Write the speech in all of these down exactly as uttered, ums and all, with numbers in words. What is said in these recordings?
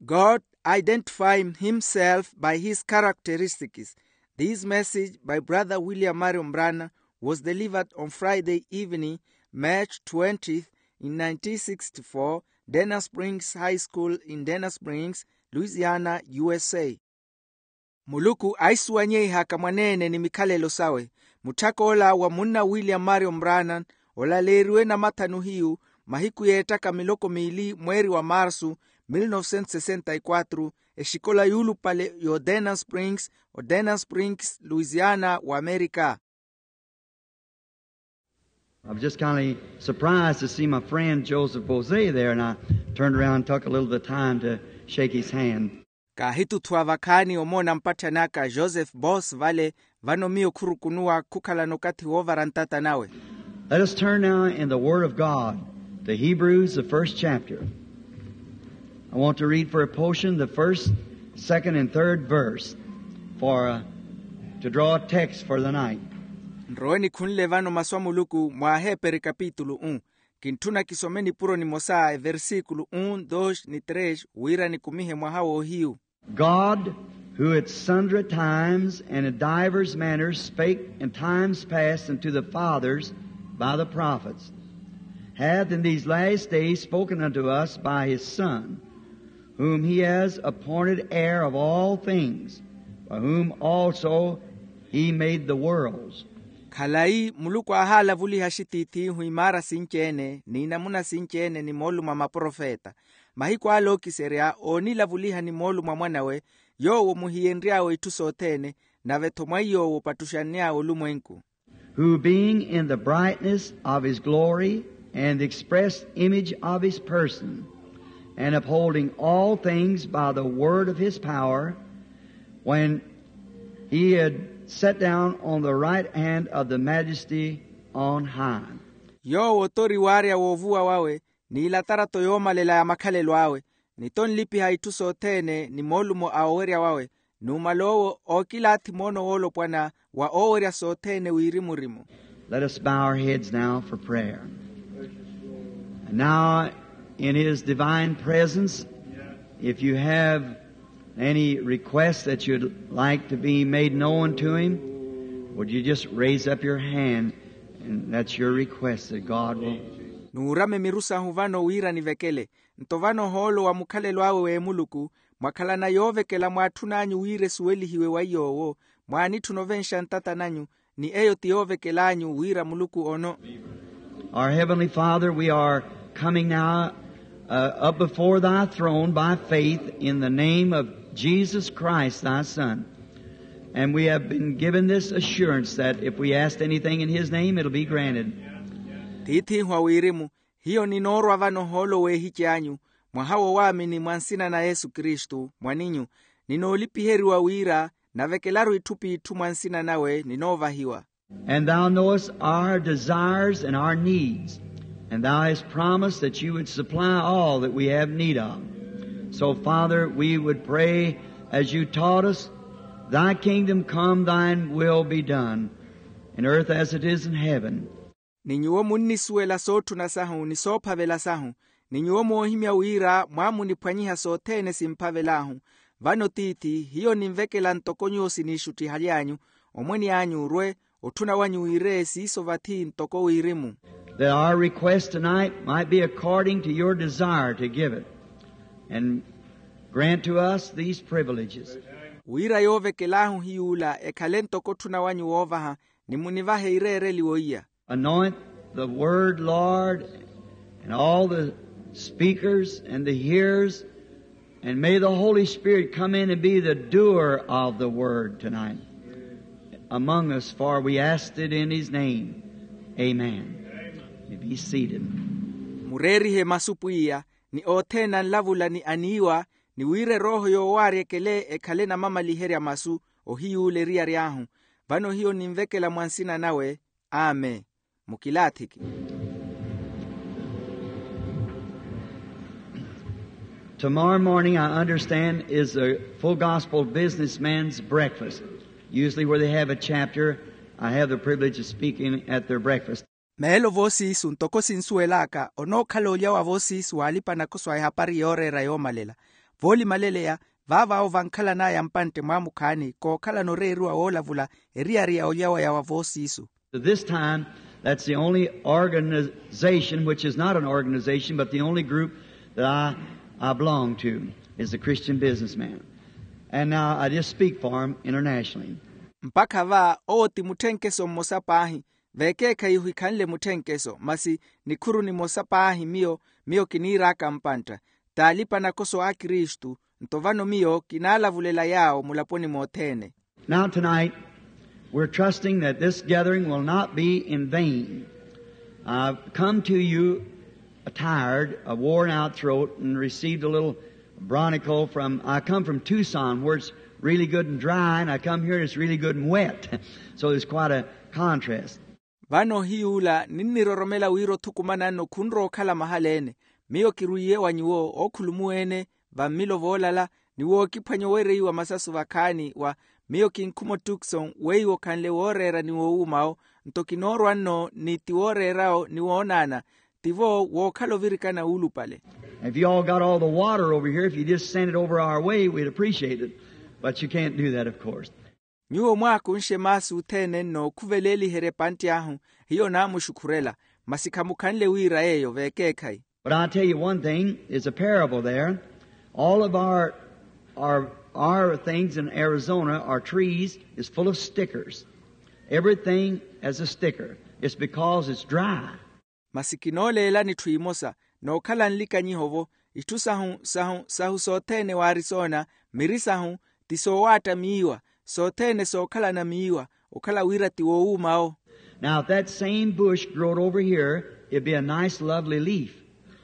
God identify himself by his characteristics. This message by Brother William Marion Branham was delivered on Friday evening, March twentieth, in nineteen sixty-four, Denham Springs High School in Denham Springs, Louisiana, U S A. Muluku aisuwanyeihaka mwaneene ni mikhalelo sawe. Mutthak'ola wa munna William Marion Branham olaleeriwe namathanu hiyu, mahiku yeettaka miloko miili mweeri wa marsu, mil novecentos sessenta y quatro, exikola yuulupale y'odenham springs, odenham springs, Louisiana, w'amerika. I was just kind of surprised to see my friend Joseph Bose there, and I turned around and took a little of the time to shake his hand. Kaahituthwa vakhaani omoona mpatthani aka Joseph Bose vale, vano miyo khurukunuwa khukhalana okathi woovara ntata nawe. Let us turn now in the Word of God to Hebrews, the first chapter. I want to read for a portion the first, second, and third verse for, uh, to draw a text for the night. Nrowe nikhunle vano masu a Muluku mwa Aheeperi kapitulu um. Kintthuna kisome nipuro nimosa, eversikulu um, dos ni tres, wira nikumihe mwaha w'ohiyu. God, who at sundry times and at divers manners spake in times past unto the fathers by the prophets, hath in these last days spoken unto us by his Son, whom he has appointed heir of all things, by whom also he made the worlds. Khalayi, Muluku aahalavuliha axitiith'ihu imaara sinci-ene n'inamuna sinci-ene ni moolumo a maprofeta. Mahiku ale ookiserya oonilavuliha ni moolumo a mwan'awe, yoowo muhiyenry'awe itthu sothene, nave-tho mwa iy'owo opattuxanny'awe olumwenku. Who being in the brightness of his glory and the express image of his person, and upholding all things by the word of his power, when he had sat down on the right hand of the majesty on high. Yoowo tori waarya woovuwa wawe, n'ilatarato yoomalela ya makhalelo awe, ni tonlipiha itthu sothene ni moolumo a owerya wawe, numala owo ookilaathi moono woolopwana wa oowerya sothene wirimu-rimu. Let us bow our heads now for prayer. And now, in his divine presence, if you have any request that you'd like to be made known to him, would you just raise up your hand, and that's your request that God will. Nuurame miru sahu vano wira nivekele. Nto vano ohoolo wa mukhalelo awe w'emuluku, mwakhalana yoovekela mwaatthun'anyu wira esuwelihiwe wa iy'owo, mwaanitthuna ovenxa ntata nanyu, ni eyo ti yoovekel'anyu wira muluku ono. Our Heavenly Father, we are coming now, uh, up before thy throne by faith in the name of Jesus Christ, thy Son. And we have been given this assurance that if we ask anything in his name, it'll be granted. Tiith'ihu a wirimu, hiyo ninoorwa vano ohoolo w'ehici anyu, mwaha wo waamini mwa nsina na yesu kristu mwaninyu, ninoolipiheriwa wira navekelaru itthu p'itthu mwa nsina nawe ninoovahiwa. And thou knowest our desires and our needs, and thou hast promised that you would supply all that we have need of. So, Father, we would pray as you taught us, thy kingdom come, thine will be done, in earth as it is in heaven. Ni nyuwo munnisuwela sootthuna sahu ni soophavela sahu, ni nyuwo moohimya wira mwaamuniphwanyiha sothene simphavel'ahu. Vano tiithi, hiyo ninvekela ntoko nyuwo siniixuttihaly'anyu, omwene anyu orwe, otthuna wanyu wiire siiso vathi ntoko wirimu. That our request tonight might be according to your desire to give it, and grant to us these privileges. Wira yoovekel'ahu hiy'ula ekhale ntoko otthuna wanyu woovaha, ni munivahe ireereliwo iya. Anoint the word, Lord, and all the speakers and the hearers, and may the Holy Spirit come in and be the doer of the word tonight among us, for we asked it in his name. Amen. You be seated. Mureerihe masu pwiya, ni othene anlavula ni aniiwa, ni wira erooho yoowaarya ekele ekhale namamaliherya masu, ohiy'ula eriyari ahu. Vano hiyo ninvekela mwa nsina nawe. Amen. Mukilaathiki. Tomorrow morning, I understand, is a Full Gospel businessman's breakfast. Usually, where they have a chapter, I have the privilege of speaking at their breakfast. Meelo voosiisu ntoko sinsuwel'aka onookhala olya wa voosiisu w'alipa-nakoso a ehapari yooreera yoomalela. Voolimaleleya, vaavaawo vankhalan'aya mpantte mwaamukhaani kookhalana oreeriwa woolavula eriyari ya olya wa yawa voosiisu. This time, that's the only organization, which is not an organization but the only group that i, I belong to, is the Christian Businessman. And now I just speak for him internationally. Mpakha va owo ti mutthenkeso mmosa paahi. Veekeekhayi ohikhanle mutthenkeso, masi nikhuru nimosa paahi miyo, miyo kiniir'aka mpantta. T'alipa-nakoso a kristu. Nto vano miyo kinaalavulela yaawo mulaponi mothene. Now tonight, we're trusting that this gathering will not be in vain. I've come to you tired, a worn out throat, and received a little bronchial from, I come from Tucson, where it's really good and dry, and I come here and it's really good and wet. So there's quite a contrast. Vano ohiy'ula ninniroromela wira othukumananno khunrowa okhala mahala-ene. Miyo kirwiiye wa nyuwo ookhulumu-ene va mmilo voolala, ni wookiphwanya owereiwa masasu vakhaani wa. Miyo kinkhuma otukson weiwo khanle wooreera ni woowuuma-wo. Nto kinoorwa-nno ni ti wooreera-wo ni woonaana. Tivo wookhala ovirikana wuulupale. If you all got all the water over here, if you just send it over our way, we'd appreciate it. But you can't do that, of course. Nyuwo mwaakunxe maasi othene nnookhuveleliherya epantte ahu, hiyo naamuxukhurela. Masi khamukhanle wira yeeyo veekeekhayi. But I'll tell you one thing, it's a parable there. All of our, our, our things in Arizona, our trees, is full of stickers. Everything has a sticker. It's because it's dry. Masi kinooleelani etthu emosa, nookhala nlikanyiho-vo. Itthu sahu sahu sahu sothene w'arisona, miri sahu ti soowaatta miiwa. Sothene sookhalana miiwa, okhala wira ti woowuuma-wo. Now if that same bush growed over here, it'd be a nice lovely leaf.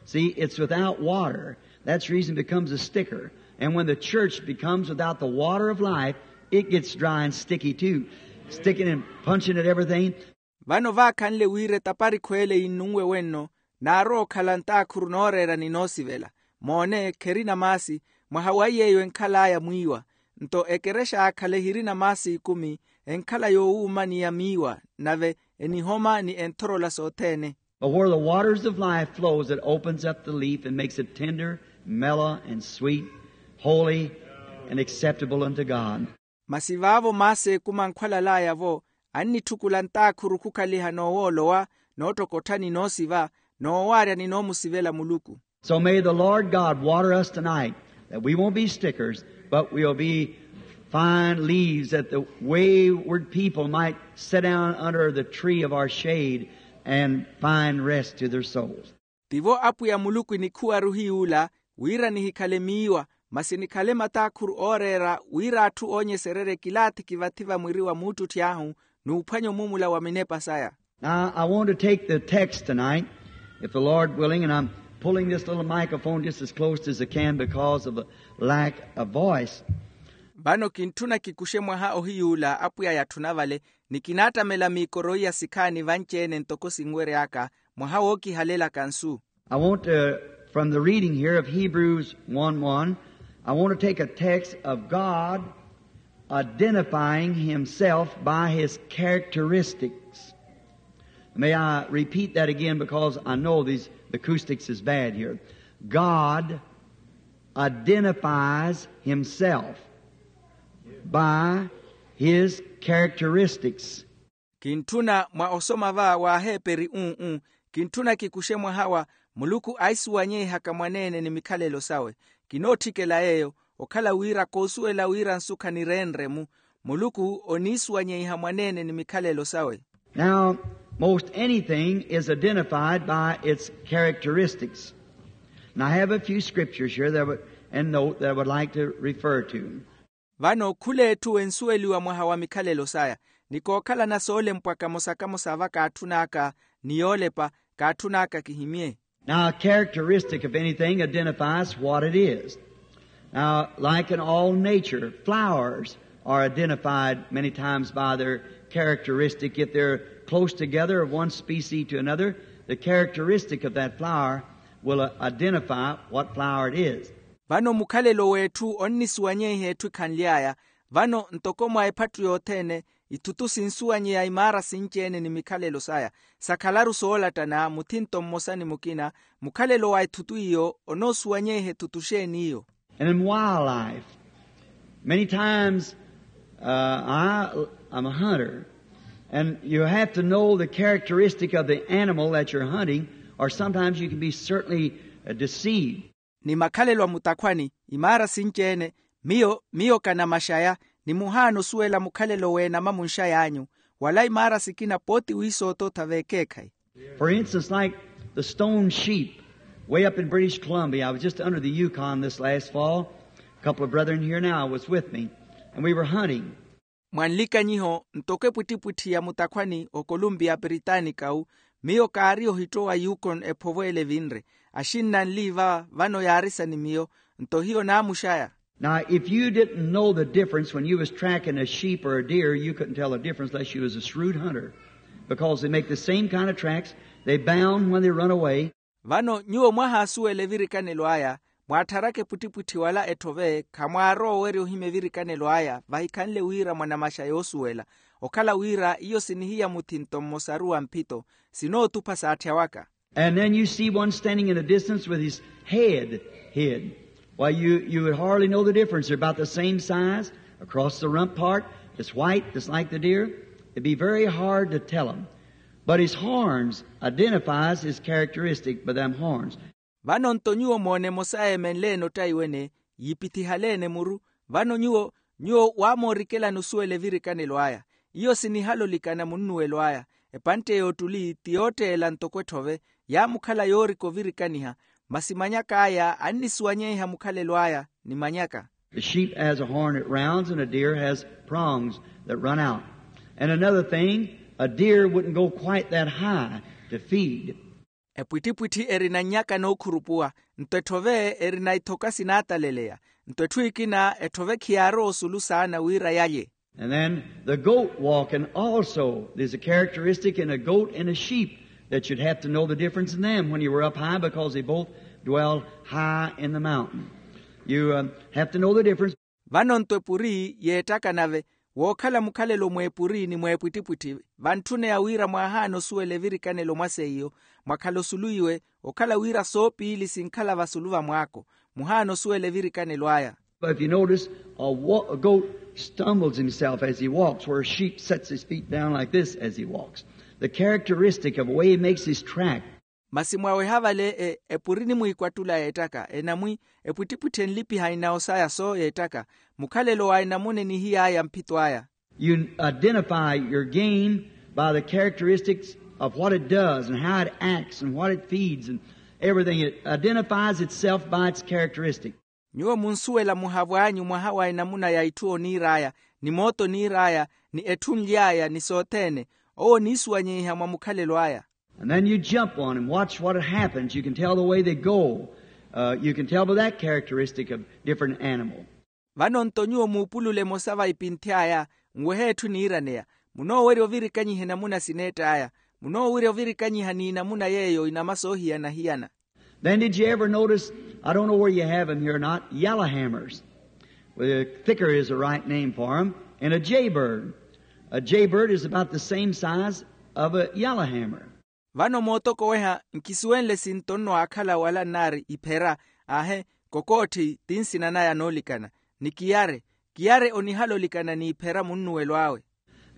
See, it's without water. That's the reason it becomes a sticker. And when the church becomes without the water of life, it gets dry and sticky too, sticking and punching at everything. Vano vaakhanle wira etaparikhu ele yinnunwe wenno, naarowa okhala ntaakhuru nooreera ni noosivela. Moone, kherina maasi. Mwaha wa iy'eyo enkhal'aya mwiiwa. Nto ekerexa yaakhale ehirina maasi ikumi, enkhala yoowuuma ni ya miiwa, nave enihoma ni enthorola sothene. But where the waters of life flows, it opens up the leaf and makes it tender, mellow, and sweet, holy, and acceptable unto God. Masi vaavo maasi ekumi ankhwalal'aya-vo, annitthukula ntaakhuru khukhaliha noowoolowa, noottokottha ni noosiva, noowaarya ni noomusivela muluku. So may the Lord God water us tonight, that we won't be stickers, but we'll be fine leaves, that the wayward people might sit down under the tree of our shade and find rest to their souls. Tivo apwiya muluku enikhuwaru hiy'ula, wira nihikhale miiwa, masi nikhale mataakhuru ooreera wira atthu oonyesererye kilaathi kivathi va mwiri wa muuttutthi ahu, n'uphwanya omuumula wa minepa saya. Now I want to take the text tonight, if the Lord willing, and I'm pulling this little microphone just as close as I can because of the lack of voice. Vano kintthuna kikuxe mwaha ohiy'ula apwiya yatthuna vale, ni kinaattamela miikoro iya sikhaani vanci-ene ntoko sinwery'aka, mwaha wookihalelaka nsu. I want to, from the reading here of Hebrews one one, I want to take a text of God identifying himself by his characteristics. May I repeat that again because I know these, the acoustics is bad here. God identifies himself by his characteristics. Kintthuna mwa osoma va w'aheeperi uu, kintthuna kikuxe mwaha wa muluku aisuwanyeihaka mwaneene ni mikhalelo sawe. Kinootthikela yeeyo, okhala wira koosuwela wira nsu khanireenrye-mu. Muluku oniisuwanyeiha mwaneene ni mikhalelo sawe. Now most anything is identified by its characteristics. And I have a few scriptures here that I would, and note that I would like to refer to. Vano khul'etthu ensuweliwa mwaha wa mikhalelo saya. Ni kookhalana soolempwa kamosa kamosa va kaatthun'aka, ni yoolepa kaatthun'aka kihimye. Now a characteristic of anything identifies what it is. Now like in all nature, flowers are identified many times by their characteristic. If they're close together of one species to another, the characteristic of that flower will identify what flower it is. Vano mukhalelo w'etthu onnisuwanyeiha etthu ekhanly'aya. Vano ntoko mwa ephattu yothene, ithutu sinsuwanyeya imaara sinci-ene ni mikhalelo saya. Sakhalaru soolattana muthinto mmosa ni mukina. Mukhalelo wa ithutu iyo onoosuwanyeiha ethutu xeeni iyo? And in wildlife, many times, uh, I, I'm a hunter, and you have to know the characteristic of the animal that you're hunting, or sometimes you can be certainly, uh, deceived. Ni makhalelo a mutakhwani, imaara sinci-ene, miyo miyo kanamaxaya, ni muhaana osuwela mukhalelo w'enama munxay'anyu, wala imaara sikina pooti wiisootootha v'ekeekhayi. For instance, like the stone sheep way up in British Columbia. I was just under the Yukon this last fall. A couple of brethren here now was with me, and we were hunting. Mwa nlikanyiho, ntoko epwittipwitthi ya mutakhwani okolumpiya piritaanikawu, miyo kaari ohittowa yukon ephovweele evinre. Axinna anli va vano yaarisa ni miyo, nto hiyo naamuxaya. Now, if you didn't know the difference when you was tracking a sheep or a deer, you couldn't tell the difference unless you was a shrewd hunter, because they make the same kind of tracks. They bound when they run away. Vano nyuwo mwahaasuwela evirikanelo aya, mwaattharaka epwittipwitthi wala etthove, khamwaarowa owerya ohimya evirikanelo aya vahikhanle wira mwanamaxa yoosuwela. Okhala wira iyo sinihiya muthi nto mmosaru wa mphito, sinootupha saatthyawaka. And then you see one standing in the distance with his head hid. Why, you, you would hardly know the difference. They're about the same size. Across the rump part, it's white, just like the deer. It'd be very hard to tell 'em. But his horns identifies his characteristic by them horns. Vano nto nyuwo moona emosa eemenle-ene ottaiwene, yiipithihale-ene muru. Vano nyuwo nyuwo waamoorikelani osuwela evirikanelo aya. Iyo sinihalolikana munnuwelo aya. Epantte y'ottuli ti yootteela ntoko etthove, yaamukhala yoorika ovirikaniha, masi manyak'aya annisuwanyeiha mukhalelo aya ni manyaka. The sheep has a horn that rounds, and a deer has prongs that run out. And another thing, a deer wouldn't go quite that high to feed. Epwittipwitthi erina nnyaka nookhurupuwa, nto etthove erina ithoka sinaataleleya. Nto etthu ekina etthove khiyaarowa osulu saana wira yalye. And then the goat walking also. There's a characteristic in a goat and a sheep that you'd have to know the difference in them when you were up high, because they both dwell high in the mountain. You, uh, have to know the difference. Vano nto epuri yeettaka nave, wookhala mukhalelo mw'epuri ni mw'epwittipwitthi, vantthuneya wira mwaahaana osuwela evirikanelo mwa seiyo, mwakhala osulu iwe, okhala wira soopiili sinkhala vasulu va mwaako, muhaana osuwela evirikanelo aya. But if you notice, a, wa- a goat stumbles himself as he walks, where a sheep sets his feet down like this as he walks. The characteristic of the way he makes his track. Masi mwaweha vale e, epuri nimwiikwattula yeettaka, enamwi epwittipwitthi enlipiha inawo saya so yeettaka, mukhalelo wa enamuna enihiy'aya mphito aya. You identify your game by the characteristics of what it does and how it acts and what it feeds and everything. It identifies itself by its characteristic. Nyuwo munsuwela muhavo anyu mwaha wa enamuna ya itthu oniir'aya, ni mooto oniir'aya, ni etthu nly'aya ni sothene. Owo oniisuwanyeiha mwa mukhalelo aya. And then you jump on and watch what happens. You can tell the way they go. Uh, you can tell by that characteristic of different animal. Vano nto nyuwo muupulule emosa va ipinthi aya, nwehe etthu eniiraneya. Munoowerya ovirikanyiha enamuna sineett'aya. Munoowerya ovirikanyiha n'inamuna yeeyo inama soohiyana-hiyana. Then did you ever notice, I don't know where you have 'em here or not, yellowhammers? Well, a thicker is the right name for 'em, and a jaybird. A jaybird is about the same size of a yellowhammer. Vano mootokoweha, nkisuwenle sinto nno aakhala wala nnaari iphera. Aahe, kokootthi ti nsina naya noolikana. Ni kiyare, kiyare onihala olikana n'iphera munnuwelo awe.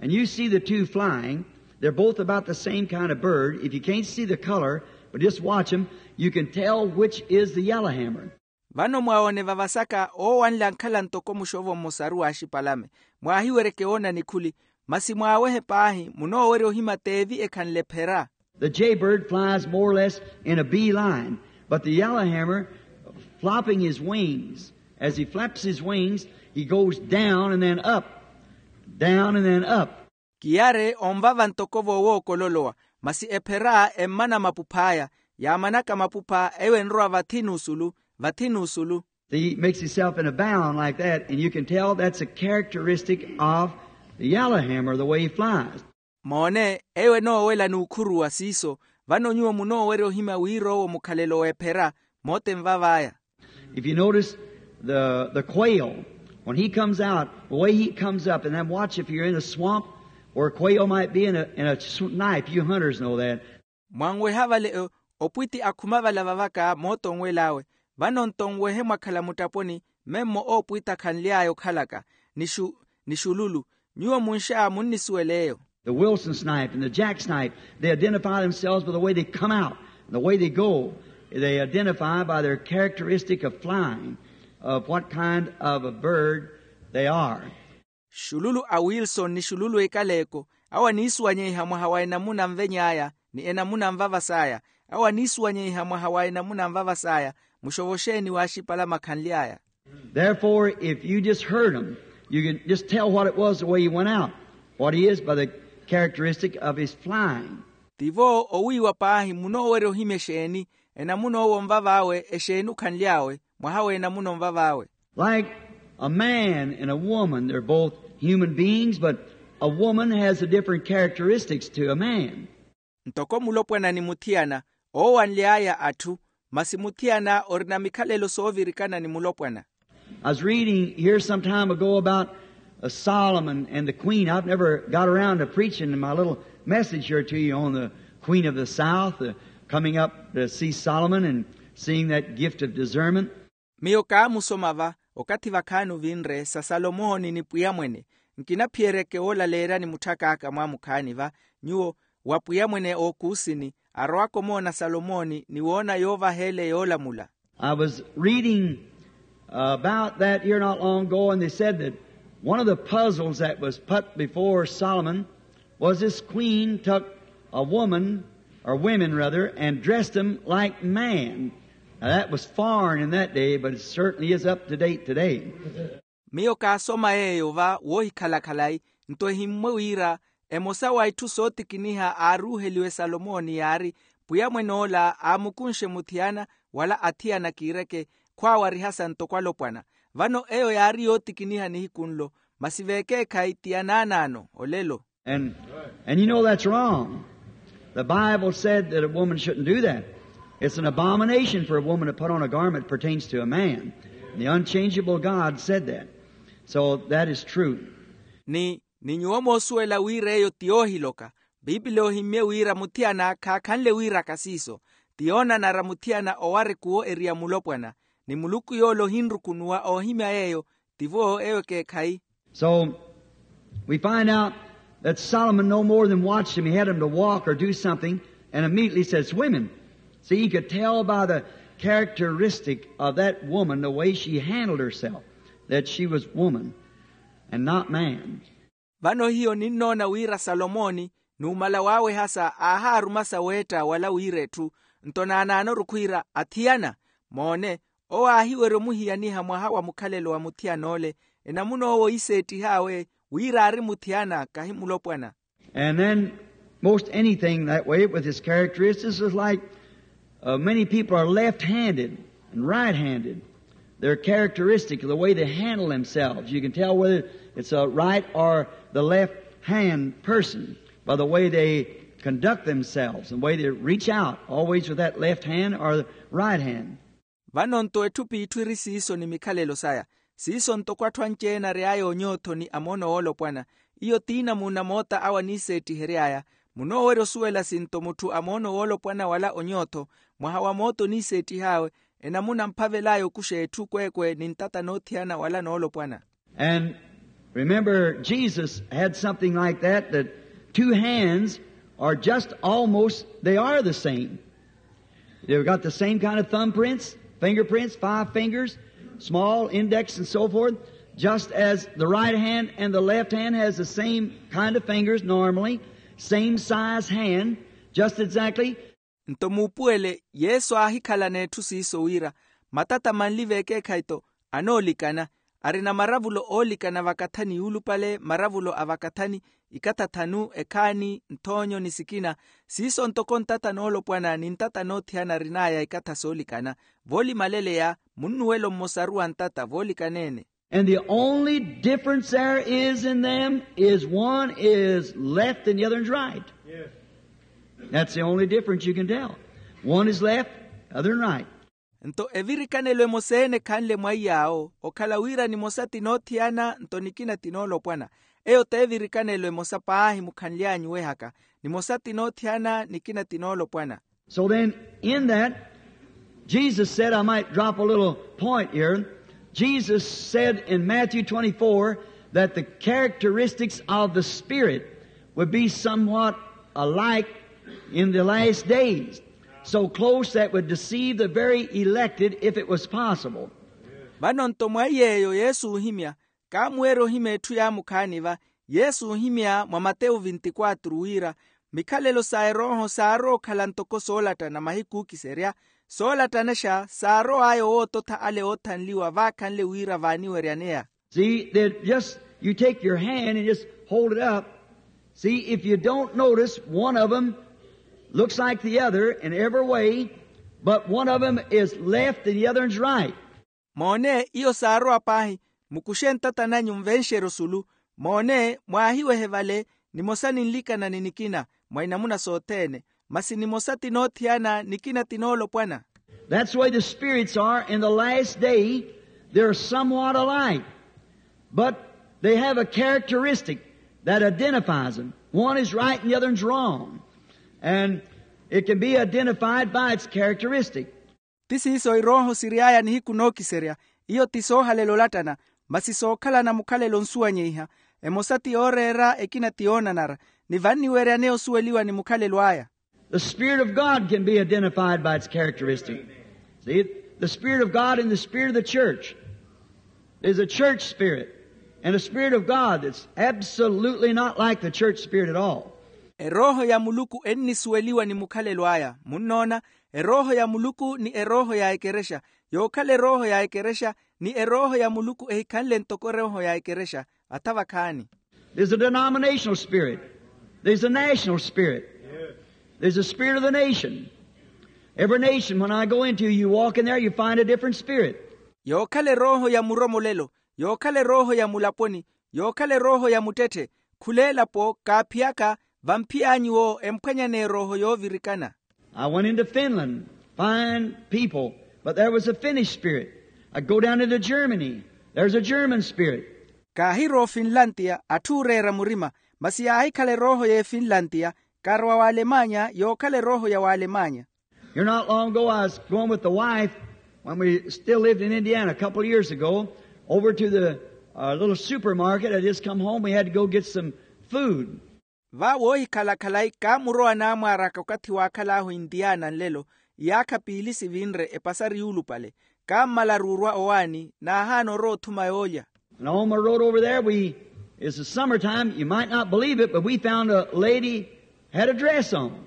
And you see the two flying. They're both about the same kind of bird. If you can't see the color, but just watch 'em, you can tell which is the yellowhammer. Vano mwawoone vavasaka oowanle ankhala ntoko muxovo mmosaru w'axipalame. Mwaahiweryeke woona nikhuli, masi mwaawehe paahi munoowerya ohima t'evi ekhanle ephera. The jaybird flies more or less in a bee line, but the yellowhammer, flopping his wings, as he flaps his wings, he goes down and then up, down and then up. Kiyare onvava ntoko voowookololowa, masi ephera emmana mapuph'aya. Yaamanaka mapupha eyo enrowa vathi n'usulu, vathi n'usulu. He makes himself in a bound like that, and you can tell that's a characteristic of the yellowhammer, the way he flies. Moone, eyo enoowela n'ukhuruwa siiso. Vano nyuwo munoowerya ohimya wira owo mukhalelo w'ephera, moota envav'aya. If you notice the, the quail, when he comes out, the way he comes up, and then watch if you're in a swamp where a quail might be in a, in a snipe, you hunters know that. Mwanweha vale o- opwitti akhuma vala vavaka moota onwel'awe. Vano nto nwehe mwakhala mutthaponi, Memmo oopwitta khanly'aya okhalaka ni xu- ni xululu. Nyuwo munxa munnisuwela eyo. The Wilson snipe and the jack snipe, they identify themselves by the way they come out, the way they go. They identify by their characteristic of flying, of what kind of a bird they are. Xululu a wilson ni xululu ekaleeko, awo aniisuwanyeiha mwaha wa enamuna anveny'aya ni enamuna anvavas'aya. Awo aniisuwanyeiha mwaha wa enamuna anvavas'aya. Muxovo xeeni waaxipala makhanle aya? Therefore, if you just heard him, you can just tell what it was the way he went out, what he is by the characteristic of his flying. Tivo owiiwa paahi munoowerya ohimya exeeni, enamuna owo onvav'awe exeeni okhanly'awe, mwaha w'enamuna onvav'awe. Like a man and a woman, they're both human beings, but a woman has a different characteristics to a man. Ntoko mulopwana ni muthiyana, oowanly'aya atthu, masi muthiyana orina mikhalelo soovirikana ni mulopwana. I was reading here some time ago about uh, Solomon and the Queen. I've never got around to preaching my little message here to you on the Queen of the South, uh, coming up to see Solomon and seeing that gift of discernment. Miyo kaamusoma va, okathi vakhaani ovinre sa salomooni ni pwiya mwene. Nkinaphiyeryeke woolaleerya ni mutthak'aka mwaamukhaani va, nyuwo wa pwiya mwene ookuusini, arowaka omoona salomooni ni woona yoovaha ele yoolamula. I was reading uh, about that here not long ago, and they said that one of the puzzles that was put before Solomon was this queen took a woman, or women rather, and dressed them like man. Now, that was foreign in that day, but it certainly is up to date today. Miyo kaasoma yeeyo va woohikhala khalayi, nto ehimmwe wira emosa wa itthu sootikiniha aaruuheliwe salomooni yaari, pwiya mwen'ola aamukunxe muthiyana wala athiyana kiireke, khwaawarihasa ntoko alopwana. Vano eyo yaari yootikiniha nihiku nlo, masi veekeekhayi ti yanaanaano olelo. And, and you know that's wrong. The Bible said that a woman shouldn't do that. It's an abomination for a woman to put on a garment that pertains to a man. The unchangeable God said that. So that is true. Ni ni nyuwo moosuwela wira eyo ti yoohiloka. Piipili ohimmye wira muthiyana khaakhanle wiiraka siiso. Ti yoonanara muthiyana owarikuwo eriya mulopwana, ni muluku yoole ohinrukunuwa oohimya yeeyo. Tivo eyo ekeekhayi. So we find out that Solomon no more than watched him. He had him to walk or do something, and immediately says, "Women." See, he could tell by the characteristic of that woman, the way she handled herself, that she was woman and not man. Vano hiyo ninnoona wira salomooni numala waawehasa aahaarumasa weetta wala wiira etthu. Nto naanaanoru khwiira athiyana, moone, owo aahiwerya omuhiyaniha mwaha wa mukhalelo wa muthiyan'ole. Enamuna owo iseettih'awe wira aari muthiyana kahi mulopwana. And then most anything that way with his characteristics is like uh, many people are left-handed and right-handed. Their characteristic, the way they handle themselves, you can tell whether it's a right or the left hand person by the way they conduct themselves and the way they reach out, always with that left hand or the right hand. Vano nto etthu p'itthu eri siiso ni mikhalelo saya. Siiso ntoko atthu anci-ene ary'aya onyootho ni amoono woolopwana. Iyo t'inamuuna moota awo aniiseettihery'aya. Munoowerya osuwela sinto mutthu amoono woolopwana wala onyootho, mwaha wa moota oniiseettih'awe, enamuna amphavel'aya okuxa etthu kweekwe ni ntata noothiyana wala noolopwana. And remember, Jesus had something like that, that two hands are just almost, they are the same. They've got the same kind of thumbprints, fingerprints, five fingers, small index and so forth, just as the right hand and the left hand has the same kind of fingers normally, same size hand, just exactly. Nto muupuwele, yesu aahikhalana etthu siiso wira matata manli v'ekeekhayi-tho, anoolikana, arina maravulo oolikana vakathani yuulupale maravulo a vakathani, ikatha thanu, ekhaani, nthoonyo ni sikina. Siiso ntoko ntata noolopwana ni ntata noothiyana arin'aya ikatha soolikana. Voolimaleleya, munnuwelo mmosaru wa ntata voolikana-ene. And the only difference there is in them is one is left and the other is right. That's the only difference you can tell. One is left, the other is right. Nto evirikanelo emosa-ene ekhanle mwa iy'awo, okhala wira nimosa ti noothiyana nto nikina ti noolopwana. Eyo t'evirikanelo emosa paahi mukhanly'anyu wehaka, nimosa ti noothiyana nikina ti noolopwana. So then, in that, Jesus said, I might drop a little point here, Jesus said in Matthew twenty-four that the characteristics of the Spirit would be somewhat alike in the last days, so close that would deceive the very elected if it was possible. Vano-nto mwa iy'eyo yesu oohimya, kaamuweerya ohimya etthu yaamukhaani va. Yesu oohimya mwa matewu vinti-quatro wira, mikhalelo sa erooho saarowa okhala ntoko soolattana mahiku ookiserya, soolattanexa saarow'aya owoototha ale oothanliwa vaakhanle wira vaaniweryaneya. See, they just, you take your hand and just hold it up. See, if you don't notice, one of them looks like the other in every way, but one of them is left and the other one's right. Moone, iyo saarowa paahi. Mukuxe ntata nanyu nvenxerye osulu. Moone, mwaahiwehe vale, nimosa ninlikana ni nikina mwa inamuna sothene, masi nimosa ti noothiyana, nikina ti noolopwana. That's the way the spirits are in the last day. They're somewhat alike, but they have a characteristic that identifies them. One is right and the other one's wrong. And it can be identified by its characteristic. Ti siiso irooho siry'aya nihiku nookiserya. Iyo ti soohalela olattana, masi sookhalana mukhalelo onsuwanyeiha. Emosa ti yooreera, ekina ti yoonanara. Ni vanniweryaneya osuweliwa ni mukhalelo aya. The Spirit of God can be identified by its characteristic. See, the Spirit of God and the Spirit of the church. There's a church spirit and a Spirit of God that's absolutely not like the church spirit at all. Erooho ya muluku ennisuweliwa ni mukhalelo aya, munnoona. Erooho ya muluku ni erooho ya ekerexa. Yookhala erooho ya ekerexa ni erooho ya muluku ehikhanle ntoko erooho ya ekerexa. Atha vakhaani. There's a denominational spirit. There's a national spirit. There's a spirit of the nation. Every nation, when I go into, you walk in there, you find a different spirit. Yookhala erooho ya muromolelo, yookhala erooho ya mulaponi, yookhala erooho ya muttetthe. Khula elapo kaaphiyaka, vamphiy'anyu wo emphwanyaneya erooho yoovirikana. I went into Finland, fine people, but there was a Finnish spirit. I go down into Germany, there's a German spirit. Kaahirowa ofinlantiya, atthu ooreera murima, masi yaahikhala erooho y'efinlantiya. Kaarowa w'alemanya, yookhala erooho ya w'alemanya. Here not long ago, I was going with the wife when we still lived in Indiana a couple of years ago, over to the uh, little supermarket. I just come home. We had to go get some food. Va woohikhala khalayi, kaamurowa naamwaar'aka okathi waakhal'ahu intiyana nlelo, iyaakha piili sivinre epasari yuulupale. Kaammalaru orwa owaani, naahaana orowa othuma yoolya. And on my road over there, we, it's the summertime, you might not believe it, but we found a lady had a dress on.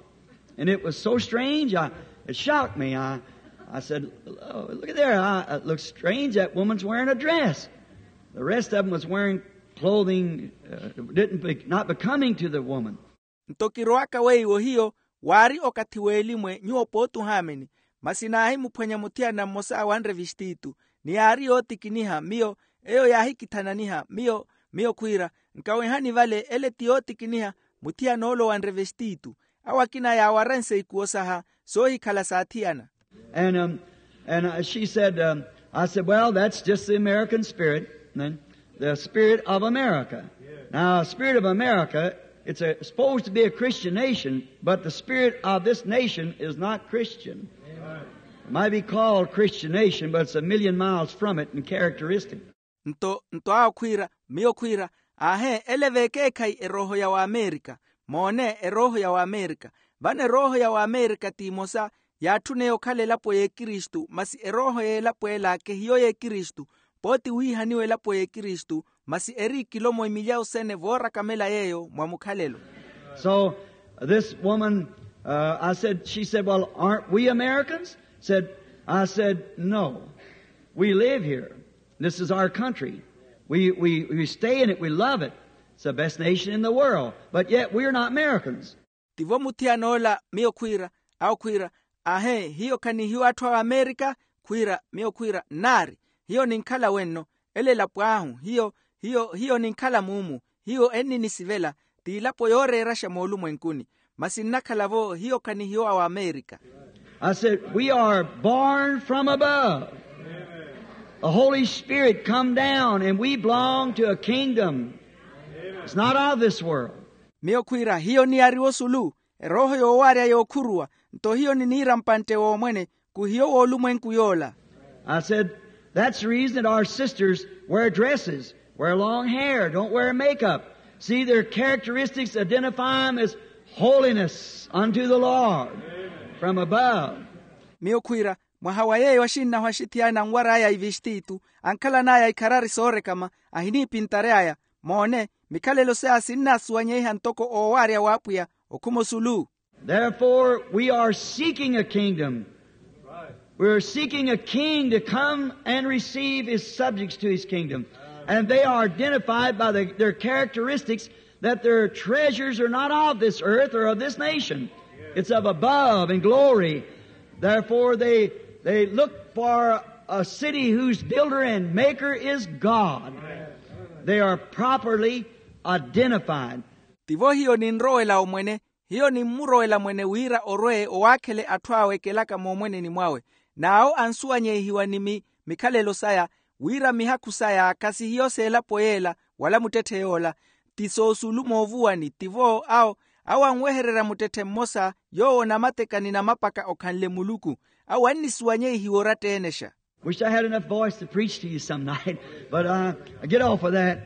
And it was so strange, I, it shocked me. I, I said, "Oh, look at there, I, it looks strange, that woman's wearing a dress." The rest of them was wearing clothing uh, didn't be, not becoming to the woman. Nto kirowaka weiwo hiyo, waari okathi w'elimwe nyuwo pooti ohaamini. Masi naahimuphwanya muthiyana mmosa wanre vistiitu, ni yaari yootikiniha miyo, eyo yaahikithananiha miyo. Miyo khwiira, nkawehani vale, ele ti yootikiniha. Muthiyana ole owanre vistiitu, awo akina yaawaranse ikuwo saha soohikhala saathiyana. And, um, and uh, she said, um, I said, "Well, that's just the American spirit, then, the spirit of America." Now, spirit of America, it's a, supposed to be a Christian nation, but the spirit of this nation is not Christian. It might be called Christian nation, but it's a million miles from it in characteristic. Nto nto awo khwiira, miyo khwiira, aahe, ele v'ekeekhayi erooho ya w'amerika. Moone, erooho ya w'amerika. Vano erooho ya w'amerika t'imosa, yaatthuneya okhala elapo y'ekristu, masi erooho y'elapo ela kehiyo y'ekristu. Pooti wiihaniwa elapo y'ekristu, masi eri ikilomo imilya osene voorakamela yeeyo mwa mukhalelo. So this woman, uh, I said, she said, "Well, aren't we Americans?" Said, I said, "No, we live here. This is our country. We, we, we stay in it. We love it. It's the best nation in the world. But yet we're not Americans." Tivo muthiyana ola, miyo khwiira, awo khwiira, ahe, hiyo khanihiwa atthu a amerika? Khwiira, miyo khwiira, nnaari, hiyo ninkhala wenno. Ele elapo ahu, hiyo hiyo hiyo ninkhala muumu. Hiyo enninisivela, t'ilapo yooreeraxa moolumwenkuni. Masi nnakhala-vo hiyo khanihiwa wa amerika. I said, "We are born from above. The Holy Spirit come down, and we belong to a kingdom. It's not of this world." Miyo khwiira, hiyo niyariwa osulu, erooho yoowaarya yookhuruwa. Nto hiyo niniira mpantte w'omwene, khuhiyo w'olumwenku yoola. I said, That's the reason that our sisters wear dresses, wear long hair, don't wear makeup. See, their characteristics identify them as holiness unto the Lord from above. Miyo khwiira, mwaha wa yeeyo axinnahu axithiyana anwar'aya ivistiitu, ankhalan'aya ikharari soorekama, ahiniipintary'aya. Moone, mikhalelo saya sinnaasuwanyeiha ntoko oowaarya w'apwiya okhuma osulu. Therefore, we are seeking a kingdom. We are seeking a king to come and receive his subjects to his kingdom. And they are identified by the, their characteristics, that their treasures are not of this earth or of this nation. It's of above in glory. Therefore, they, they look for a city whose builder and maker is God. They are properly identified. Tivo hiyo ninrowela omwene, hiyo nimmurowela mwene wira orwe owaakhele atthu awe ekelaka moomweneni mwawe. N'awo ansuwanyeihiwa ni mi mikhalelo saya, wira mihakhu saya khasihiyo s'elapo yeela, wala muttetthe yoola. Ti soosulu moovuwani tivo awo, awo anwehererya muttetthe mmosa, yoowo onamateka ni namapaka okhanle muluku. Awo annisuwanyeihiwa oratta-enexa. Wish I had enough voice to preach to you some night, but uh, I get off of that.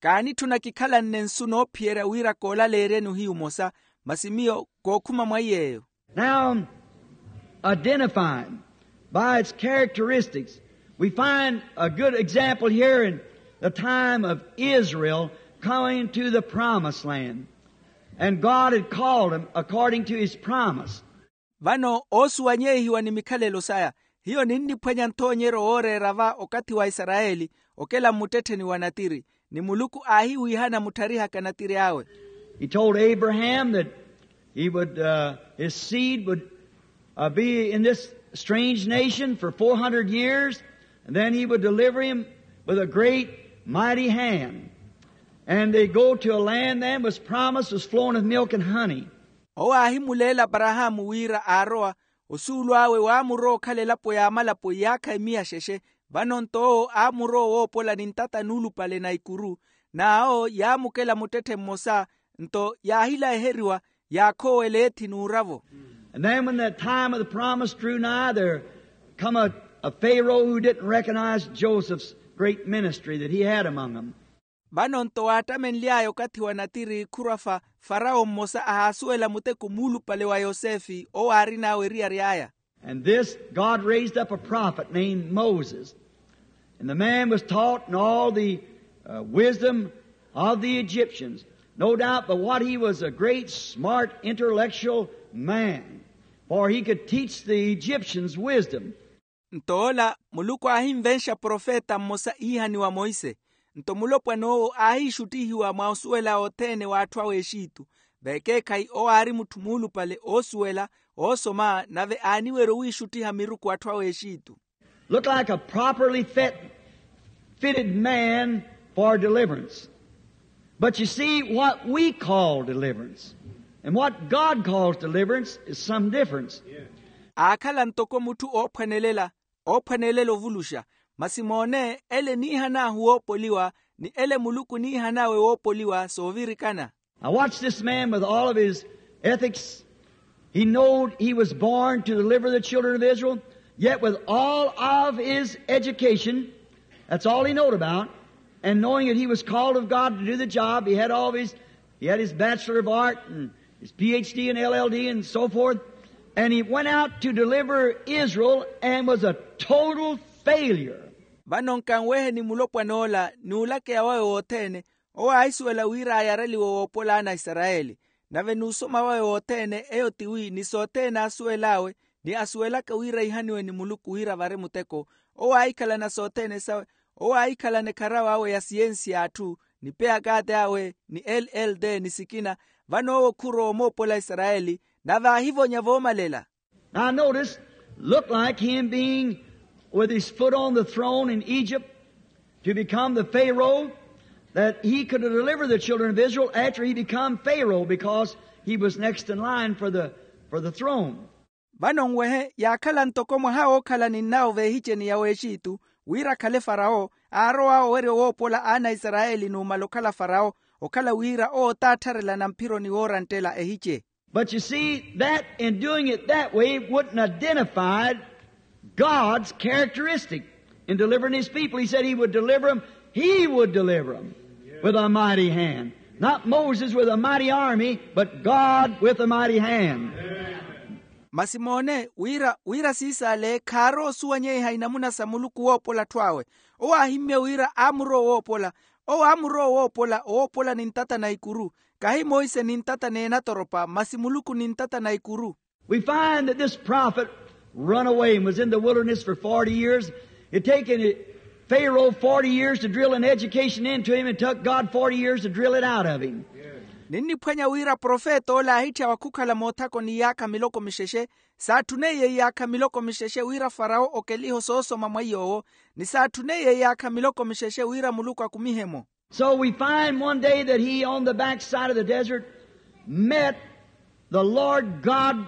Kaanitthuna kikhalanne nsu noophiyerya wira koolaleeryeni ohiyu omosa, masi miyo kookhuma mwa iy'eyo. Now, identified by its characteristics, we find a good example here in the time of Israel coming to the promised land. And God had called them according to his promise. Vano oosuwanyeihiwa ni mikhalelo saya, hiyo ninniphwanya nthoonyeryo wooreera va okathi wa isarayeli, okela mmuttettheni wa natiri, ni muluku aahiwiihana mutthariha ka natiri awe. He told Abraham that he would, uh, his seed would uh, be in this strange nation for four hundred years, and then he would deliver him with a great, mighty hand. And they go to a land then was promised, was flowing with milk and honey. Owo aahimuleela aparahaamu wira aarowa, osuulu awe waamurowa okhala elapo y'amalapo iyaakha emiya xexe. Vano-nto owo aamurowa owoopola ni ntata nuulupale na ikuru, n'awo yaamukela muttetthe mmosa, nto yaahilaheriwa, yaakhoowela eethi n'uravo. And then when the time of the promise drew nigh, there come a, a Pharaoh who didn't recognize Joseph's great ministry that he had among them. Vano-nto waattamenly'aya okathi wa natiri khurwa-fa, farawo mmosa ahaasuwela muteko muulupale wa yosefe owo aarin'awe eriyari aya. And this God raised up a prophet named Moses. And the man was taught in all the uh, wisdom of the Egyptians. No doubt but what he was a great, smart, intellectual man, for he could teach the Egyptians wisdom. Nto ola muluku aahinvenxa profeta mmosa iihaniwa monse. Nto mulopwan'owo aahiixuttihiwa mwa osuwela othene w'atthu a w'exitu. Vekeekhayi owo aari mutthu muulupale oosuwela, oosoma nave aaniwerya owiixuttiha miruku atthu a w'exitu. Look like a properly fit, fitted man for deliverance. But you see, what we call deliverance and what God calls deliverance is some difference. Aakhala ntoko mutthu oophwanelela, oophwanelela ovuluxa, masi moone ele eniihan'ahu woopoliwa, ni ele muluku eniihan'awe woopoliwa soovirikana. Now watch this man with all of his ethics. He knowed he was born to deliver the children of Israel, yet with all of his education, that's all he knowed about, and knowing that he was called of God to do the job, he had all of his, he had his Bachelor of Art and his P H D and L L D and so forth, and he went out to deliver Israel and was a total failure. Vano nkanweheni mulopwan'ola n'ulakeya wawe wothene, owo aahisuwela wira ayareliwe woopola ana a isarayeli. Nave n'usoma wawe wothene eyo tiwi ni sothene aasuwel'awe, ni asuwelaka wira ihaniwe ni muluku wira avari muteko. Owo aahikhalana sothene sawe, owo aahikhalana ekharawe awe ya siyensi y'atthu, ni peyakaate awe ni l l d ni sikina. Vano owo khurowa omoopola isarayeli, nave aahivonya voomalela. Now notice, looked like him being with his foot on the throne in Egypt to become the Pharaoh, that he could deliver the children of Israel after he become Pharaoh because he was next in line for the, for the throne. Vano nwehe yaakhala ntoko mwaha wookhala ninnawo v'ehiceni ya w'exitu, wira akhale farawo, aarowa owerya owoopola ana a isarayeli numala okhala farawo, okhala wira owo taattharelana mphironi wooranttela ehice. But you see, that in doing it that way wouldn't identify God's characteristic In delivering his people, he said he would deliver them. He would deliver them with a mighty hand. Not Moses with a mighty army, but God with a mighty hand. Masi moone wira wira siisaale khaaroosuwanyeiha inamuna sa muluku woopola atthu awe. Owo aahimmye wira aamurowa owoopola. Owo aamurowa owoopola owoopola ni ntata na ikuru. Kahi monse ni ntata n'enatoropa masi muluku ni ntata na ikuru. We find that this prophet run away and was in the wilderness for forty years. It taken Pharaoh forty years to drill an education into him and took God forty years to drill it out of him. Ninniphwanya wira profeta ole aahitthya wakhukhala moothakoni iyaakha miloko mixexe. Saatthuneiye iyaakha miloko mixexe wira farawo okeliho soosoma mwa iy'owo. Ni saatthuneiye iyaakha miloko mixexe wira muluku akumihe-mo. So we find one day that he on the backside of the desert met the Lord God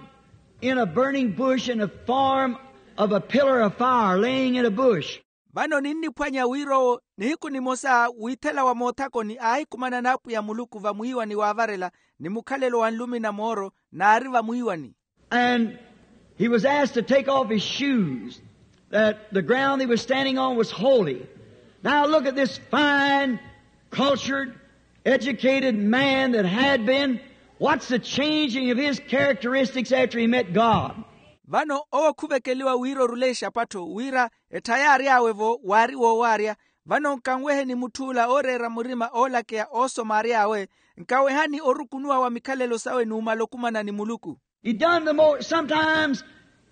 in a burning bush in the form of a pillar of fire laying in a bush. Vano ninniphwanya wira owo nihiku nimosa wiithela wa moothakoni aahikumana n'apwiya muluku vamwiiwani waavarela ni mukhalelo wa nlumi na mooro naari vamwiiwani. And he was asked to take off his shoes, that the ground he was standing on was holy. Now look at this fine, cultured, educated man that had been. What's the changing of his characteristics after he met God? Vano owo khuvekeliwa wira orule exapattho wira etthaya aary'awe-vo waari woowaarya. Vano nkanweheni mutth'ula ooreera murima oolakeya oosoma aary'awe. Nkawehani orukunuwa wa mikhalelo sawe numala okumana ni muluku. He done the most. Sometimes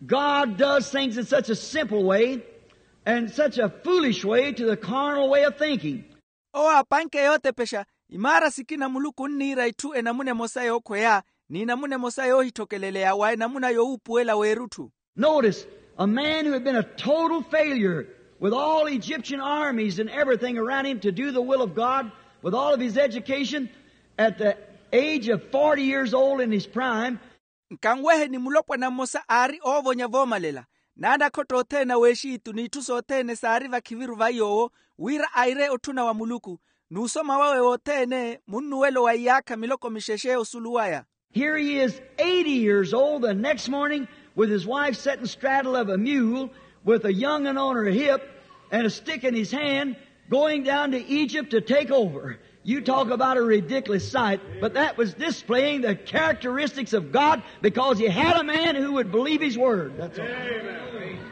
God does things in such a simple way and such a foolish way to the carnal way of thinking. Owo aapanke yootepexa imaara sikina muluku onniira itthu enamuna emosa yookhweya n'inamuna emosa yoohittokeleleya wa enamuna yowuupuwela w'erutthu. Notice, a man who had been a total failure with all Egyptian armies and everything around him to do the will of God, with all of his education, at the age of forty years old in his prime. Nkanweheni mulopwana mmosa aari oovonya voomalela n'anakhotto othene a w'exitu n'itthu sothene saari vakhiviru va iy'owo wira aire otthuna wa muluku n'usoma wawe wothene munnuwelo wa iyaakha miloko mixexe osulu waya. Here he is, eighty years old, the next morning, with his wife sitting straddle of a mule, with a young'un on her hip, and a stick in his hand, going down to Egypt to take over. You talk about a ridiculous sight, but that was displaying the characteristics of God because he had a man who would believe his word. That's all.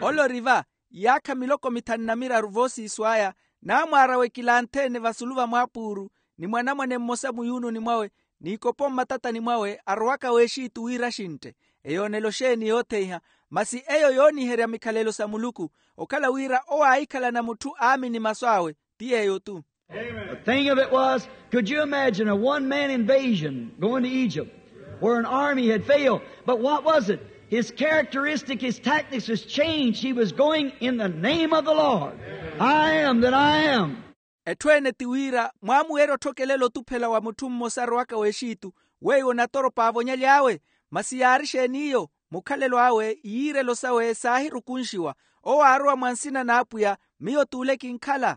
Oloriva iyaakha miloko mithanu na miraru voosiiso aya naamwaara wekilanthe-ene vasulu va mwaapuuru ni mwanamwane mmosa muyuununi mwawe n'ikopo mmatatani mwawe arowaka w'exitu wira axintte. Eyoonelo xeeni yootheiha? Masi eyo yooniherya mikhalelo sa muluku okhala wira owo aahikhalana mutthu aamini masu awe. Ti yeeyo-tu. The thing of it was, could you imagine a one-man invasion going to Egypt where an army had failed? But what was it? His characteristic, his tactics was changed. He was going in the name of the Lord. I am that I am. Etthu ene ti wira mwaamuweerya otthokelela otuphela wa mutthu mmosa arowaka w'exitu weiwo natoropa aavonyaly'awe. Masi yaari xeeni iyo? Mukhalelo awe iyiirelo sawe saahirukunxiwa. Owo aarowa mwa nsina n'apwiya miyo t'ule kinkhala.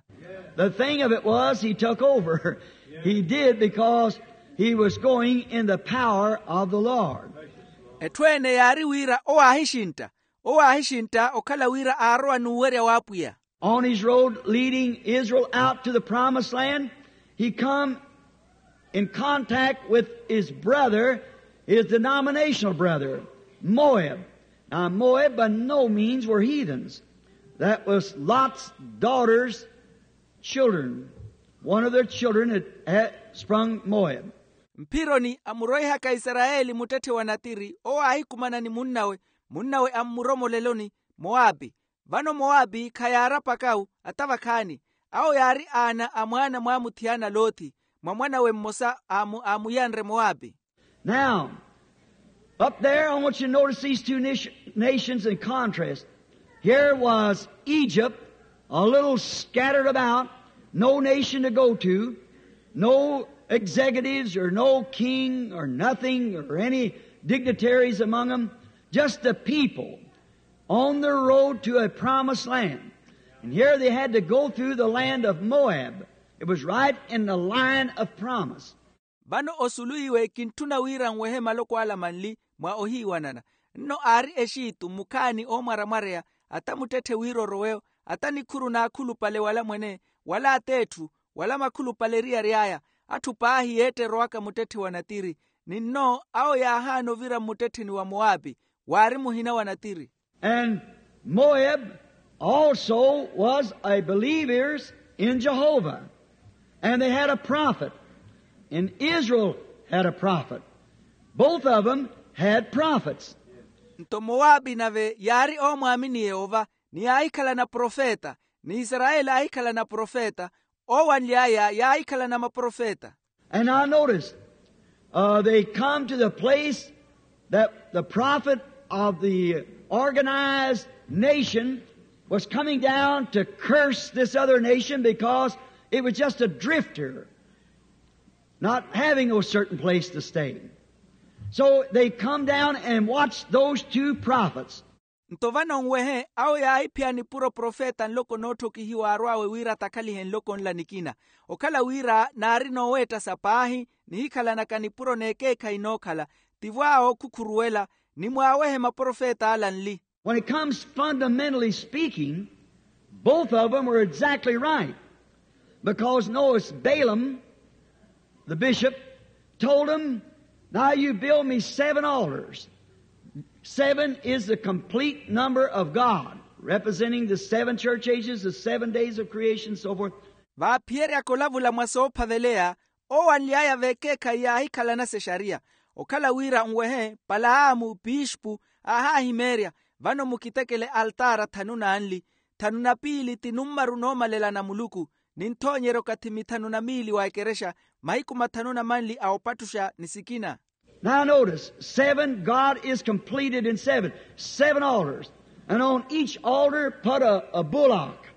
The thing of it was, he took over. He did because he was going in the power of the Lord. Etthu ene yaari wira owo aahixintta. Owo aahixintta okhala wira aarowa n'uwerya w'apwiya. On his road leading Israel out to the promised land, he come in contact with his brother, his denominational brother, Moab. Now, Moab by no means were heathens. That was Lot's daughter's children. One of their children had, had sprung Moab. Mphironi amuroihaka isarayeli muttetthe wa natiri owo aahikumana ni munnawe. Munnawe ammuromoleloni mowapi. Vano mowapi khayaarapaka-u. Ata vakhaani awo yaari aana a mwaana mwaamuthiyana loothi mwa mwanawe mmosa aamuyanre mowapi. Now, up there I want you to notice these two nations in contrast. Here was Egypt, a little scattered about, no nation to go to, no executives or no king or nothing or any dignitaries among them, just the people on the road to a promised land. And here they had to go through the land of Moab. It was right in the line of promise. Vano osuluwiwe kintthuna wira nwehe maloko ala manli mwa ohiiwanana. Nno aari exitu mukhaani oomwaramwareya ata muttetthe wira orowe-yo. ata nikhuru n'akhulupale wala mwene, wala at'etthu, wala makhulupale eriyari aya, atthu paahi yeetterowaka muttetthe wa natiri. Ni nno awo yaahaana ovira mmuttettheni wa moapi, waari muhina wa natiri. And Moab also was a believers in Jehovah. And they had a prophet. And Israel had a prophet. Both of them had prophets. Nto moapi nave yaari oomwaamini yehova, ni yaahikhalana profeta, ni isarayeli aahikhalana profeta. Owanly'aya yaahikhalana maprofeta. And now notice, uh, they come to the place that the prophet of the organized nation was coming down to curse this other nation because it was just a drifter, not having no certain place to stay. So they come down and watch those two prophets. Nto vano nwehe awo yaahiphiyani puro profeta nloko nootthokihiwa arw'awe wira atakhalihe nloko nla nikina. Okhala wira naari nooweettasa paahi, nihikhalanaka nipuro n'ekeekhayi nookhala, tivo awo khukhuruwela, ni mwaawehe maprofeta ala nli. When it comes fundamentally speaking, both of them were exactly right. Because notice, Balaam, the bishop, told him, "Now you build me seven altars." Seven is the complete number of God, representing the seven church ages, the seven days of creation, so forth. Vaaphiyeryaka olavula mwa soophaveleya, owanly'aya v'ekeekhayi yaahikhalanasa exariya. Okhala wira nwehe, palaamu pispu aahaahimeerya, vano mukitekele altaara thanu n'anli, thanu na piili ti nummaru noomalela na muluku, ni nthoonyerya okathi mithanu na miili wa ekerexa, mahiku mathanu na manli a opattuxa ni sikina. Now notice, seven, God is completed in seven. Seven altars. And on each altar put a, a bullock.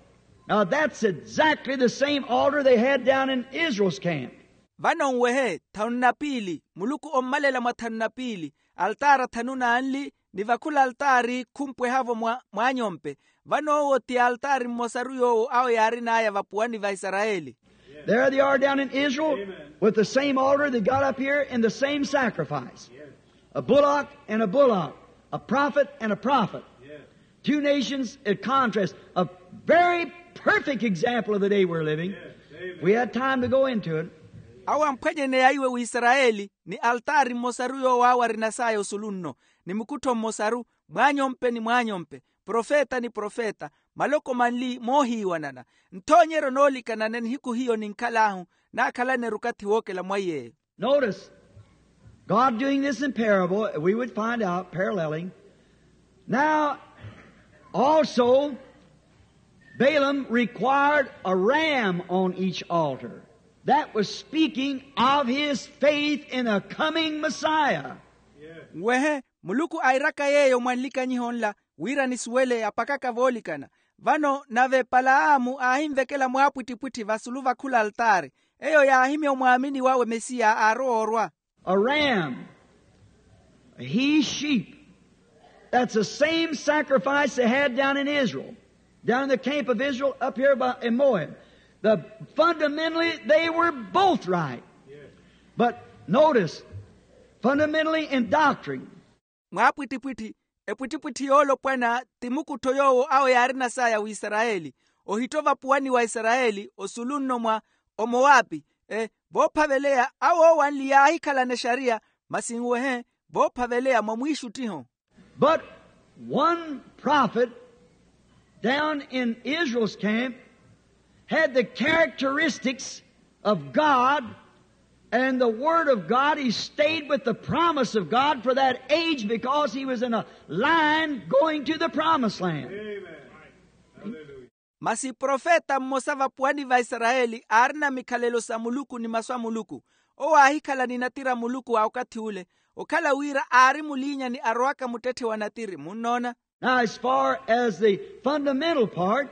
Now that's exactly the same altar they had down in Israel's camp. Vano nwehe, thanu na piili, muluku ommalela mwa thanu na piili, altaara thanu n'anli, ni vakhula altaari khumpweha-vo mwa mwaanyompe. Vano owo ti altaari mmosaru yoowo awo yaarin'aya vapuwani va isarayeli. There they are down in Israel with the same altar they got up here and the same sacrifice. A bullock and a bullock, a prophet and a prophet. Two nations at contrast. A very perfect example of the day we're living. If we had time to go into it. Awo amphwanyeneya iwe wisarayeli, ni altaari mmosaru yoowo awo arinasaya osulu nno, ni mukuttho mmosaru, mwaanyompe ni mwaanyompe, profeta ni profeta, maloko manli moohiiwanana. Nthoonyeryo noolikanana nihiku hiyo ninkhal'ahu, naakhalaneru okathi wookela mwaiy'eyo. Notice, God doing this in parable, we would find out, paralleling. Now, also, Balaam required a ram on each altar. That was speaking of his faith in a coming Messiah. Nwehe, muluku airaka yeeyo mwa nlikanyiho nla, wira nisuwele apakaka voolikana. Vano nave palaamu aahinvekela mwaapwittipwitthi vasulu vakhula altaari. Eyo yaahimya omwaamini wawe mesiya aarowa orwa. A ram, a he sheep. That's the same sacrifice they had down in Israel, down in the camp of Israel up here by, in Moab. The, fundamentally, they were both right. But notice, fundamentally in doctrine, mwaapwittipwitthi, epwittipwitthi yoolopwana ti mukuttho yoowo awo yaarinasaya wisarayeli, ohitta ovapuwani wa isarayeli osulu nno mwa omowapi. E, voophaveleya awo owanli yaahikhalana exariya, masi nwehe, voophaveleya mwa mwiixuttiho. But one prophet down in Israel's camp had the characteristics of God and the Word of God. He stayed with the promise of God for that age because he was in a line going to the promised land. Masi profeta mmosa vapuwani va isarayeli aarina mikhalelo sa muluku ni masu a muluku. Owo aahikhala ni natiri a muluku a okathi ule, okhala wira aari muliinyani arowaka muttetthe wa natiri munnoona. Now, as far as the fundamental part,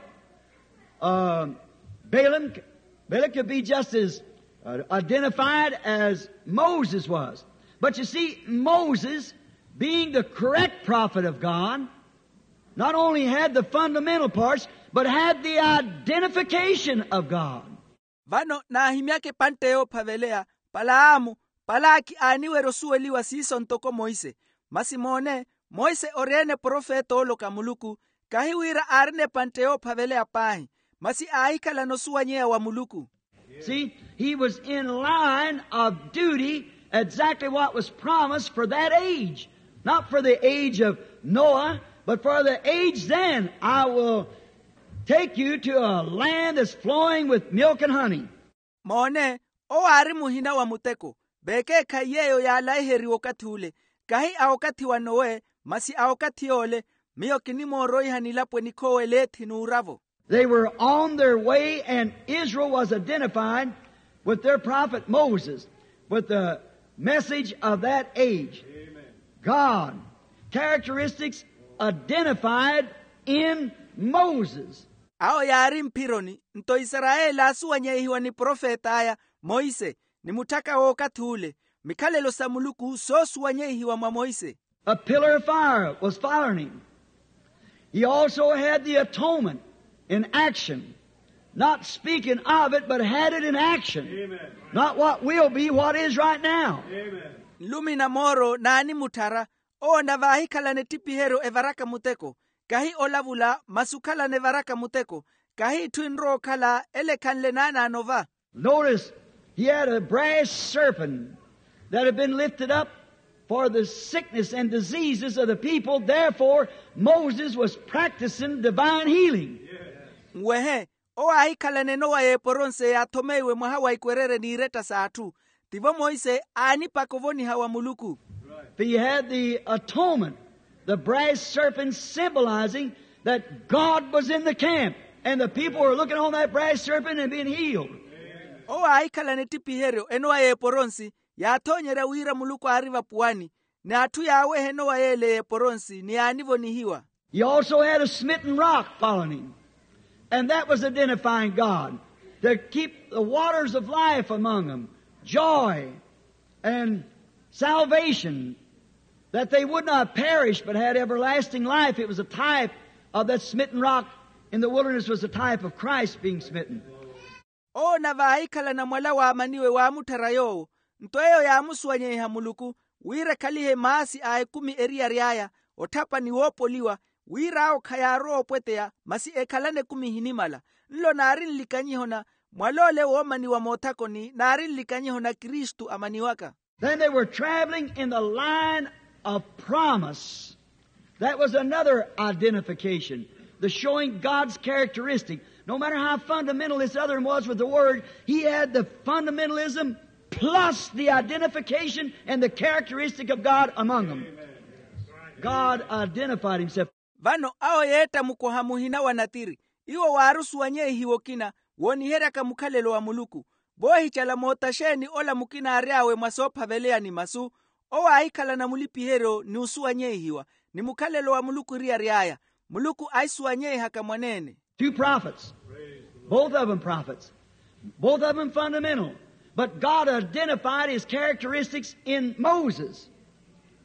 uh, Balaam, Balaam could be just as, uh, identified as Moses was. But you see, Moses, being the correct prophet of God, not only had the fundamental parts, but had the identification of God. Vano naahimyaka epantte yoophaveleya, palaamu, palaki aaniwerya osuweliwa siiso ntoko monse. Masi moone, monse ori-ene profeta ooloka muluku, Kahi wira aarina epantte yoophaveleya paahi, masi aahikhalana osuwanyeya wa muluku. See, he was in line of duty, exactly what was promised for that age. Not for the age of Noah, but for the age then. I will take you to a land that's flowing with milk and honey. Moone, owo aari muhina wa muteko. Vekeekhayi yeeyo yaalaiheriwa okathi ule, kahi a okathi wa nowe, masi a okathi yoole. Miyo kinimooroiha nilapo enikhoowa eleethi n'uravo. They were on their way, and Israel was identified with their prophet Moses, with the message of that age. God, characteristics identified in Moses. Awo yaari mphironi, nto isarayeli aasuwanyeihiwa ni profet'aya, monse, ni mutthaka w'okathi ule. Mikhalelo sa muluku soosuwanyeihiwa mwa monse. A pillar of fire was following him. He also had the atonement in action, not speaking of it, but had it in action. Not what will be, what is right now. Nlumi na mooro naanimutthara. Owo nave aahikhalana etthipiheryo evaraka muteko, kahi olavula, masi okhalana evaraka muteko, kahi itthu enrowa okhala ele ekhanle naanaano va. Notice, he had a brass serpent that had been lifted up for the sickness and diseases of the people. Therefore, Moses was practicing divine healing. Nwehe, owo aahikhalana enowa y'eporonse yaathomeiwe mwaha wa ikwererye n'iretta s'atthu. Tivo monse aanipaka ovoniha wa muluku. He had the atonement, the brass serpent, symbolizing that God was in the camp, and the people were looking on that brass serpent and being healed. Owo aahikhalana ettipiheryo enowa y'eporonsi, yaathoonyerya wira muluku aari vapuwani, n'atthu yaaweha enowa y'ele y'eporonsi ni yaanivonihiwa. He also had a smitten rock following him, and that was identifying God, to keep the waters of life among them, joy and salvation, that they would not perish but had everlasting life. It was a type of that smitten rock in the wilderness, was a type of Christ being smitten. Owo nave aahikhalana mwala waamaniwe waamutthara yoowo. Nto eyo yaamusuwanyeiha muluku, wira ekhalihe maasi a ekumi eriyari aya, otthapa ni woopoliwa, wira awo khayaarowa opweteya, masi ekhalana ekumi ehinimala. Nlo naari nlikanyihona, mwal'ole woomaniwa moothakoni naari nlikanyihona kristu amaniwaka. Then they were traveling in the line of promise. That was another identification, the showing God's characteristic. No matter how fundamental this other one was with the word, he had the fundamentalism plus the identification and the characteristic of God among them. God identified himself. Vano awo yeetta mukoha muhina wa natiri. Iwo waari osuwanyeihiwa okina wooniheryaka mukhalelo wa muluku. Voohicala moota xeeni ola mukina aary'awe mwa soophaveleya ni masu? Owo aahikhalana mulipiheryo ni osuwanyeihiwa ni mukhalelo wa muluku eriyari aya. Muluku ahisuwanyeihaka mwaneene. Two prophets, both of them prophets, both of them fundamental. But God identified his characteristics in Moses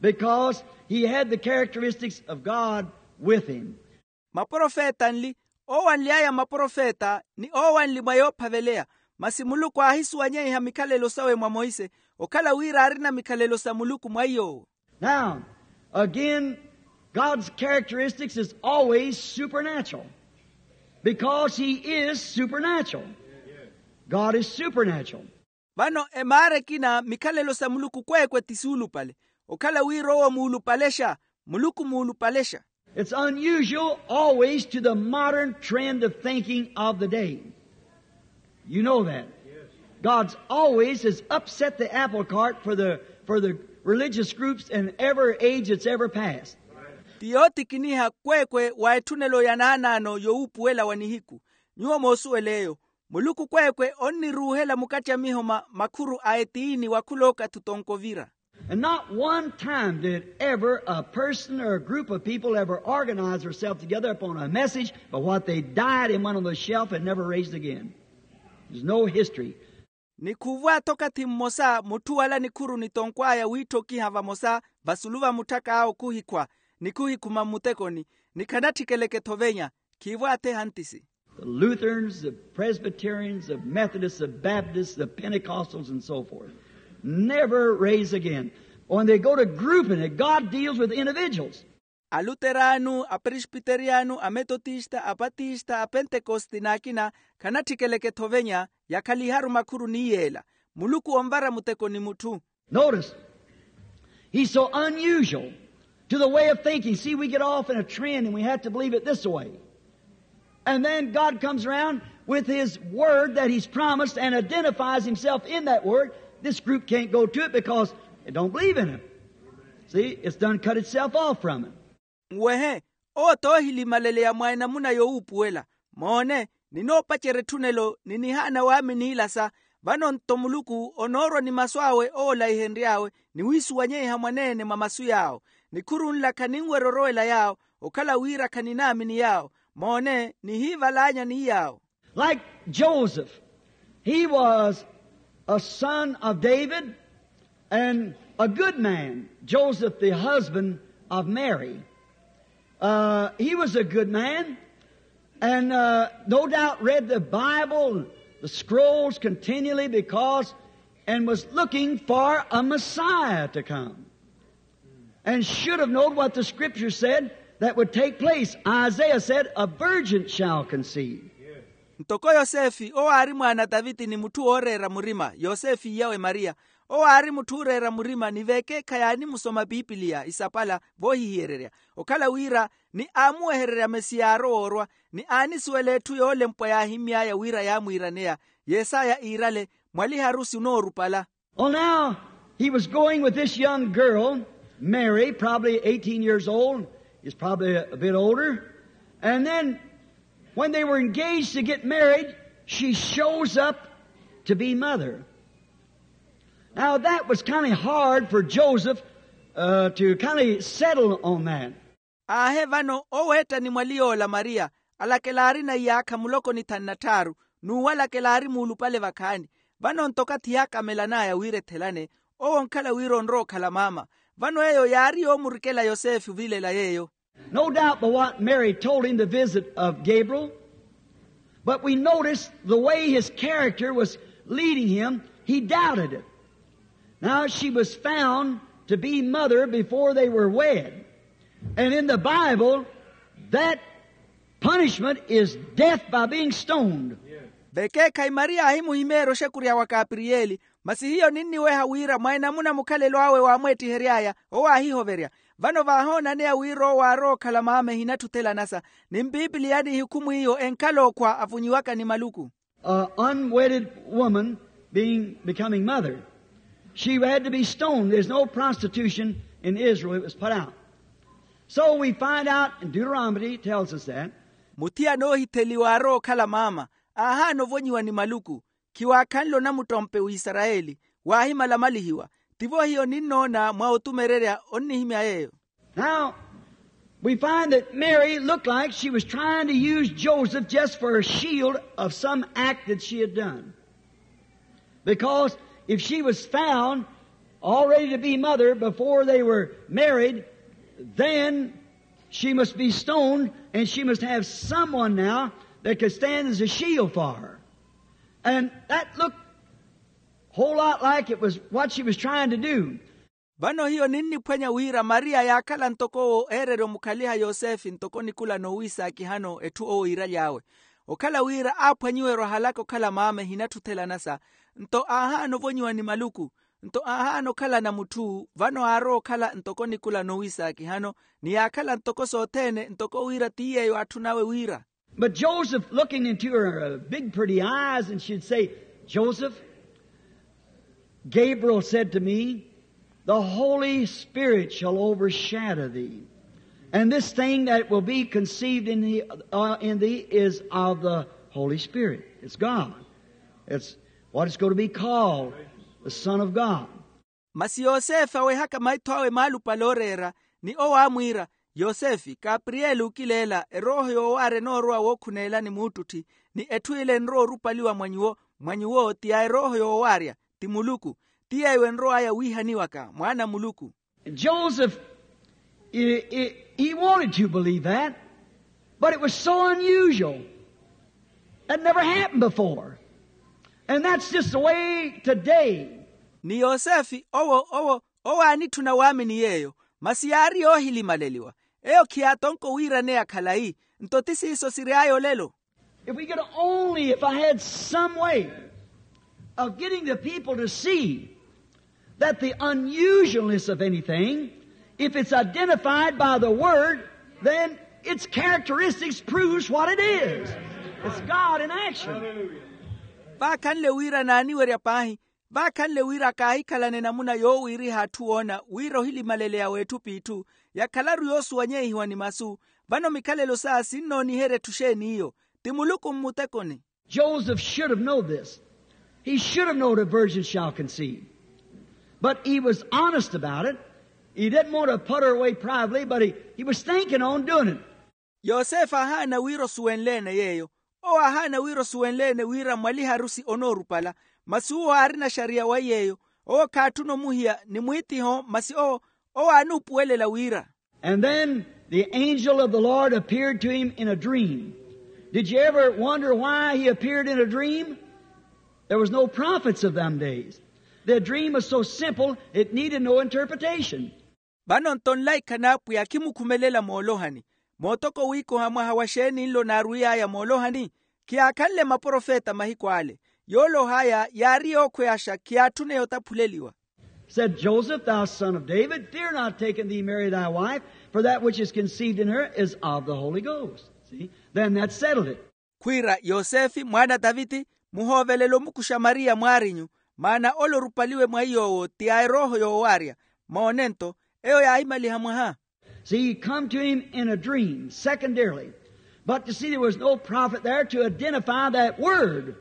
because he had the characteristics of God with him. Maprofeta nli, owo anly'aya maprofeta ni owo anli mwa yoophaveleya. Masi muluku aahisuwanyeiha mikhalelo sawe mwa monse, okhala wira aarina mikhalelo sa muluku mwa iy'owo. Now, again, God's characteristics is always supernatural, because he is supernatural. God is supernatural. Vano emaara ekina mikhalelo sa muluku kweekwe ti suulupale, okhala wira owo muulupalexa. Muluku muulupalexa. It's unusual always to the modern trend of thinking of the day. You know that. God's always has upset the apple cart for the, for the religious groups in every age that's ever passed. Ti yootikiniha kweekwe wa etthunelo ya naanaano yowuupuwela wa nihiku. Nyuwo moosuwela eyo. Muluku kweekwe onniruuhela mukathi a miho ma makhuru a etiini wa khulookathi otonko ovira. And not one time did ever a person or a group of people ever organize themselves together upon a message, but what they died and went on the shelf and never raised again. There's no history. Ni khuuva-tho okathi mmosa mutthu wala nikhuru nitonk'aya wiitthokiha vamosa vasulu va mutthak'awe khuhikhwa ni khuhikhuma mmutekoni, ni khanatthikele-ke-tho venya. Khiiva-tho ehantisi. The Lutherans, the Presbyterians, the Methodists, the Baptists, the Pentecostals, and so forth, never raise again. When they go to grouping it, God deals with individuals. Aluteraanu, apresbiteriyano, ametotista, apatista, apentekosti n'akina khanatthikelekettho ovenya. Yakhaliharu makhuru ni yeela. Muluku onvara muteko ni mutthu. Notice, he's so unusual to the way of thinking. See, we get off in a trend and we have to believe it this way. And then God comes around with his word that he's promised and identifies himself in that word. This group can't go to it because they don't believe in him. See, it's done cut itself off from him. Nwehe, owo t'ohilimaleleya mwa enamuna yowuupuwela. Moone, ninoopacerya etthunelo ni nihaana waamini ilasa. Vano-nto muluku onoorwa ni masu awe owo olaihenry'awe, ni wiisuwanyeiha mwaneene mwa masu yaawo. Nikhuru nla khaninwerya orowela yaawo, okhala wira khaninaamini yaawo. Moone, nihiivalaanya ni yaawo. Like Joseph, he was a son of David and a good man. Joseph, the husband of Mary, uh, he was a good man and, uh, no doubt read the Bible, the scrolls continually because, and was looking for a Messiah to come. And should have known what the scripture said that would take place. Isaiah said, "A virgin shall conceive." Ntoko yosefe owo aari mwaana a taviti ni mutthu wooreera murima yosefe iyawe mariya. Owo aari mutthu ooreera murima ni veekeekhayi aanimusoma pipiliya isapala voohihiyererya, okhala wira ni aamuwehererya mesiya aarowa orwa, ni aanisuwela etthu yoolempwa yaahimy'aya wira yaamwiiraneya. Yesaya iirale, mwaliharusi onoorupala. Well, now, he was going with this young girl, Mary, probably eighteen years old. He's probably a, a bit older. And then, when they were engaged to get married, she shows up to be mother. Now, that was kind of hard for Joseph, uh, to kind of settle on that. Aahe vano oweettani mwali yoola mariya, alakela aarina iyaakha muloko ni thanu na tthaaru, n'uwo alakela aari muulupale vakhaani. Vano-nto okathi yaakamelan'aya wira ethelane, owo onkhala wira onrowa okhala maama. Vano eyo yaari yoomurikela yosefe ovilela yeeyo. No doubt by what Mary told him, the visit of Gabriel, but we notice the way his character was leading him, he doubted it. Now, she was found to be mother before they were wed. And in the Bible, that punishment is death by being stoned. Vekeekhayi mariya aahimuhimeerya oxekurya wa kapiriyeli, masi hiyo ninniweha wira mwa enamuna mukhalelo awe waamweettihery'aya owo aahihoverya. Vano vaahoonaneya wira owo aarowa okhala maama ehinatthu othelanasa, ni mpipiliya ni ehikhumu iyo enkhala okhwa avunyiwaka ni maluku. A unwedded woman being, becoming mother, she had to be stoned. There's no prostitution in Israel. It was put out. So we find out, and Deuteronomy tells us that. Muthiyana oohitheliwa aarowa okhala maama, aahaana ovonyiwa ni maluku. Khiwaakhanle onamuttompe w'isarayeli, waahimalamalihwa. Tivo hiyo ninnoona mwa otumererya onnihimya yeeyo. Now, we find that Mary looked like she was trying to use Joseph just for a shield of some act that she had done. Because if she was found already to be mother before they were married, then she must be stoned, and she must have someone now that could stand as a shield for her. And that looked a whole lot like it was what she was trying to do. Vano hiyo ninniphwanya wira mariya yaakhala ntoko owo eererya omukhaliha yosefe ntoko nikula noowiisaakihano etthu owo iiraly'awe. Okhala wira aaphwanyiwerya ohalaka okhala maama ehinatthu othelanasa, nto aahaana ovonyiwa ni maluku, nto aahaana okhalana mutthu vano aarowa okhala ntoko nikula noowiisaakihano, ni yaakhala ntoko sothene ntoko wira ti yeeyo atthu nawe wira. But Joseph, looking into her, uh, big pretty eyes, and she'd say, "Joseph, Gabriel said to me, 'The Holy Spirit shall overshadow thee. And this thing that will be conceived in thee, uh, in thee is of the Holy Spirit.'" It's God. It's what is going to be called the Son of God. Masi yosefe awehaka maitho awe maalupale ooreera, ni owo aamwiira, "Yosefe, kapiriyeli ookileela, erooho yoowaarya enoorowa wookhuneela ni muuttutthi, ni etthu ila enrowa orupaliwa mwa nyuwo, mwa nyuwo ti ya erooho yoowaarya, ti muluku, ti yeeyo enrow'aya wiihaniwaka mwaana a muluku." Joseph, he, he, he wanted to believe that, but it was so unusual. That never happened before. And that's just the way today. Ni yosefe owo owo owo aanitthuna waamini yeeyo, masi yaari yoohilimaleliwa. Eyo khiyaatonko wiiraneya khalayi. Nto ti siiso siry'aya olelo. If we could only, if I had some way of getting the people to see that the unusualness of anything, if it's identified by the word, then its characteristics proves what it is. It's God in action. Vaakhanle wira naaniwerya paahi, vaakhanle wira kaahikhalane namuna yoowiiriha atthu woona wira ohilimaleleya w'etthu p'itthu yakhalaru yoosuwanyehiwa ni masu. Vano mikhalelo saya sinnooniherya etthu xeeni iyo? Ti muluku mmutekoni. Joseph should have known this. He should have known a virgin shall conceive. But he was honest about it. He didn't want to put her away privately, but he, he was thinking on doing it. Yosefe aahaana wira osuwenle-ene yeeyo. Owo aahaana wira osuwenle-ene wira mwaliha arusi onoorupala, masi uwo aarina xariya wa yeeyo. Owo khaatthuna omuhiya ni mwiitiho, masi owo, owo aanuupuwelela wira. And then the angel of the Lord appeared to him in a dream. Did you ever wonder why he appeared in a dream? There was no prophets of them days. The dream was so simple it needed no interpretation. Vano nto nlaikha n'apwiya khimukhumelela moolohani. Mootoko wiikoha mwaha wa xeeni nlo naarwiy'aya moolohani? Khiyaakhanle maprofeta mahiku ale. Yooloh'aya yaari yookhweyaxa, khiyaatthune yotaphuleliwa. Said Joseph, thou son of David, fear not taking thee Mary thy wife, for that which is conceived in her is of the Holy Ghost. See? Then that settled it. Khwiira yosefe mwaana a taviti, muhoovelele omukuxa mariya mwaarinyu, maana ole orupaliwe mwa iy'owo ti a erooho yoowaarya. Moone nto, eyo yaahimaliha mwaha. See, he come to him in a dream, secondarily. But you see, there was no prophet there to identify that word,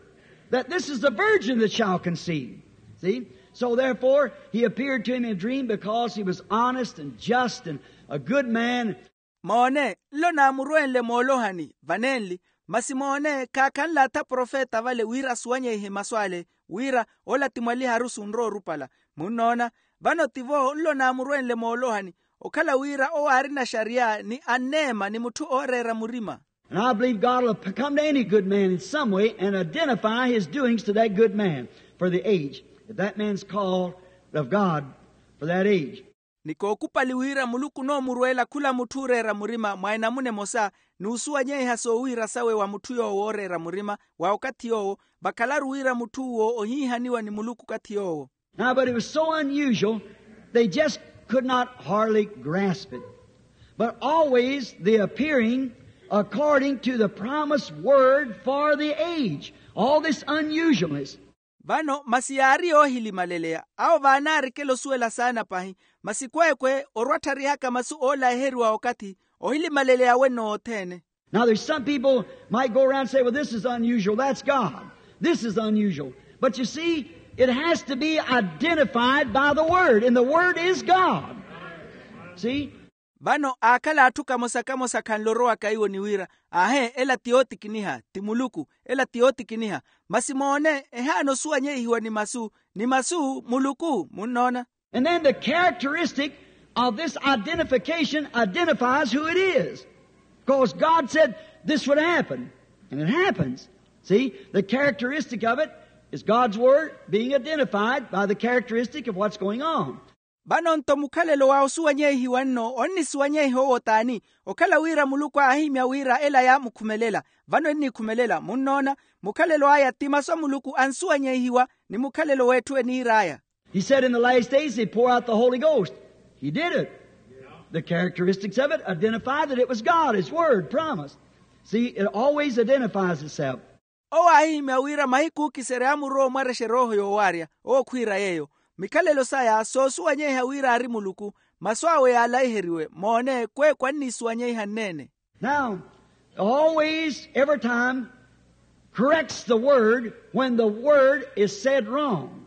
that this is the virgin that shall conceive. See? So therefore, he appeared to him in a dream because he was honest and just and a good man. Moone, nlo naamurwenle moolohani vanenli, masi moone khaakhanle atha profeta vale wira asuwanyeihe masu ale, wira ola ti mwaliha arusi onroorupala. Munnoona? Vano tivo nlo naamurwenle moolohani, okhala wira owo aarina xariya ni anneema ni mutthu ooreera murima. And I believe God will come to any good man in some way and identify his doings to that good man for the age, if that man's called of God for that age. Ni kookupali wira muluku onoomurweela khula mutthu ooreera murima mwa enamuna emosa, n'usuwanyeiha soowiira sawe wa mutthu yoowo ooreera murima wa okathi yoowo, vakhalaru wira mutthu uwo ohiihaniwa ni muluku okathi yoowo. Now but it was so unusual, they just could not hardly grasp it. But always the appearing according to the promised word for the age. All this unusualness. Vano masi yaari yoohilimaleleya, awo vaanaarikela osuwela saana pahi, masi kweekwe orwattarihaka masu oolaiheriwa okathi, ohilimaleleya wenno othene. Now there's some people might go around and say, well, this is unusual, that's God. This is unusual. But you see, it has to be identified by the word, and the word is God. See? Vano aakhala atthu kamosa kamosa khanle orowaka iwo ni wira, aahe ela ti yootikiniha ti muluku, ela ti yootikiniha. Masi moone ehaana osuwanyeihiwa ni masu, ni masu muluku. Munnoona? And then the characteristic of this identification identifies who it is. Because God said this would happen, and it happens. See, the characteristic of it is God's word being identified by the characteristic of what's going on. Vano nto mukhalelo wa osuwanyeihiwa nno onnisuwanyeiha owo t'ani? Okhala wira muluku aahimya wira ela yaamukhumelela, vano ennikhumelela. Munnoona? Mukhalelo aya ti masu a muluku ansuwanyeihiwa ni mukhalelo w'etthu eniir'aya. He said in the last days he'd pour out the Holy Ghost. He did it. The characteristics of it identify that it was God, his word promised. See, it always identifies itself. Owo aahihimya wira mahiku ookiserya aamurowa omwarexa erooho yoowaarya. Owo khwiira yeeyo, mikhalelo saya soosuwanyeiha wira aari muluku, masu awe yaalaiheriwe. Moone kweekwe anniisuwanyeiha nneene. Now, always, every time, corrects the word when the word is said wrong.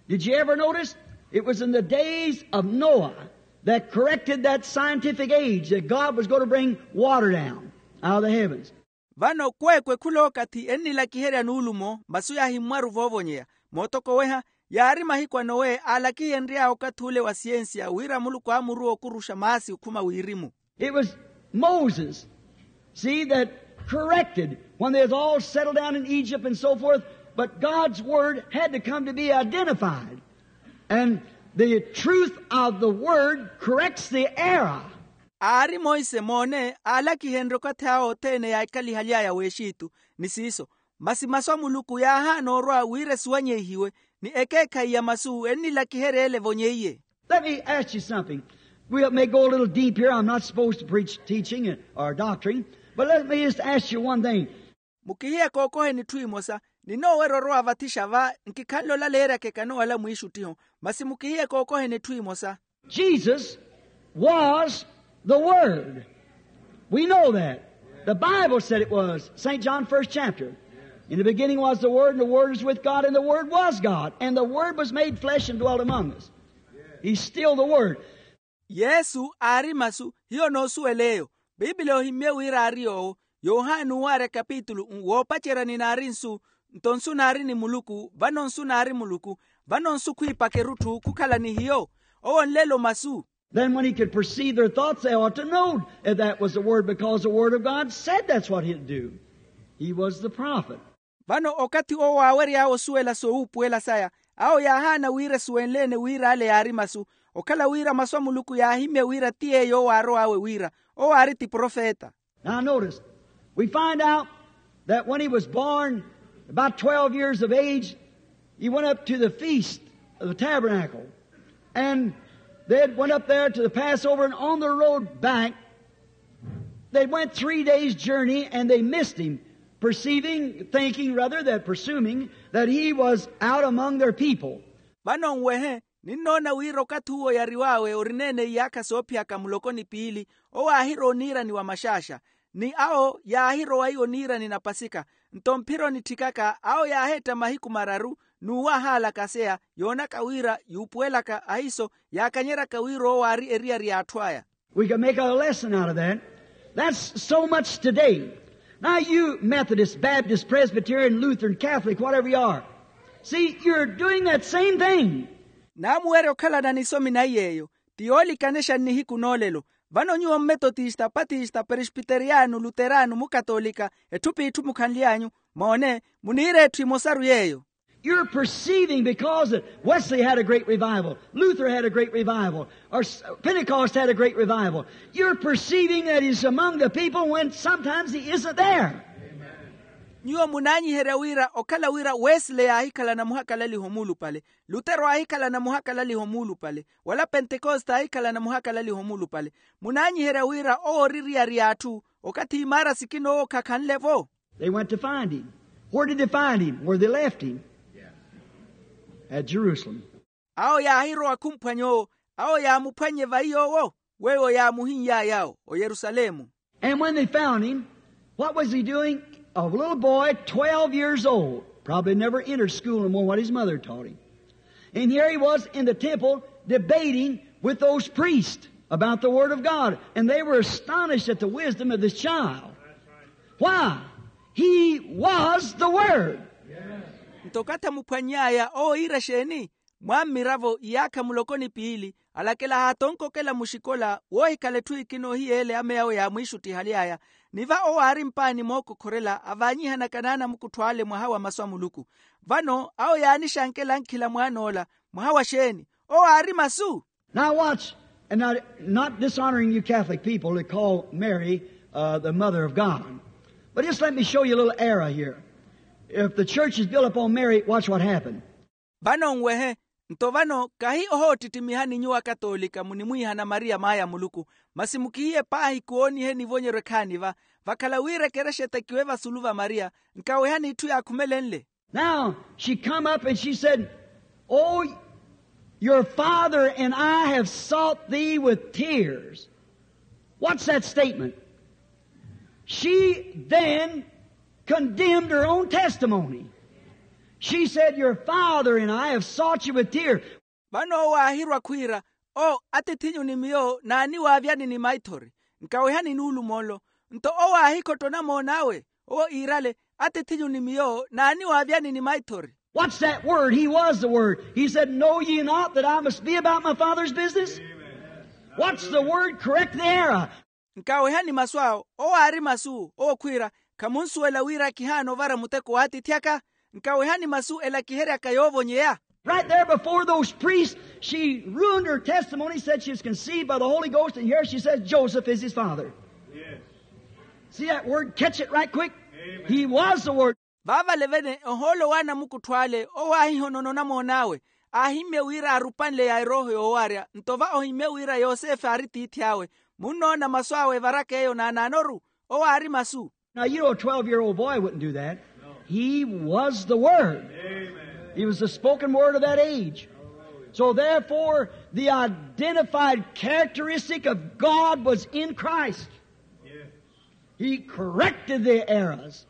Did you ever notice? It was in the days of Noah that corrected that scientific age that God was going to bring water down out of the heavens. Vano kweekwe khula okathi ennilakiherya nuulumo masu yaahimmwaru voovonyeya. Mootokoweha, yaari mahiku a nowe aalakihenry'aya okathi ule wa siyensiya wira muluku aamuruwa okuruxa maasi okhuma wirimu. It was Moses, see, that corrected when they was all settled down in Egypt and so forth. But God's word had to come to be identified. And the truth of the word corrects the error. Aari monse moone aalakihenrye okathi awo othene yaahikalihaly'aya w'exitu, ni siiso. Masi masu a muluku yaahaana orwa wira esiwanyeihiwe, ni ekeekhayi ya masu ennilakiherya ele evonyeiye. Let me ask you something. We may go a little deep here. I'm not supposed to preach teaching or doctrine, but let me just ask you one thing. Mukihiye kookoheni etthu emosa. Ninoowerya orwa vathixa va, nkikhanle olaleeryaka ekanowala mwiixuttiho. Masi mukihiye kookoheni etthu emosa. Jesus was the Word. We know that. The Bible said it was. St. John, first chapter. In the beginning was the Word, and the Word was with God, and the Word was God. And the Word was made flesh and dwelt among us. He's still the Word. Yesu aari masu, hiyo noosuwela eyo. Pipiliya ohimmye wira aari yoowo. Yohani owaarya kapitulu woopacerya ni naari nsu, nto nsu naari ni muluku, vano nsu naari muluku, vano nsu khwiipaka erutthu khukhala ni hiyo. Owo nlelo masu. Then when he could perceive their thoughts, they ought to know that that was the Word, because the Word of God said that's what he'd do. He was the prophet. Vano okathi owo aawery'awe osuwela sowuupuwela saya, awo yaahaana wira esuwenle-ene wira ale yaari masu, okhala wira masu a muluku yaahimmye wira ti yeeyo owo aarow'awe wira, owo aari ti profeta. Now notice, we find out that when he was born, about twelve years of age, he went up to the feast of the tabernacle. And they had went up there to the Passover, and on the road back, they went three days' journey, and they missed him, perceiving, thinking rather, that presuming that he was out among their people. Vano nwehe, ninnoona wira okathi uwo yariw'awe orineene iyaakha soophiyaka muloko ni piili, owo aahirowa oniirani wa maxaaxa, ni awo yaahirowa iyo oniirani na pasika. Nto mphira onitthikaka awo yaaheetta mahiku mararu, n'uwo ahaalakaseya, yoonaka wira yuupuwelaka ahiiso, yaakanyeryaka wira owo aari eriyari y'atthu aya. We can make a lesson out of that. That's so much today. Now you Methodist, Baptist, Presbyterian, Lutheran, Catholic, whatever you are, see, you're doing that same thing. Naamuwerya okhalana nisomi naiy'eyo. Ti yoolikanexa nnihiku n'olelo. Vano nyuwo mmetotista, patista, peresbiteriyano, luterano, mukatolika, etthu p'itthu mukhanly'anyu, moone, muniira etthu emosaru yeeyo. You're perceiving because that Wesley had a great revival, Luther had a great revival, or Pentecost had a great revival. You're perceiving that he's among the people when sometimes he isn't there. Nyuwo munaanyiherya wira okhala wira wesleyi aahikhalana muhakalaliho muulupale, lutero aahikhalana muhakalaliho muulupale, wala pentekoste aahikhalana muhakalaliho muulupale. Munaanyiherya wira owo ori eriyari y'atthu, okathi imaara sikina owo khakhanle-vo. They went to find him. Where did they find him? Where they left him? At Jerusalem. Awo yaahirowa khumphwanya owo. Awo yaamuphwannye vayi yoowo, weiwo yaamuhin'yaya awo oyerusalemu. And when they found him, what was he doing? A little boy, twelve years old, probably never entered school no more, what his mother taught him. And here he was in the temple debating with those priests about the word of God, and they were astonished at the wisdom of this child. Why? He was the word. Nto okathi amuphwanny'aya owo iira exeeni? Mwammiravo iyaakha muloko ni piili, alakela haatonkokela muxikola woohikhala etthu ikina ohiyeele ame awo yaamwiixuttihaly'aya. Ni va owo aari mpaani mookokhorela avaanyihanaka n'anamukuttho ale mwaha wa masu a muluku. Vano awo yaanixankela ankhila mwaan'ola, mwaha wa xeeni? Owo aari masu. Now watch, and not, not dishonoring you Catholic people that call Mary, uh, the mother of God. But just let me show you a little error here. If the church is built upon Mary, watch what happened. Vano nwehe. Nto vano kahi ohoottittimiha ni nyuwo akatoolika munimwiihana maria maaya a muluku, masi mukihiye paahi kuwooniheni ivonyeryo ekhaani va. Vakhala wira ekerexa etekiwe vasulu va maria, nkawehani itthu yaakhumelenle. Now she come up and she said, oh, your father and I have sought thee with tears. What's that statement? She then condemned her own testimony. She said, your father and I have sought you with tears. Vano owo aahirwa khwiira, o, atiith'inyu ni miyo naaniwaavyani ni maithori, nkawehani nuulumo nlo. Nto owo aahikhotto onamoon'awe, owo iirale, atiith'inyu ni miyo naaniwaavyani ni maithori. What's that word? He was the word. He said, know ye not that I must be about my father's business? What's the word? Correct the error. Nkawehani masu awo, owo aari masu owo khwiira, khamunsuwela wira kihaana ovara muteko w'atiithi aka? Nkawehani masu elakiheryaka yoovonyeya. Right there before those priests, She ruined her testimony, said she was conceived by the Holy Ghost, and here she says Joseph is his father. See that word? Catch it right quick. He was the word. Vaavalevene ohoolo wa anamukuttho ale owo aahihonono onamoon'awe, aahimmye wira arupanle ya erooho yoowarya. Nto va ohimmye wira yosefe aari tiithi awe. Munnoona masu awe evaraka eyo naanaanoru? Owo aari masu. Now you know a twelve year old boy wouldn't do that. He was the word. He was the spoken word of that age. So therefore the identified characteristic of God was in Christ. He corrected the errors.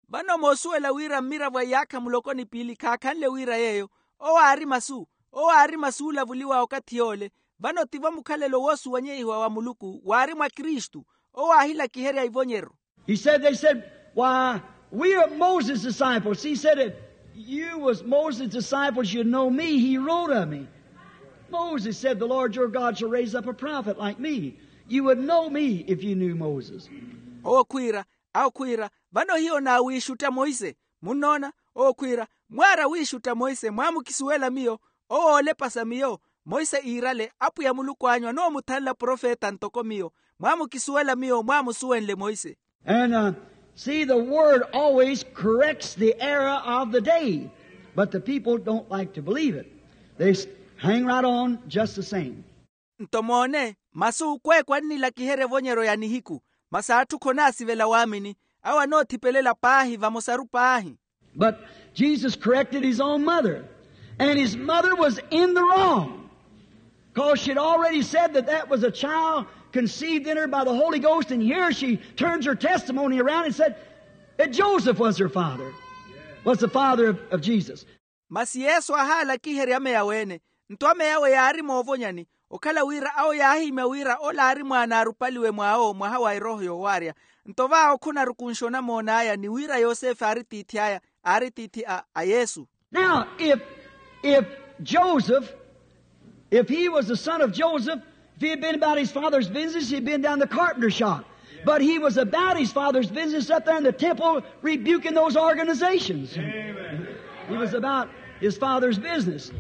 Vano moosuwela wira mmiravo a iyaakha muloko ni piili khaakhanle wira yeeyo. Owo aari masu. Owo aari masu oolavuliwa okathi yoole. Vano tivo mukhalelo woosuwanyeihiwa wa muluku waari mwa kristu. Owo aahilakiherya ivonyeryo. He said, they said, why, we are Moses' disciples. He said, if you was Moses' disciples, you'd know me. He wrote of me. Moses said, the Lord your God shall raise up a prophet like me. You would know me if you knew Moses. Owo khwiira, awo khwiira, vano hiyo naawiixutta monse. Munnoona? Owo khwiira, mwaara wiixutta monse mwaamukisuwela miyo. Owo oolepasa miyo. Monse iirale apwiya muluku anyu anoomuthanla profeta ntoko miyo. Mwaamukisuwela miyo mwaamusuwenle monse. And see, the word always corrects the error of the day, but the people don't like to believe it. They hang right on just the same. Nto moone, masu kweekwa annilakiherya evonyeryo ya nihiku. Masi atthu khonaasivela waamini. Awo anoothipelela paahi vamosaru paahi. But Jesus corrected his own mother, and his mother was in the wrong, because she had already said that that was a child conceived in her by the Holy Ghost, and here she turns her testimony around and said that Joseph was her father, was the father of, of Jesus. Masi yesu aahaalakiherya ameya weene. Nto ameya awe yaari moovonyani, okhala wira awo yaahimya wira ola aari mwaana aarupaliwe mwaawo mwaha wa erooho yoowarya. Nto vaawo khonarukunxa onamoon'aya ni wira yosefe aari tiithi aya, aari tiithi a yesu. Now if, if joseph, if he was the son of joseph, if he had been about his father's business, he'd been down the carpenter shop. But he was about his father's business up there in the temple, rebuking those organizations. He was about his father's business.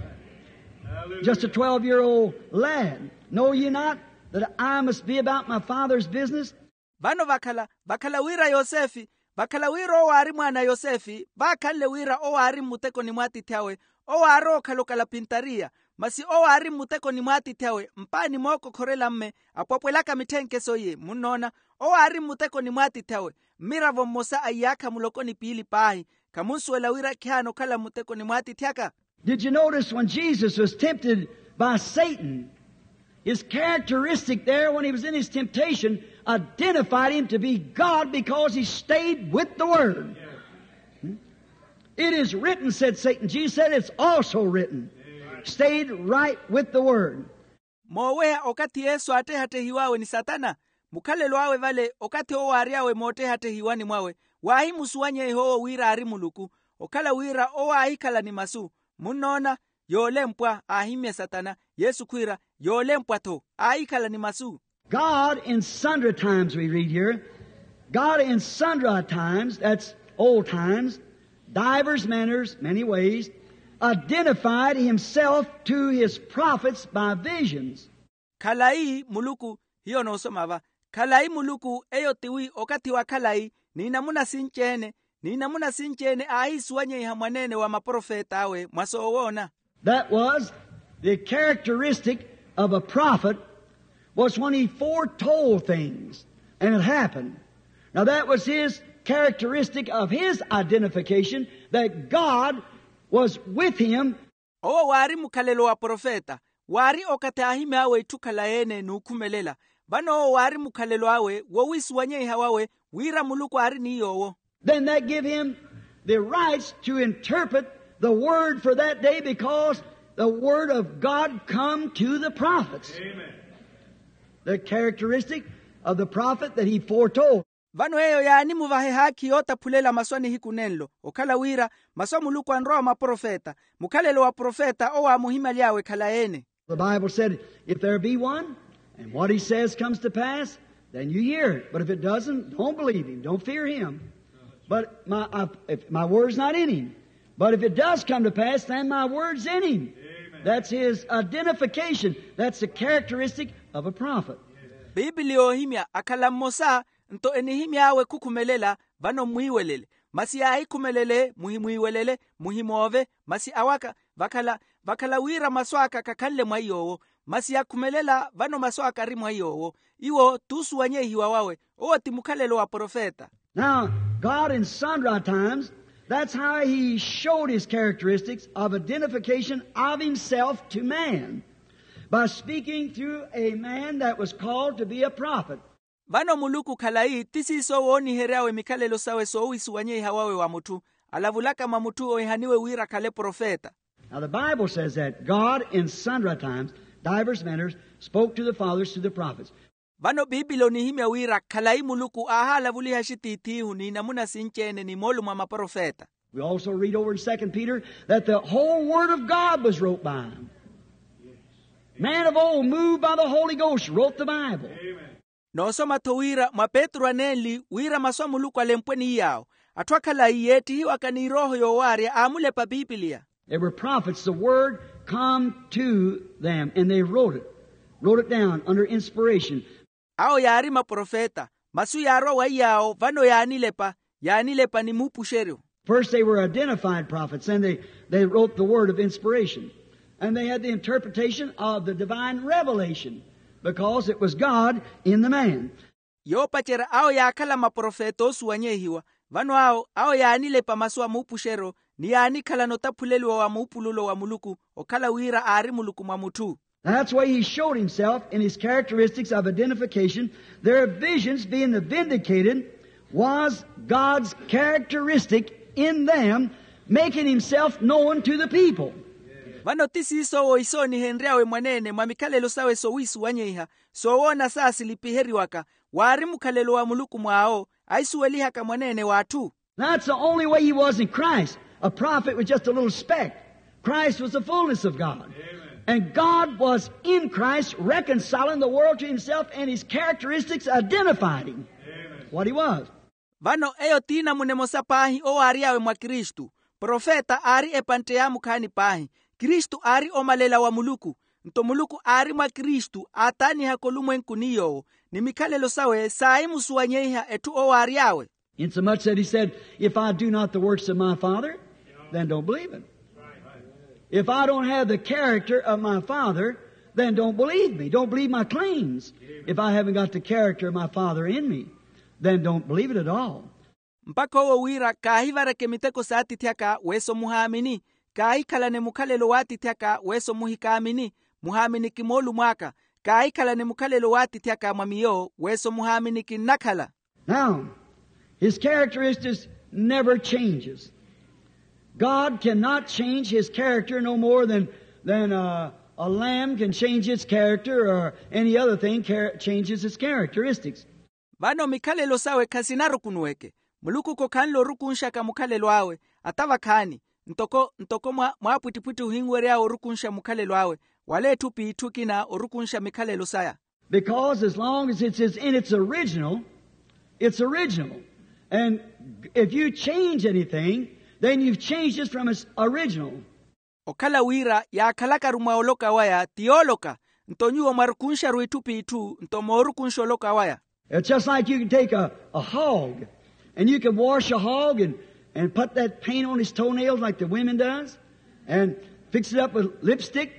Just a twelve year old lad. Know ye not that I must be about my father's business? Vano vakhala vakhala wira yosefe, vakhala wira owo aari mwaana a yosefe vaakhanle wira owo aari mmutekoni mw'atiithi awe. Owo aarowa okhala okalapintariya, masi owo aari mmutekoni mw'atiithi awe mpaani mookokhorela mme apwapwelaka mitthenkese iye. Munnoona? Owo aari mmutekoni mw'atiithi awe. Mmiravo mmosa a iyaakha muloko ni piili paahi. Khamunsuwela wira khihaana okhala mmutekoni mw'atiithi aka? Did you notice when Jesus was tempted by satan, his characteristic there when he was in his temptation identified him to be god because he stayed with the word. It is written, said satan. Jesus said, it's also written. Stayed right with the word. Mooweya okathi yesu aattehattehiw'awe ni satana, mukhalelo awe vale okathi owo aary'awe moottehattehiwani mwawe, waahimusuwanyeiha owo wira aari muluku. Okhala wira owo aahikhala ni masu. Munnoona? Yoolempwa aahimmye satana. Yesu khwiira, yoolempwa-tho aahikhala ni masu. God in sundry times, we read here, god in sundry times, that's old times, divers manners, many ways, identified himself to his prophets by visions. Khalayi muluku, hiyo noosoma va, khalayi muluku eyo tiwi okathi wa khalayi, n'inamuna sinci-ene n'inamuna sinci-ene aahiisuwanyeiha mwaneene wa maprofet'awe mwa soowoona. That was the characteristic of a prophet, was when he foretold things and it happened. Now that was his characteristic of his identification, that god was with him. Owo waari mukhalelo wa profeta, waari okathi aahimy'awe itthu khalayi-ene n'ukhumelela. Vano owo waari mukhalelo awe wowiisuwanyeiha wawe wira muluku aari ni yoowo. Then that give him the rights to interpret the word for that day, because the word of god come to the prophets. The characteristic of the prophet that he foretold. Vano eyo yaanimuvaha ehaakhi yootaphulela masu a nihiku nenlo okhala wira masu a muluku anrowa wa maprofeta. Mukhalelo wa profeta owo aamuhimaly'awe khalayi-ene. The bible said, if there be one and what he says comes to pass, then you hear it, but if it doesn't, don't believe him, don't fear him. But my, if my word's not in him, but if it does come to pass, then my word's in him. That's his identification. That's the characteristic of a prophet. Piipili yoohimya akhala mmosa, nto enihimy'awe khukhumelela. Vano mmwiiwelele, masi yaahikhumelele muhimwiiwelele, muhimoove. Masi awaka vakhala vakhala wira masu aka khakhanle mwa iy'owo. Masi yakhumelela vano masu aka ari mwa iy'owo. Iwo t'usuwanyeihiwa wawe. Owo ti mukhalelo wa profeta. Now, God in sundry times, that's how he showed his characteristics of identification of himself to man, by speaking through a man that was called to be a prophet. Vano muluku khalayi ti siiso woonihery'awe mikhalelo sawe soowisuwanyeiha wawe wa mutthu, alavulaka mwa mutthu ohihaniwe wira akhale profeta. Now the Bible says that God in sundry times, divers manners, spoke to the fathers through the prophets. Vano piipili onihimya wira khalayi muluku aahalavuliha axitiith'ihu n'inamuna sinci-ene ni moolumo a maprofeta. We also read over in Second Peter that the whole word of God was wrote by him. Man of old, moved by the Holy Ghost, wrote the Bible. Noosoma-tho wira mwa petru anenli wira masu a muluku alempwe ni yaawo. Atthu akhalayi yeettihiwaka ni erooho yoowaarya aamulepa piipiliya. They were prophets. The word come to them and they wrote it, wrote it down under inspiration. Awo yaari maprofeta, masu yaarwa wa iyaawo vano yaanilepa, yaanilepa ni muupuxeryo. First they were identified prophets, and they, they wrote the word of inspiration. And they had the interpretation of the divine revelation, because it was God in the man. Yoopacerya awo yaakhala maprofeta oosuwanyeihiwa. Vano awo awo yaanilepa masu a muupuxeryo, ni yaanikhalana otaphuleliwa wa muupululo wa muluku, okhala wira aari muluku mwa mutthu. That's why he showed himself in his characteristics of identification, their visions being vindicated, was God's characteristic in them, making himself known to the people. Vano ti siiso owo isoonihenry'awe mwaneene mwa mikhalelo sawe soowisuwanyeiha, soowoona saasilipiheriwaka, waari mukhalelo wa muluku mwaawo, aisuwelihaka mwaneene w'atthu. That's the only way he was in Christ. A prophet was just a little speck. Christ was the fullness of God. And God was in Christ, reconciling the world to himself and his characteristics identified him. What he was. Vano eyo t'inamuna emosa paahi owaary'awe mwa kristu. Profeta aari epantte yaamukhaani paahi. Kristu aari omalela wa muluku. Nto muluku aari mwa kristu aataanihaka olumwenku ni yoowo, ni mikhalelo sawe saahimusuwanyeiha etthu owaary'awe. Insomuch that he said, if I do not the works of my Father, then don't believe it. If I don't have the character of my Father, then don't believe me. Don't believe my claims. If I haven't got the character of my Father in me, then don't believe it at all. Mpakha owo wira kaahivareke miteko s'atiithi aka weeso muhaamini, kaahikhalane mukhalelo w'atiithi aka weeso muhikaamini, muhaaminiki moolumo aka. Kaahikhalane mukhalelo w'atiithi aka mwa miyo weeso muhaamini kinnakhala. Now, his characteristics never changes. God cannot change his character no more than, than a, a lamb can change its character or any other thing char- changes its characteristics. Vano mikhalelo sawe khasinarukunuweke. Muluku khokhanle orukunxaka mukhalelo awe. Ata vakhaani, ntoko ntoko mwa mwaapwittipwitthi ohinwery'awe orukunxa mukhalelo awe, wala etthu p'itthu ekina orukunxa mikhalelo saya. Because as long as it's, it's in its original, it's original. And if you change anything, then you've changed it from its original. Okhala wira yaakhalakaru mwa oloka waya ti yooloka. Nto nyuwo mwarukunxaru itthu p'itthu nto moorukunxa oloka waya. It's just like you can take a, a hog and you can wash a hog and, and put that paint on his toenails like the women does and fix it up with lipstick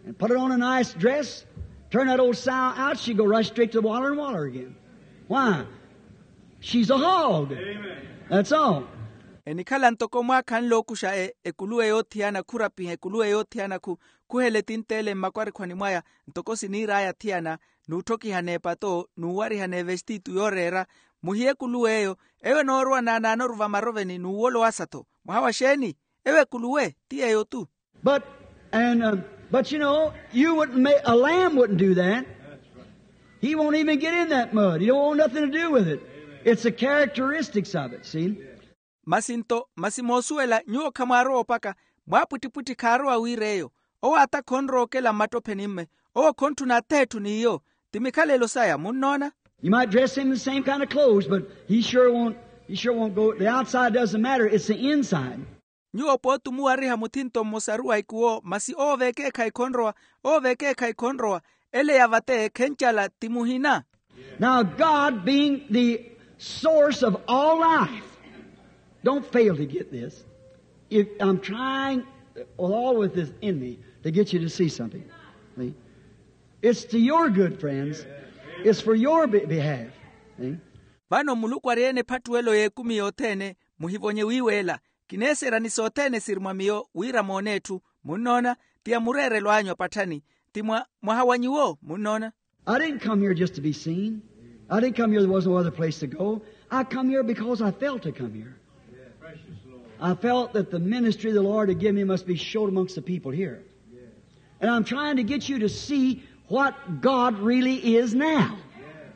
and put it on a nice dress, turn that old sow out, she go right straight to the waller and waller again. Why? She's a hog. That's all. Enikhala ntoko mwaakhanle ookuxa e- ekuluwe yoothiyana khurapiha ekuluwe yoothiyana khu- khuhele tinteele mmakwarikhwani mwaya. Ntoko siniir'aya athiyana, n'utthokihana epato n'uwarihana evestitu yooreera. Muhiye ekuluwe eyo. Eyo enoorowa naanaanoru vamaroveni n'uwolo wasa-tho. Mwaha wa xeeni? Eyo ekuluwe ti yeeyo-tu. But, and, um, but you know, you wouldn't ma- a lamb wouldn't do that. He won't even get in that mud. He don't want nothing to do with it. It's the characteristics of it, see? Masi nto masi moosuwela nyuwo khamwaarowa opaka. Mwaapwittipwitthi khaarowa wiir'eyo. Owo ata khonrowa okela mmattopheni-mme. Owo khontthuna atheetthu n'iyo. Ti mikhalelo saya munnoona. You might dress him in the same kind of clothes, but he sure won't, he sure won't go. The outside doesn't matter, it's the inside. Nyuwo pooti omuwariha muthinto mmosaru wa ikuwo masi owo veekeekhayi khonrowa. Owo veekeekhayi khonrowa. Ele ya vate khencala ti muhina. Now, God being the source of all life, don't fail to get this. If I'm trying with all with this in me to get you to see something. See? It's to your good, friends. It's for your be- behalf. See? Vano muluku ari-ene ephattuwelo y'ekumi yothene. Muhivonye wiiweela. Kineeserya ni sothene siri mwa miyo wira moone etthu. Munnoona? Ti ya mureerelo anyu apatthani. Ti mwa mwaha wa nyuwo. Munnoona? I didn't come here just to be seen. I didn't come here, there was no other place to go. I come here because I felt to come here. I felt that the ministry the Lord had given me must be showed amongst the people here. And I'm trying to get you to see what God really is now.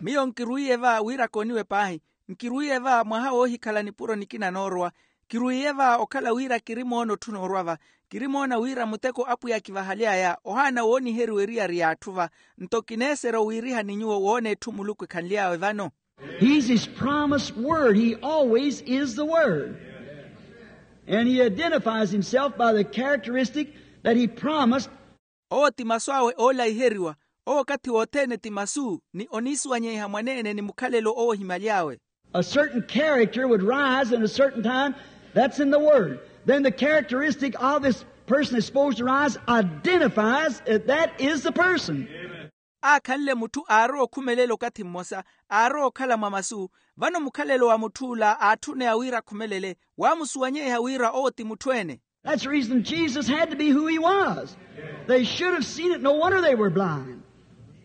Miyo nkirwiiye va wira kooniwe paahi. Nkirwiiye va mwaha woohikhala nipuro nikina noorowa. Kirwiiye va okhala wira kiri moona otthu noorwa va. Kiri moona wira muteko apwiya akivahaly'aya ohaana wooniheriwa eriyari y'atthu va. Nto kineeserya owiiriha ni nyuwo woona etthu muluku ekhanly'awe vano. He's his promised word. He always is the word. And he identifies himself by the characteristic that he promised. Owo ti masu awe oolaiheriwa. Owo okathi wothene ti masu ni oniisuwanyeiha mwaneene ni mukhalelo owo ohimaly'awe. A certain character would rise in a certain time. That's in the word. Then the characteristic of this person is supposed to rise identifies that that is the person. Aakhanle mutthu aarowa okhumelela okathi mmosa. Aarowa okhala mwa masu. Vano mukhalelo wa mutth'ula aatthuneya wira akhumelele. Waamusuwanyeiha wira owo ti mutthu-ene. That's the reason Jesus had to be who he was. They should have seen it. No wonder they were blind.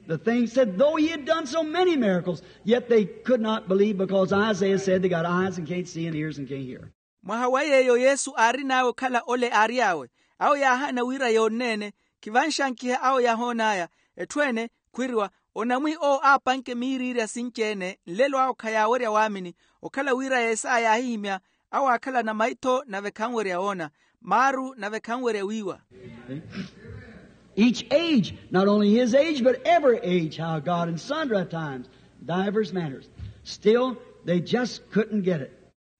The thing said, though he had done so many miracles, yet they could not believe because Isaiah said they got eyes and can't see and ears and can't hear. Mwaha wa yeeyo yesu aarin'awe okhala ole aary'awe. Awo yaahaana wira yoonneene. Khivanxankiha awo yahoon'aya. Etthu ene khwiriwa onamwi owo aapanke miiriirya sinci-ene nlelo awo khayaawerya waamini. Okhala wira yeesaya yaahihimya awo aakhalana maitho nave khanwerya woona. Maaru nave khanwerya wiiwa. Each age, not only his age but every age, how God in sundry times, divers manners, still they just couldn't get it.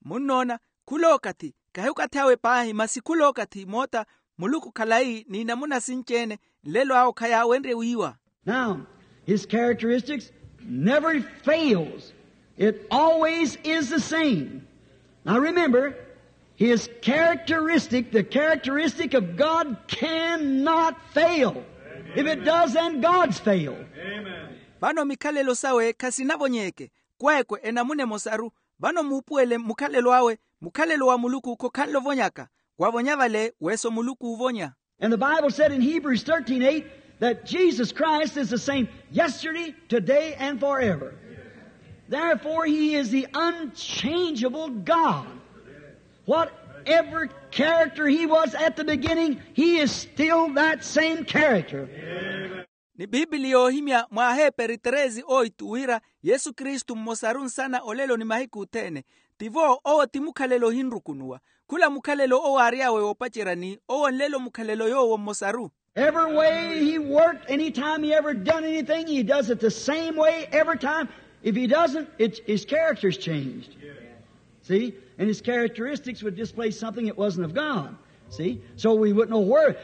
Munnoona? Khula okathi kahi okathi awe paahi masi khula okathi moota muluku khalayi n'inamuna sinci-ene. Nlelo awo khayaawenrye wiiwa. Now, his characteristics never fails. It always is the same. Now remember, his characteristic, the characteristic of God, cannot fail. If it does, then God's failed. Vano mikhalelo sawe khasinavonyeke. Kweekwe enamuna emosaru. Vano muupuwele mukhalelo awe. Mukhalelo wa muluku khokhanle ovonyaka. Wavonya vale weso muluku uuvonya. And the Bible said in Hebrews thirteen eight that Jesus Christ is the same yesterday, today, and forever. Therefore, he is the unchangeable God. Whatever character he was at the beginning, he is still that same character. Ni biibili yoohimya mwa aheeperi treze oitu wira yesu kristu mmosaru nsana olelo ni mahiku othene. Tivo owo ti mukhalelo ohinrukunuwa. Khula mukhalelo owo aary'awe woopaceryani owo nlelo mukhalelo yoowo mmosaru. Every way he worked, any time he ever done anything, he does it the same way every time. If he doesn't, it, his character's changed. See? And his characteristics would displace something that wasn't of God. See? So we wouldn't know where.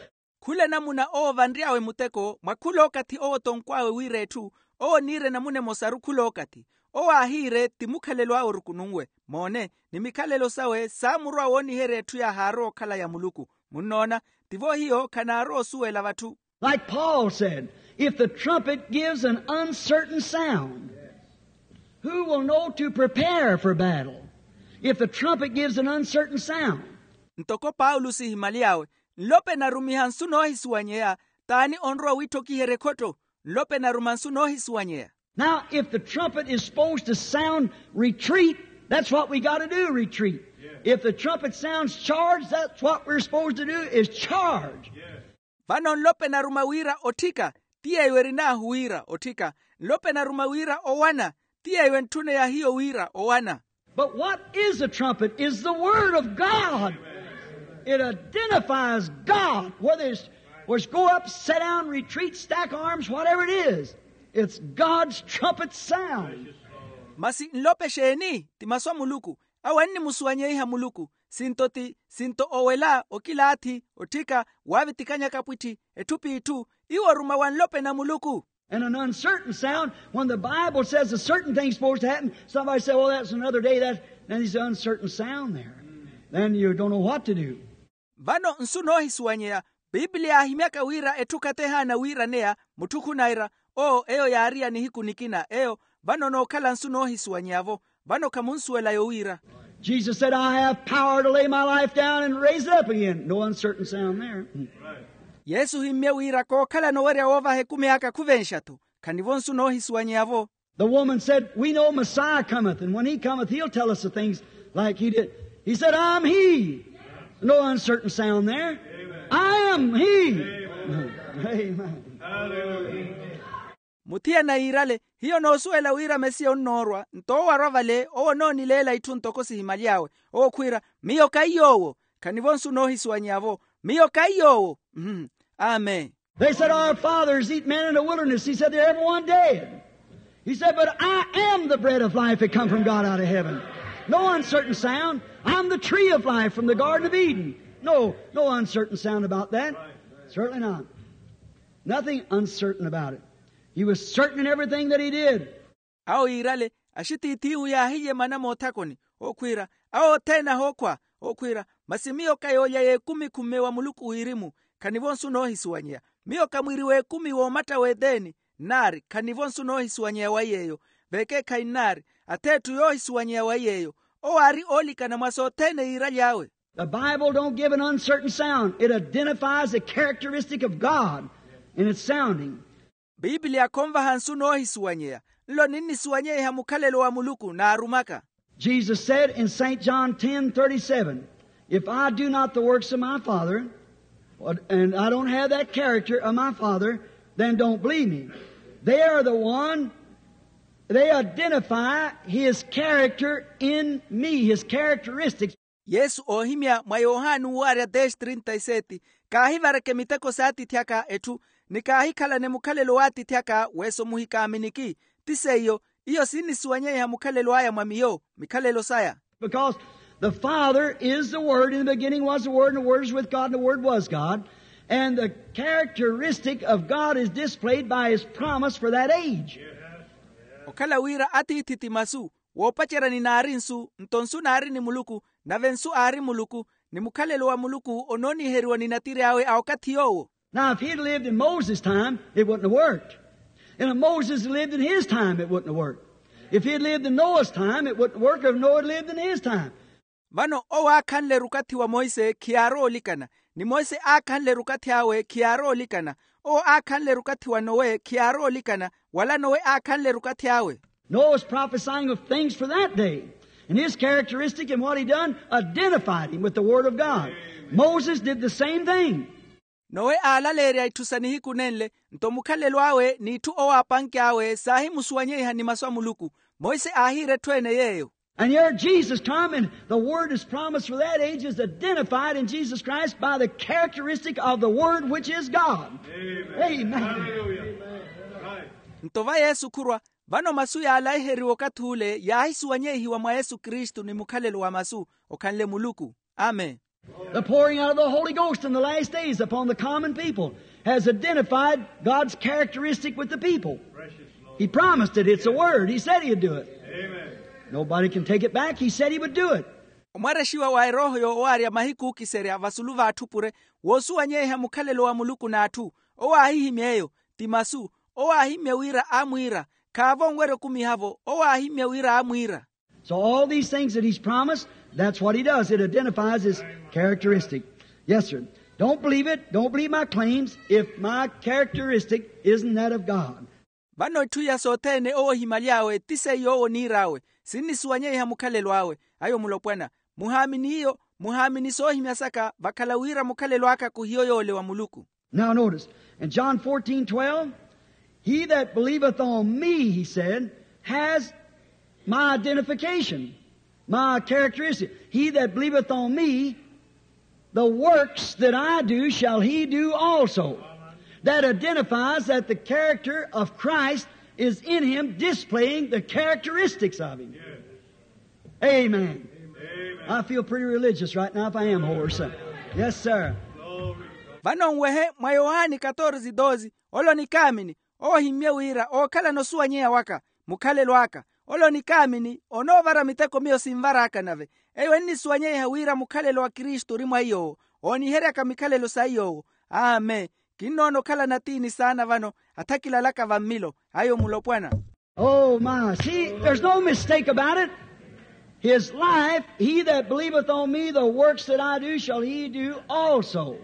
Khula namuna owo vanry'awe muteko mwa khula okathi owo tonkw'awe wira etthu. Owo niire namuna emosaru khula okathi. Owo aahiire ti mukhalelo awe orukununwe. Moone, ni mikhalelo sawe saamurwa wooniherya etthu yaahaarowa okhala ya muluku. Munnoona? Tivo hiyo khanaarowa osuwela vatthu. Like Paul said, if the trumpet gives an uncertain sound, who will know to prepare for battle? If the trumpet gives an uncertain sound. Ntoko paulo sihimaly'awe, nlope narumiha nsu noohisuwanyeya, t'ani onrowa wiitthokiherya ekhotto? Nlope naruma nsu noohisuwanyeya. Now, if the trumpet is supposed to sound retreat, that's what we got to do, retreat. If the trumpet sounds charge, that's what we're supposed to do, is charge. Vano nlope naruma wira otthika, ti yeeyo erin'ahu wira otthika. Nlope naruma wira owana, ti yeeyo entthuneya hiyo wira owana. But what is the trumpet is the word of God. It identifies God, whether it's, whether it's go up, sit down, retreat, stack arms, whatever it is. It's God's trumpet sound. Masi nlope exeeni? Ti masu a muluku. Awo annimusuwanyeiha muluku. Sinto ti sinto owela okilaathi otthika waavitikanyaka apwitti etthu p'itthu. Iwo oruma wa nlope na muluku. And an uncertain sound, when the Bible says a certain thing's supposed to happen, somebody say, "Well, that's another day." That, then there's an uncertain sound there. Then you don't know what to do. Vano nsu noohisuwanyeya. Pipiliya aahimyaka wira etthu khatehaana wiiraneya. Mutthu khunayira, oo eyo yaariya nihiku nikina eyo. Vano nookhala nsu noohisuwanyeya-vo. Vano khamunsuwela yowiira. Jesus said, "I have power to lay my life down and raise it up again." No uncertain sound there. Yesu ohimmye wira kookhalana owerya woovaha ekumi aka khuvenxa-tho. Khanivo nsu noohisuwanyeya-vo. The woman said, "We know Messiah cometh, and when he cometh, he'll tell us the things like he did." He said, "I'm he." No uncertain sound there. "I am he." Amen. Muthiyana yiirale, hiyo noosuwela wira mesiya onnoorwa nto owo arwa vale owo onoonileela itthu ntoko sihimyaly'awe. Owo khwiira, "Miyo kaiy'owo." Khanivo nsu noohisuwanyeya-vo. "Miyo kaiy'owo." Amen. They said, "Our fathers eat manna in the wilderness." He said, "They're everyone dead." He said, "But I am the bread of life that come from God out of heaven." No uncertain sound. "I'm the tree of life from the Garden of Eden." No, no uncertain sound about that. Certainly not. Nothing uncertain about it. He was certain in everything that he did. Awo yiirale, axitiithi ihu yaahilye mana moothakoni, okhwiira, awo othene ahookhwa, okhwiira, masi miyo kayoolya y'ekumi khumme wa muluku wirimu. Khanivo nsu noohisuwanyeya. Miyo kamwiiri w'ekumi w'omatta w'eteni. Nnaari khanivo nsu noohisuwanyeya wa yeeyo. Vekeekhayi nnaari, ath'etthu yoohisuwanyeya wa yeeyo. Owo aari oolikana mwa sothene yiiraly'awe. The Bible don't give an uncertain sound. It identifies the characteristic of God in its sounding. Pipiliya khonvaha nsu noohisuwanyeya. Nlo ninnisuwanyeiha mukhalelo wa muluku naarumaka. Jesus said in Saint John ten thirty-seven, "If I do not the works of my Father, and I don't have that character of my Father, then don't believe me." They are the one, they identify his character in me, his characteristics. Yesu oohimya mwa yohani uwo aarya dez trinta y sete, kaahivareke miteko s'atiithi aka etthu, ni kaahikhalane mukhalelo w'atiithi aka weso muhikaaminiki. Ti seiyo, iyo sinnisuwanyeiha mukhalelo aya mwa miyo, mikhalelo saya. Because the Father is the Word. In the beginning was the Word, and the Word is with God, and the Word was God. And the characteristic of God is displayed by his promise for that age. Okhala wira atiithi ti masu, woopacerya ni naari nsu, nto nsu naari ni muluku, nave nsu aari muluku, ni mukhalelo wa muluku onooniheriwa ni natiri awe a okathi yoowo. Now, if he'd lived in Moses' time, it wouldn't have worked. And if Moses had lived in his time, it wouldn't have worked. If he'd lived in Noah's time, it wouldn't work if Noah had lived in his time. Vano owo aakhanle rukathi wa monse khiyaarowa olikana, ni monse aakhanle rukathi awe khiyaarowa olikana. Owo aakhanle rukathi wa nowe khiyaarowa olikana, wala nowe aakhanle rukathi awe. Noah was prophesying of things for that day, and his characteristic and what he done identified him with the Word of God. Moses did the same thing. Nowe aalaleerya itthu sa nihiku nenle, nto mukhalelo awe n'itthu owo aapanke awe saahimusuwanyeiha ni masu a muluku. Monse aahiira etthu ene yeeyo. And here Jesus come, and the word is promised for that age is identified in Jesus Christ by the characteristic of the Word, which is God. Amen. Nto va yesu khurwa, vano masu yaalaiheriwa okathi ule yaahisuwanyeihiwa mwa yesu kristu ni mukhalelo wa masu, okhanle muluku. Amen. The pouring out of the Holy Ghost in the last days upon the common people has identified God's characteristic with the people. He promised it. It's a word. He said he'd do it. Nobody can take it back. He said he would do it. Omwarexiwa wa erooho yoowaarya mahiku ookiserya vasulu v'atthu pure, woosuwanyeiha mukhalelo wa muluku n'atthu. Owo aahihimya eyo. Ti masu. Owo aahimmye wira aamwiira. Khaavo onwerya okumiha-vo. Owo aahimmye wira aamwiira. So all these things that he's promised, that's what he does. It identifies his characteristic. Yes, sir. Don't believe it. Don't believe my claims if my characteristic isn't that of God. Vano etthu iya sothene owo ohimaly'awe ti seiyo owo oniir'awe. Sinnisuwanyeiha mukhalelo awe. Ayo mulopwana. Muhaamini iyo. Muhaamini soohimya saka vakhala wira mukhalelo aka khuhiyo yoole wa muluku. Now notice, in John fourteen twelve, "He that believeth on me," he said, "has my identification, my characteristic. He that believeth on me, the works that I do shall he do also." That identifies that the character of Christ is in him, displaying the characteristics of him. Amen. I feel pretty religious right now if I am hoarse. Yes, sir. Vano nwehe mwa yohani katorze doze, ole onikaamini, owo ohimmye wira ookhalana osuwanyeya waka, mukhalelo aka. Ole onikaamini onoovara miteko miyo sinvar'aka nave. Eyo ennisuwanyeiha wira mukhalelo wa kristu ori mwa iy'owo, ooniheryaka mikhalelo sa iy'owo. Amen. Kinnoona okhalana atiini saana vano, athakilalaka vammilo ayo mulopwana. Oh my, see, there's no mistake about it. His life, he that believeth on me, the works that I do shall he do also.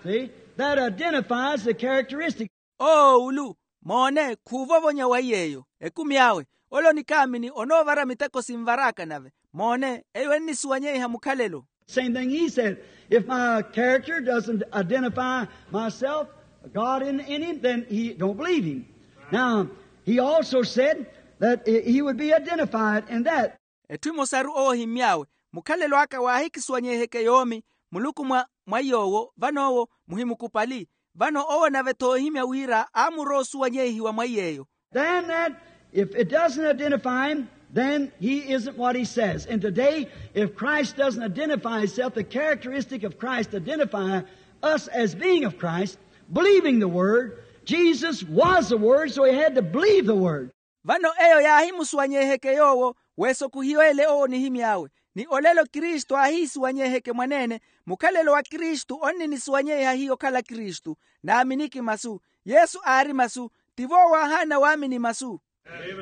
See, that identifies the characteristic. Oowulu, moone khuuvovonya wa iy'eyo ekumi awe. Ole onikaamini onoovara miteko sinvar'aka nave. Moone eyo ennisuwanyeiha mukhalelo. Same thing he said. If my character doesn't identify myself, God in, in him, then he don't believe him. Now, he also said that he would be identified in that. Etthu emosaru owo ohimmy'awe, mukhalelo aka waahikisuwanyeiheke yoomi, muluku mwa, mwa iy'owo vano owo muhimukupali. Vano owo nave-tho oohimya wira aamurowa osuwanyeihiwa mwa iy'eyo. Then that, if it doesn't identify him, then he isn't what he says. And today, if Christ doesn't identify himself, the characteristic of Christ identify us as being of Christ, believing the word. Jesus was the word, so he had to believe the word. Vano eyo yaahimusuwanyeiheke yoowo, weesokuhiyo ele owo onihimy'awe. Ni olelo kristu aahiisuwanyeiheke mwaneene, mukhalelo wa kristu onninisuwanyeiha hiyo okhala kristu. Naaminiki masu. Yesu aari masu. Tivo owo aahaana waamini masu.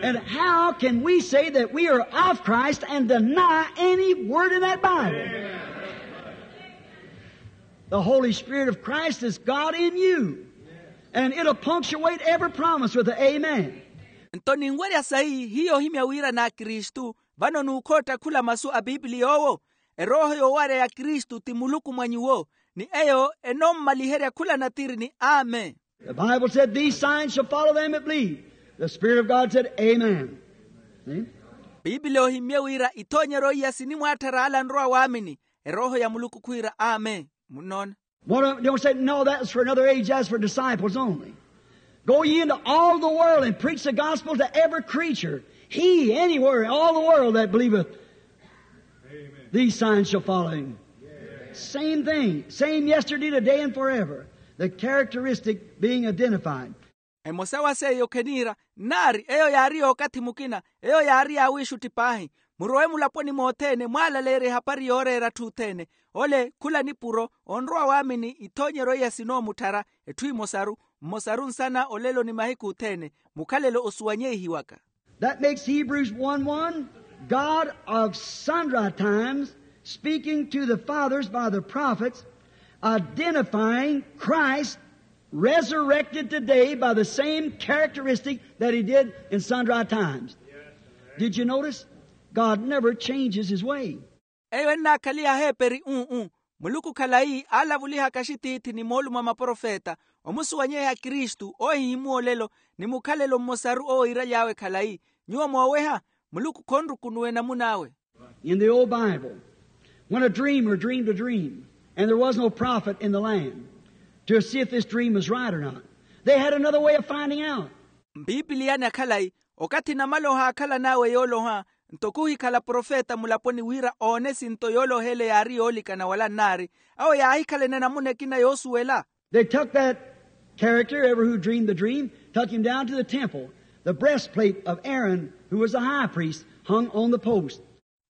And how can we say that we are of Christ and deny any word in that Bible? The Holy Spirit of Christ is God in you. And it'll punctuate every promise with an amen. Nto ninwerya sayi hiyo ohimya wira n'akristu, vano nuukhootta khula masu a pipiliya owo. Erooho yoowarya ya kristu ti muluku mwa nyuwo, ni eyo enoommaliherya khula natiri ni amen. The Bible said, these signs shall follow them that believe. The Spirit of God said, amen. Pipiliya ohimmye wira ithoonyeryo iya sinimwaatthara ala anrowa waamini. Erooho ya muluku khwiira amen. Munnoona? What don't say, no, that was for another age, that's for disciples only. Go ye into all the world and preach the gospel to every creature. He, anywhere, all the world that believeth. These signs shall follow him. Same thing. Same yesterday, today, and forever. The characteristic being identified. Emosa wa seiyo kheniira, nnaari eyo yaari yookathi mukina. Eyo yaari yaawiixutti paahi. Murowe mulaponi mothene mwaalaleerye ehapari yooreera atthu othene. Ole khula nipuro onrowa waamini ithoonyeryo iya sinoomutthara. Etthu emosaru, mmosaru nsana olelo ni mahiku othene. Mukhalelo osuwanyeihiwaka. That makes Hebrews one one, God of sundry times, speaking to the fathers by the prophets, identifying Christ resurrected today by the same characteristic that he did in sundry times. Did you notice? God never changes his way. Eyo ennaakhaliha heeperi uu. Muluku khalayi aalavulihaka axitiithi ni moolumo a maprofeta, omusuwanyeiha kristu oohihimuwa olelo, ni mukhalelo mmosaru owo iiraly'awe khalayi. Nyuwo mooweha, muluku khonrukunuwa enamun'awe. In the old Bible, when a dreamer dreamed a dream, and there was no prophet in the land to see if this dream was right or not, they had another way of finding out. Mpipiliyani akhalayi, okathi namaloha aakhalan'awe yooloha, nto khuhikhala profeta mulaponi wira oone sinto yooloha ele yaari yoolikana wala nnaari, awo yaahikhalana enamuna ekina yoosuwela. They took that character, ever who dreamed the dream, took him down to the temple. The breastplate of Aaron, who was the high priest, hung on the post.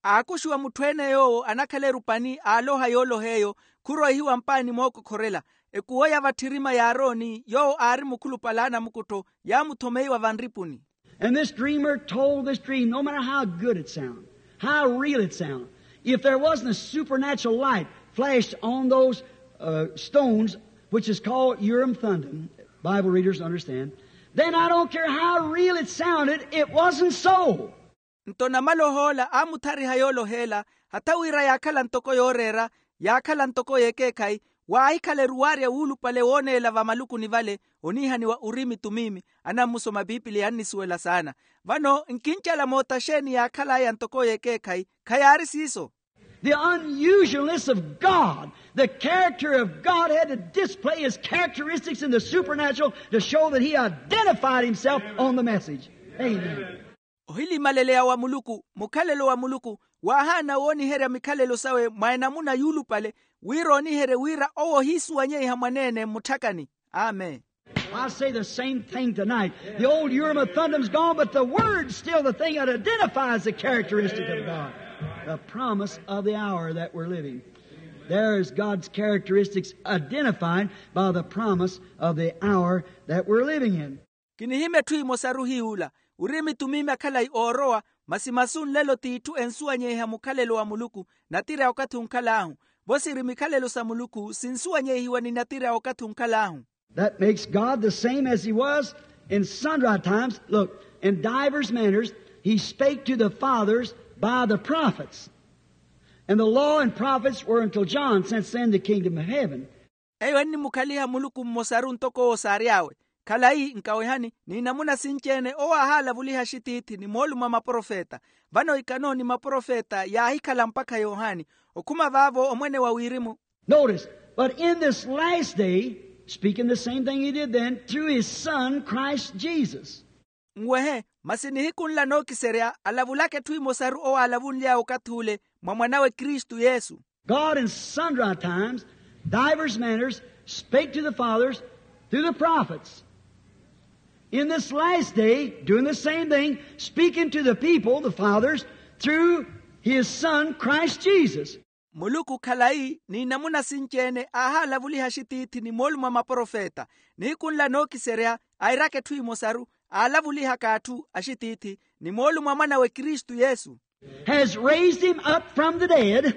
Aakuxiwa mutthu-ene yoowo anakhala erupani aaloha yooloha eyo, khuroihiwa mpaani mookokhorela. Ekuwo ya vatthirima ya arooni yoowo aari mukhulupale a anamukuttho, yaamuthomeiwa vanripuni. And this dreamer told this dream, no matter how good it sound, how real it sound, if there wasn't a supernatural light flashed on those stones, which is called Urim Thummim, Bible readers understand, then I don't care how real it sounded, it wasn't so. Nto namaloha ola aamuthariha yooloha ela, hatha wira yaakhala ntoko yooreera, yaakhala ntoko y'ekeekhayi, waahikhala eruwaarya wuulupale wooneela vamalukuni vale, oniihaniwa urimi tumimi. Anammusoma pipiliya annisuwela saana. Vano nkincala moota xeeni yaakhal'aya ntoko y'ekeekhayi? Khayaari siiso. The unusualness of God, the character of God had to display his characteristics in the supernatural to show that he identified himself on the message. Amen. Ohilimaleleya wa muluku, mukhalelo wa muluku, Waahaana wooniherya mikhalelo sawe mwa enamuna yuulupale, wira ooniherye wira owo ohiisuwanyeiha mwaneene mmutthakhani. Amen. I say the same thing tonight. The old urim and thummim is gone, but the word's still the thing that identifies the characteristic of God. The promise of the hour that we're living. There's God's characteristics identified by the promise of the hour that we're living in. Kinihimya etthu emosaru hiy'ula, wirimitumi makhalayi oorowa, masi masu nlelo t'itthu ensuwanyeiha mukhalelo wa muluku. Natira ya okathi onkhal'ahu, vo siri mikhalelo sa muluku sinsuwanyeihiwa ni natira ya okathi onkhal'ahu. That makes God the same as he was in sundry times. Look, in divers manners he spake to the fathers by the prophets. And the law and prophets were until John, since then the kingdom of heaven. Eyo ennimukhaliha muluku mmosaru ntoko owo saary'awe. Khalayi nkawehani, n'inamuna sinci-ene owo aahalavuliha axitiithi ni moolumo a maprofeta. Vano ikano ni maprofeta yaahikhala mpakha yohani. Okhuma vaavo omwene wa wirimu. Notice, but in this last day, speaking the same thing he did then, through his son Christ Jesus. Nwehe, masi nihiku nla nookiserya alavulaka etthu emosaru owo aalavunly'awe okathi ule mwa mwan'awe kristu yesu. God in sundry times, divers manners, spake to the fathers through the prophets. In this last day, doing the same thing, speaking to the people, the fathers, through his son Christ Jesus. Muluku khalayi n'inamuna sinci-ene aahalavuliha axitiithi ni moolumo a maprofeta. Nihiku nla nookiserya airaka etthu emosaru, aalavulihaka atthu axitiithi ni moolumo a mwan'awe kristu yesu. Has raised him up from the dead,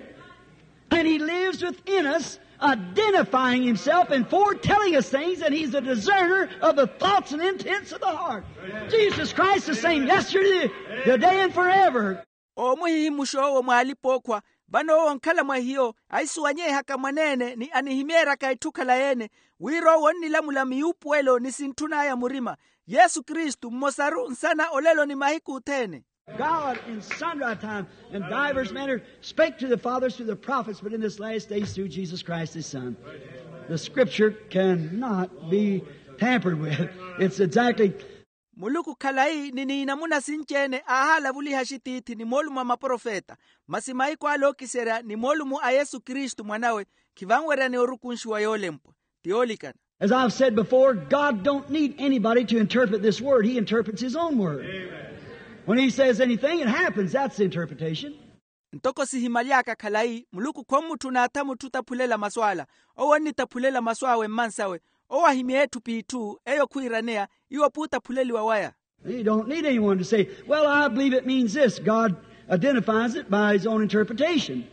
and he lives within us, identifying himself and foretelling us things, and he's a discerner of the thoughts and intents of the heart. Jesus Christ the same yesterday, today, and forever. Oomuhihimuxa owo mw'alipa-ookhwa, vano owo onkhala mwa hiyo ahisuwanyeihaka mwaneene ni anihimeeryaka etthu khalayi-ene, wira owo onnilamula miyuupuwelo ni sintthun'aya murima. Yesu kristu mmosaru nsana olelo ni mahiku othene. God in sundry times and divers manners spake to the fathers through the prophets, but in this last days through Jesus Christ his son. The scripture cannot be tampered with. It's exactly. Muluku khalayi ni n'inamuna sinci-ene aahalavuliha axitiithi ni moolumo a maprofeta, masi mahiku ale ookiserya ni moolumo a yesu kristu mwan'awe, khivanweryani orukunxiwa yoolempwa. Ti yoolikana. As I've said before, God don't need anybody to interpret this word. He interprets his own word. When he says anything, it happens. That's the interpretation. Ntoko sihimaly'aka khalayi, muluku khommutthuna atha mutthu otaphulela masu ala. Owo onnitaphulela masu awe mmansawe. Owo ahimya etthu p'itthu eyo khwiiraneya, iwo puutaphuleliwa waya. He don't need anyone to say, well, I believe it means this. God identifies it by his own interpretation.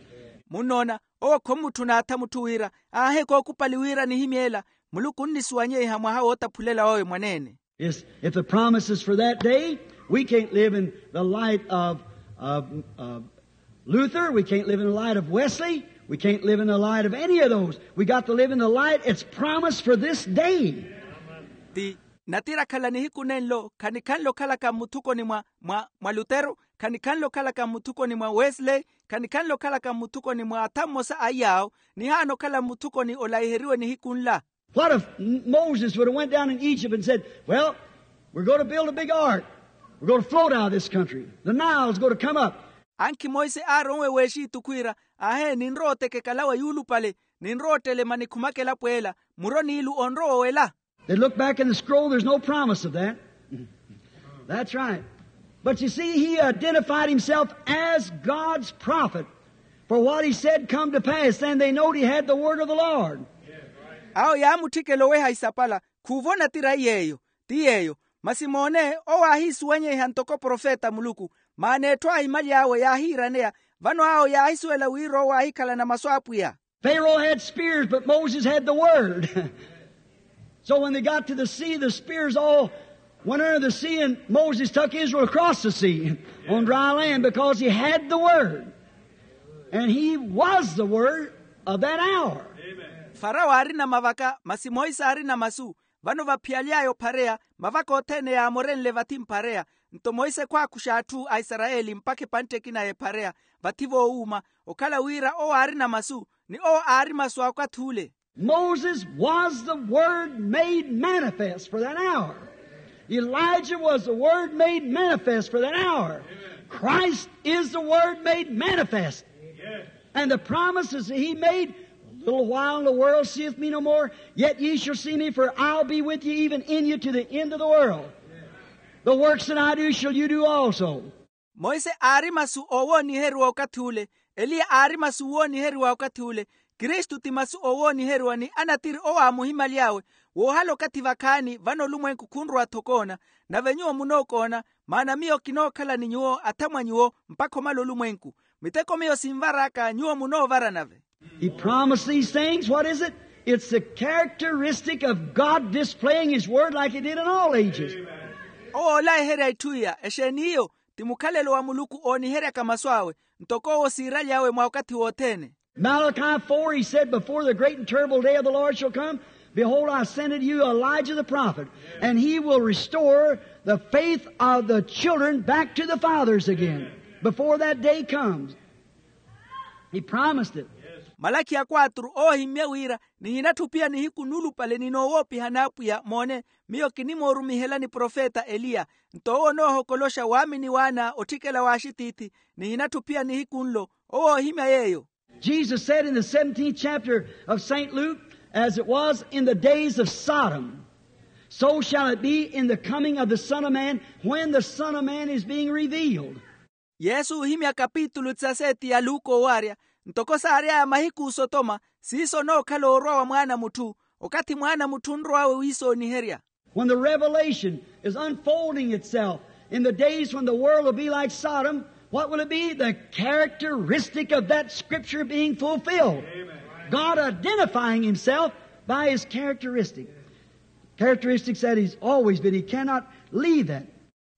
Munnoona, owo khommutthuna atha mutthu wira, aahi kookupali wira nihimye ela. Muluku onnisuwanyeiha mwaha wootaphulela wawe mwaneene. Is if the promise is for that day, we can't live in the light of, of, of Luther, we can't live in the light of Wesley, we can't live in the light of any of those. We got to live in the light it's promised for this day. Ti natira khala nihiku nenlo khanikhanle okhalaka mmuthukoni mwa mwa mwa lutero, khanikhanle okhalaka mmuthukoni mwa wesley, khanikhanle okhalaka mmuthukoni mwa atha mmosa a iyaawo. Nihaana okhala mmuthukoni olaiheriwe nihiku nla. What if Moses would have went down in Egypt and said, well, we're going to build a big ark. We're going to float out of this country. The Nile's going to come up. Ankhi monse aaronwe w'exitu khwiira, ahe ninrowa otekekalawa yuulupale, ninrowa ottelema nikhumaka elapo ela. Muro n'ilu onrowa owela. They look back in the scroll, there's no promise of that. That's right. But you see, he identified himself as God's prophet. For what he said come to pass, then they knowed he had the word of the Lord. Awo yaamutthikela oweha isapala, khuuvo natira iy'eyo. Ti yeeyo. Masi moone, owo aahiisuwanyeiha ntoko profeta a muluku. Maana etthu aahimaly'awe yaahiiraneya. Vano awo yaahisuwela wira owo aahikhalana masu a apwiya. Pharaoh had spears, but Moses had the word. So when they got to the sea, the spears all went under the sea, and Moses took Israel across the sea on dry land because he had the word. And he was the word of that hour. Farao aarina mavaka, masi monse aarina masu. Vano vaphiyaly'aya ophareya, mavaka othene yaamorenle vathi mphareya. Nto monse khwaakuxa atthu a isarayeli mpakha epantte ekina y'ephareya. Vathi voowuuma, okhala wira owo aarina masu, ni owo aari masu a okathi ule. Moses was the word made manifest for that hour. Elijah was the Word made manifest for that hour. Christ is the Word made manifest. And the promises that he made, a little while and the world seeth me no more, yet ye shall see me, for I'll be with you, even in you, to the end of the world. The works that I do shall you do also. Monse aari masu oowooniheriwa okathi ule. Eliya aari masu oowooniheriwa okathi ule. Kristu ti masu oowooniheriwa ni anatiri owo aamuhimaly'awe. Woohala okathi vakhaani vano olumwenku khunrowa-tho okoona. Nave nyuwo munookoona, maana miyo kinookhala ni nyuwo athamwa nyuwo mpakha omala olumwenku. Miteko miyo sinvar'aka nyuwo munoovara nave. He promised these things. What is it? It's the characteristic of God displaying His Word like He did in all ages. Owo oolayiherya itthu iya exeeni iyo? Ti mukhalelo wa muluku ooniheryaka masu awe, ntoko owo siiraly'awe mwa okathi wothene. Malachi four, he said, before the great and terrible day of the Lord shall come, behold, I send unto you Elijah the prophet, and he will restore the faith of the children back to the fathers again before that day comes. He promised it. Malakhi ya kwatru oohimmye wira, nihinatthi ophiya nihiku nulupale ni noowoopiha n'apwiya. Moone, miyo kinimoorumihelani profeta eliya, nto owo onoohokoloxa waamini w'ana otthikela w'axitiithi. Nihinatthi ophiya nihiku nlo. Owo oohimya yeeyo. Jesus said in the seventeenth chapter of Saint Luke, as it was in the days of Sodom, so shall it be in the coming of the Son of Man, when the Son of Man is being revealed. Yesu oohimya kapitulu tisaseeti ya luka owaarya, ntoko saary'aya mahiku osotoma, siiso onookhala orwa wa mwaana a mutthu, okathi mwaana a mutthu onrow'awe wiisooniherya. When the revelation is unfolding itself in the days when the world will be like Sodom, what will it be? The characteristic of that scripture being fulfilled. God identifying Himself by His characteristic. Characteristics that He's always been. He cannot leave that.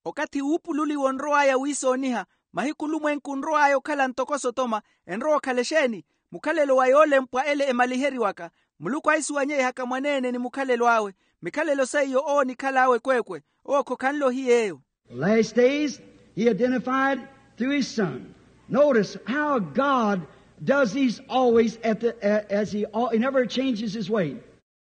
Okathi wuupululiwa onrow'aya wiisooniha, mahiku olumwenku onrow'aya okhala ntoko sotoma, enrowa okhala exeeni? Mukhalelo wa yoolempwa ele emaliheriwaka. Muluku ahisuwanyeihaka mwaneene ni mukhalelo awe. Mikhalelo seiyo owo onikhal'awe ekweekwe. Owo khokhanle ohiya eyo. The last days, He identified through His Son. Notice how God does these always at the, a- as He, al- He never changes His way.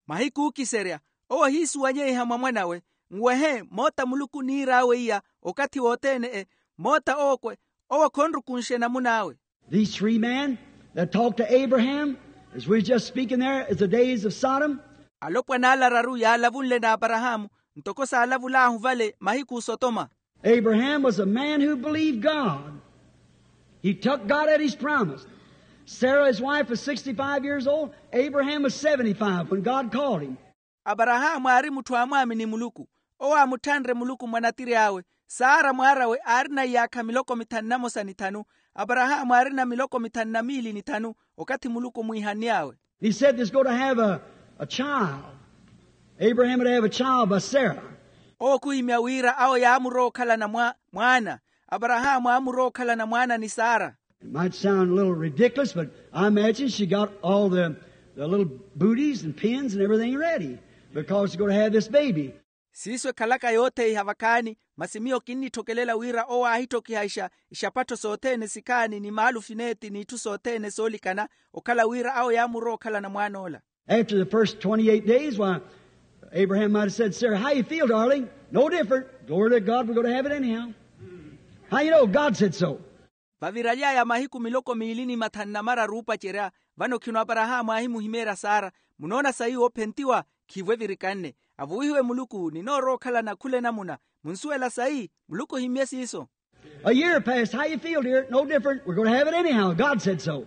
Mahiku ookiserya, owo ohiisuwanyeiha mwa mwan'awe. Nwehe moota muluku oniir'awe iya okathi wothene-e. Moota ookwe, owo khonrukunxe namun'awe. These three men that talked to Abraham, as we were just speaking there, is the days of Sodom. Alopwana ala araru yaalavunle n'aparahaamu, ntoko saalavul'ahu vale mahiku osotoma. Abraham was a man who believed God. He took God at His promise. Sarah, his wife, was sixty-five years old. Abraham was seventy-five when God called him. Aparahaamu aari mutthu aamwaamini muluku. Owo aamutthanre muluku mwa natiri awe. Sara mwaar'awe aarina iyaakha miloko mithanu na mosa ni thanu. Aparahaamu aarina miloko mithanu na miili ni thanu, okathi muluku omwiihann'awe. He said there's going to have a, a child. Abraham would have a child by Sarah. Owo khuhimya wira awo yaamurowa okhalana mwa mwaana. Aparahaamu aamurowa okhalana mwaana ni sara. It might sound a little ridiculous, but I imagine she got all the, the little booties and pins and everything ready because she's going to have this baby. Siiso ekhalaka yootheiha vakhaani. Masi miyo kinnitthokelela wira owo aahitthokiha ixa ixapattho sothene sikhaani ni maalufi neeti n'itthu sothene soolikana, okhala wira awo yaamurowa okhalana mwaan'ola. After the first twenty-eight days, why, Abraham might have said, Sarah, how you feel, darling? No different. Glory to God, we're going to have it anyhow. How you know? God said so. Vaviraly'aya mahiku miloko miili ni mathanu na mararu oopacerya, vano khino aparahaamu aahimuhimeerya sara. Munoona sayi oophentiwa? Khiivo evirikanne. Avuwihiwe muluku, ninoorowa okhalana khula enamuna. Munsuwela sayi? Muluku ohimmye siiso. A year passed. How you feel, dear? No different. We're going to have it anyhow. God said so.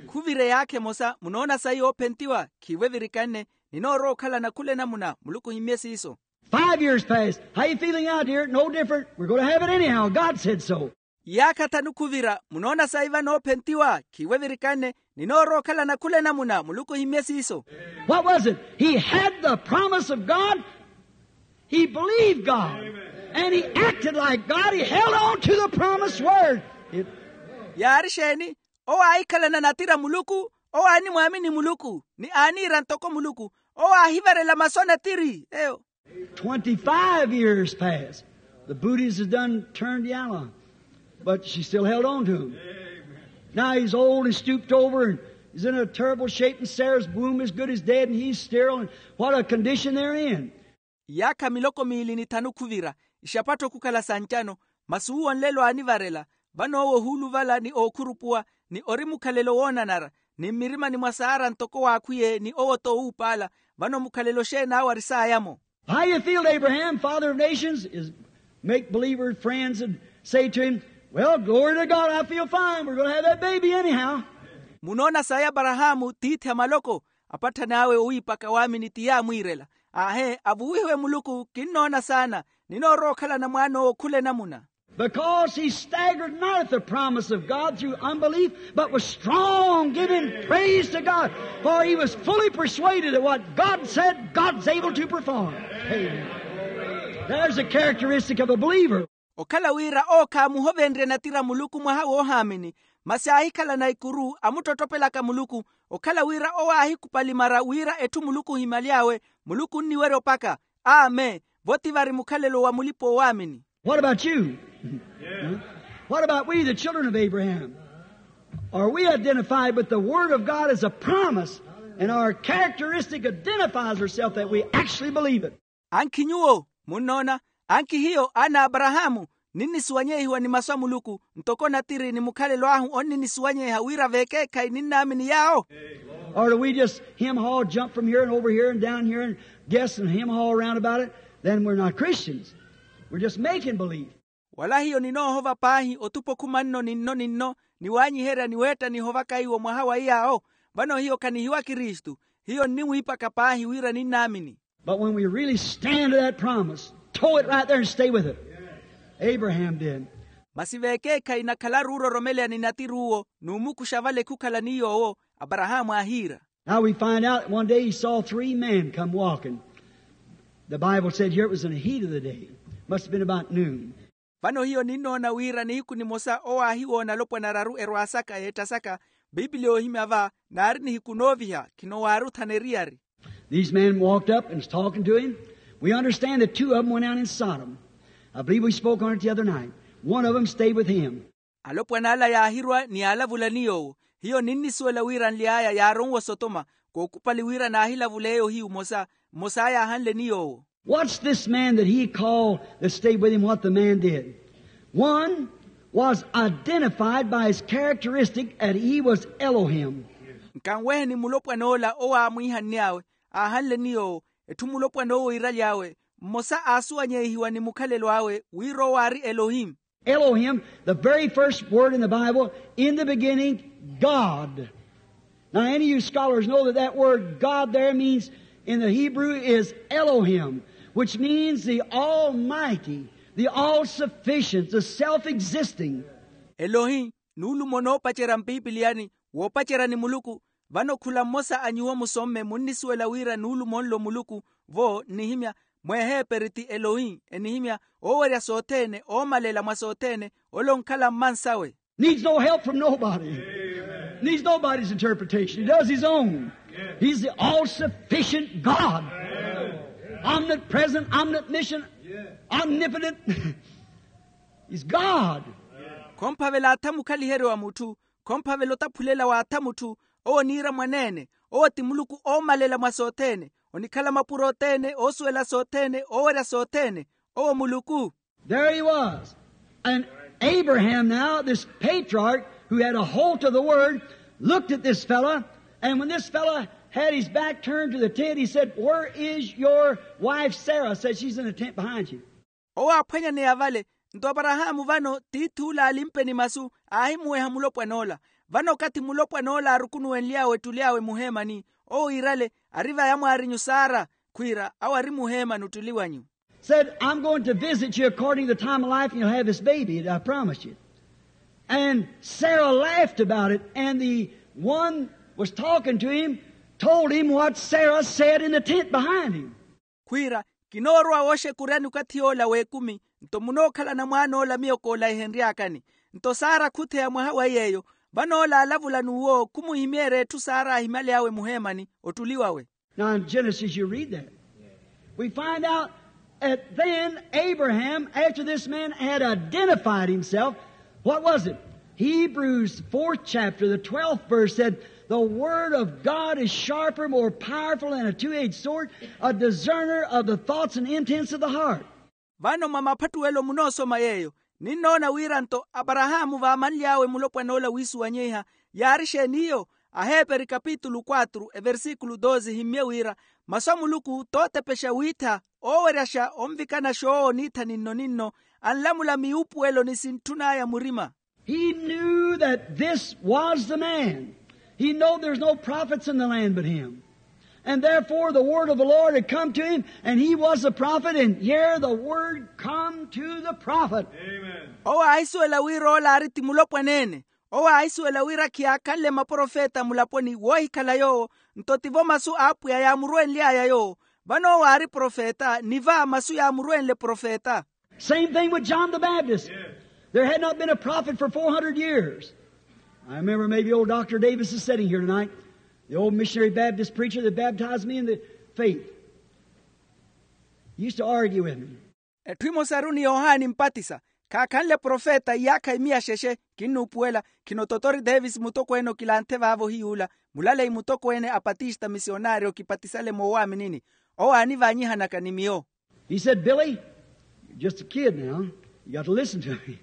Khuvire yaakha emosa, munoona sayi oophentiwa? Khiivo evirikanne. Ninoorowa okhalana khula enamuna. Muluku ohimmye siiso. Five years passed. How you feeling now, dear? No different. We're going to have it anyhow. God said so. Iyaakha thanu khuvira, munoona sayi vano oophentiwa? Khiivo evirikanne. Ninoorowa okhalana khula enamuna. Muluku ohimmye siiso. What was it? He had the promise of God. He believed God. And he acted like God. He held on to the promised word. It- Yaari exeeni? Owo aahikhalana natira muluku. Owo aanimwaamini muluku ni aaniira ntoko muluku. Owo aahivarela masu a natiri eyo. Twenty-five years passed. The booties had done turned yellow, but she still held on to him. Now he's old and stooped over, and he's in a terrible shape, and Sarah's womb is good as dead, and he's sterile, and what a condition they're in. Iyaakha miloko miili ni thanu khuvira, ixapattho khukhala sa ncano. Masi uwo nlelo aanivarela. Vano owo ohuuluvala ni ookhurupuwa, ni ori mukhalelo woonanara, ni mmirimani mwa saara ntoko waakhwiye ni owo-tho owuupaala. Vano mukhalelo xeen'awe ari saaya-mo. How you feel, Abraham, father of nations, is make believer friends and say to him, well, glory to God, I feel fine. We're going to have that baby anyhow. Munoona saaya aparahaamu tiithi a maloko, apatthani awe owiipaka waamini ti yaamwiirela. Aahe, avuwihiwe muluku, kinnoona saana. Ninoorowa okhalana mwaan'owo khula enamuna. Because he staggered not at the promise of God through unbelief, but was strong, giving praise to God. For he was fully persuaded that what God said, God's able to perform. Amen. There's a characteristic of a believer. Okhala wira owo khaamuhovenrye natira muluku mwaha woohaamini, masi aahikhalana ikuru amuttottopelaka muluku. Okhala wira owo aahikupali mara wira etthu muluku ohimaly'awe, muluku onniwerya opaka. Amen. Vo ti vari mukhalelo wa mulipa-oowaamini. What about you? What about we, the children of Abraham? Are we identified with the Word of God as a promise? And our characteristic identifies herself that we actually believe it. Ankhi nyuwo munnoona, ankhi hiyo aana a aparahaamu, ninnisuwanyehiwa ni masu a muluku, ntoko natiri ni mukhalelo ahu onninnisuwanyeha wira vekeekhayi ninnaamini yaawo? Or do we just hem haw, jump from here and over here and down here and guess and hem haw around about it? Then we're not Christians. We're just making believe. Wala hiyo ninoohova paahi otupa okhuma nno ni nno ni nno, ni waanyiherya ni weetta nihovaka iwo mwaha wa iyaawo? Vano hiyo khanihiwa kristu. Hiyo nniwiipaka paahi wira ninnaamini. But when we really stand to that promise, toe it right there and stay with it. Abraham did. Masi vekeekhayi nakhalaru ororomeleya ni natiri uwo, n'umukuxa vale khukhala ni yoowo, aparahaamu aahiira. Now we find out that one day he saw three men come walking. The Bible said here it was in the heat of the day. Must have been about noon. Vano hiyo ninnoona wira nihiku nimosa owo aahiwoona alopwana araru erwaasaka yeettasaka. Pipili yoohimya va naari nihiku nooviha, khinowaari othana eriyari. These men walked up and was talking to him. We understand that two of them went down in Sodom. I believe we spoke on it the other night. One of them stayed with him. Alopwana ala yaahirwa ni yaalavula ni yoowo. Hiyo ninnisuwela wira nly'aya yaaronwa osotoma, kookupali wira naahilavuleya ohiyu mmosa. Mmosa yaahanle ni yoowo. What's this man that he called that stayed with him, what the man did? One was identified by his characteristic that he was Elohim. Nkanweheni mulopwana ola owo aamwiihanny'awe, aahanle ni yoowo, etthu mulopwana owo iiraly'awe. Mmosa aasuwanyehiwa ni mukhalelo awe wira owo aari elohim. Elohim, the very first word in the Bible, in the beginning, God. Now, any of you scholars know that that word God there means, in the Hebrew, is Elohim, which means the Almighty, the All-Sufficient, the Self-Existing. Elohi, nuulumo noopacerya mpipiliyani, woopacerya ni muluku. Vano khula mmosa a nyuwo musomme munnisuwela wira nuulumo nlo muluku. Vo nnihimya, mweeheeperi ti elohi, enihimya oowerya sothene, oomalela mwa sothene, ole onkhala mmansawe. Needs no help from nobody. Needs nobody's interpretation. He does his own. He's the all-sufficient God. Omnipresent, omniscient, omnipotent. He's God. Khomphavela atha mukhaliheryo wa mutthu, khomphavela otaphulela wa atha mutthu. Owo oniira mwaneene. Owo ti muluku oomalela mwa sothene, onikhala mapuro othene, oosuwela sothene, oowerya sothene. Owo muluku. There he was. And Abraham now, this patriarch who had a hold of the word, looked at this fella, and when this fella had his back turned to the tent, he said, where is your wife Sarah? Said, she's in the tent behind you. Owo aaphwanyaneya vale. Nto aparahaamu vano tiith'ule aalimpeni masu, aahimuweha mulopwan'ola. Vano okathi mulopwan'ola aarukunuwenly'awe ettuli awe muheemani, owo iirale, ari va yamwaarinyu sara, khwiira awo ari muheemani ottuli wanyu. Said, I'm going to visit you according to the time of life, and you'll have this baby that I promised you. And Sarah laughed about it, and the one was talking to him told him what Sarah said in the tent behind him. Khwiira, kinoorowa wooxekuryani okathi yoola w'ekumi. Nto munookhalana mwaan'ola miyo koolayihenry'akani. Nto sara khutheya mwaha wa yeeyo. Vano ola aalavula n'uwo khumuhimeerya etthu sara aahimyaly'awe muheemani ottuli wawe. Now in Genesis you read that. We find out that then Abraham, after this man had identified himself, what was it? Hebrews fourth chapter, the twelfth verse said, The word of God is sharper, more powerful than a two-edged sword, a discerner of the thoughts and intents of the heart. Vano mwa maphattuwelo munoosoma yeeyo, ninnoona wira nto aparahaamu vaamanly'awe mulopwan'ola wiisuwanyiha. Yaari exeeni iyo? Aheeperi kapitulu quatru eversikulu doze himmye wira, masu a muluku tootepexa wiittha, ooweryaxa onvikana xoowo niitha ninno-ninno, anlamula miwuupuwelo ni sintthun'aya murima. He knew that this was the man. He knowed there's no prophets in the land but him. And therefore the word of the Lord had come to him, and he was the prophet, and here the word come to the prophet. Owo aahisuwela wira ola aari ti mulopwaneene. Owo aahisuwela wira khiyaakhanle maprofeta mulaponi woohikhala yoowo. Nto tivo masu a apwiya yaamurwenly'aya yoowo. Vano owo aari profeta ni va masu yaamurwenle profeta. Same thing with John the Baptist. There had not been a prophet for four hundred years. I remember maybe old Doctor Davis is sitting here tonight, the old missionary Baptist preacher that baptized me in the faith. He used to argue with me. Etthu emosaru ni yohani mpatisa, khaakhanle profeta iyaakha imiya xexe. Kinnuupuwela. Khino totori davis mutokweene okilanthe vaavo ohiyuula, mulaleyi mutokweene a patista misionaari okipatisale moowaaminini. Owo aanivaanyihanaka ni miyo. He said, billy, you're just a kid now, you got to listen to me.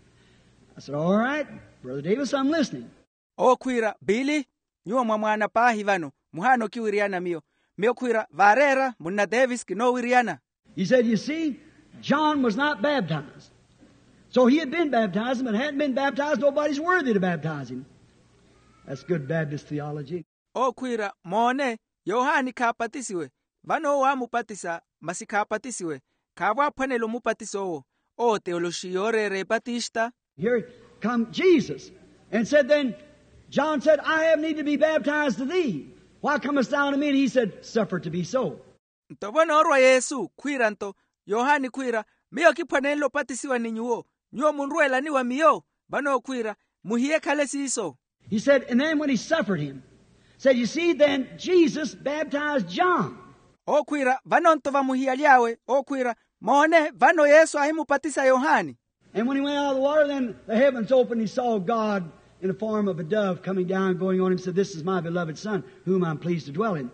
I said, all right, brother davis, I'm listening. Owo khwiira, billy, nyuwo mwa mwaana paahi vano, muhaana okiwiriyana miyo. Miyo khwiira, vaareera munna davis kinoowiriyana. He said, you see, john was not baptized. So he had been baptized, but hadn't been baptized, nobody's worthy to baptize him. That's good baptist theology. Owo khwiira, moone, yohani khaapatisiwe. Vano owo aamupatisa, masi khaapatisiwe. Khaavo aaphwanela omupatisa owo. Owo teyoloxi yooreera epatista. Here come jesus and said, then john said, I have need to be baptized to thee, why comest thou to me? And he said, suffer it to be so. Nto vo noorwa yesu khwiira nto, yohani khwiira, miyo kiphwanenle opatisiwa ni nyuwo, nyuwo munrweelani wa miyo? Vano okhwiira, muhiye ekhale siiso. He said, and then when he suffered him, said, you see, then jesus baptized john. Okhwiira, vano nto vamuhiyaly'awe okhwiira, moone, vano yesu aahimupatisa yohani. And when he went out of the water, then the heavens opened, he saw god in the form of a dove coming down, going on him, said, this is my beloved son, whom I'm pleased to dwell in.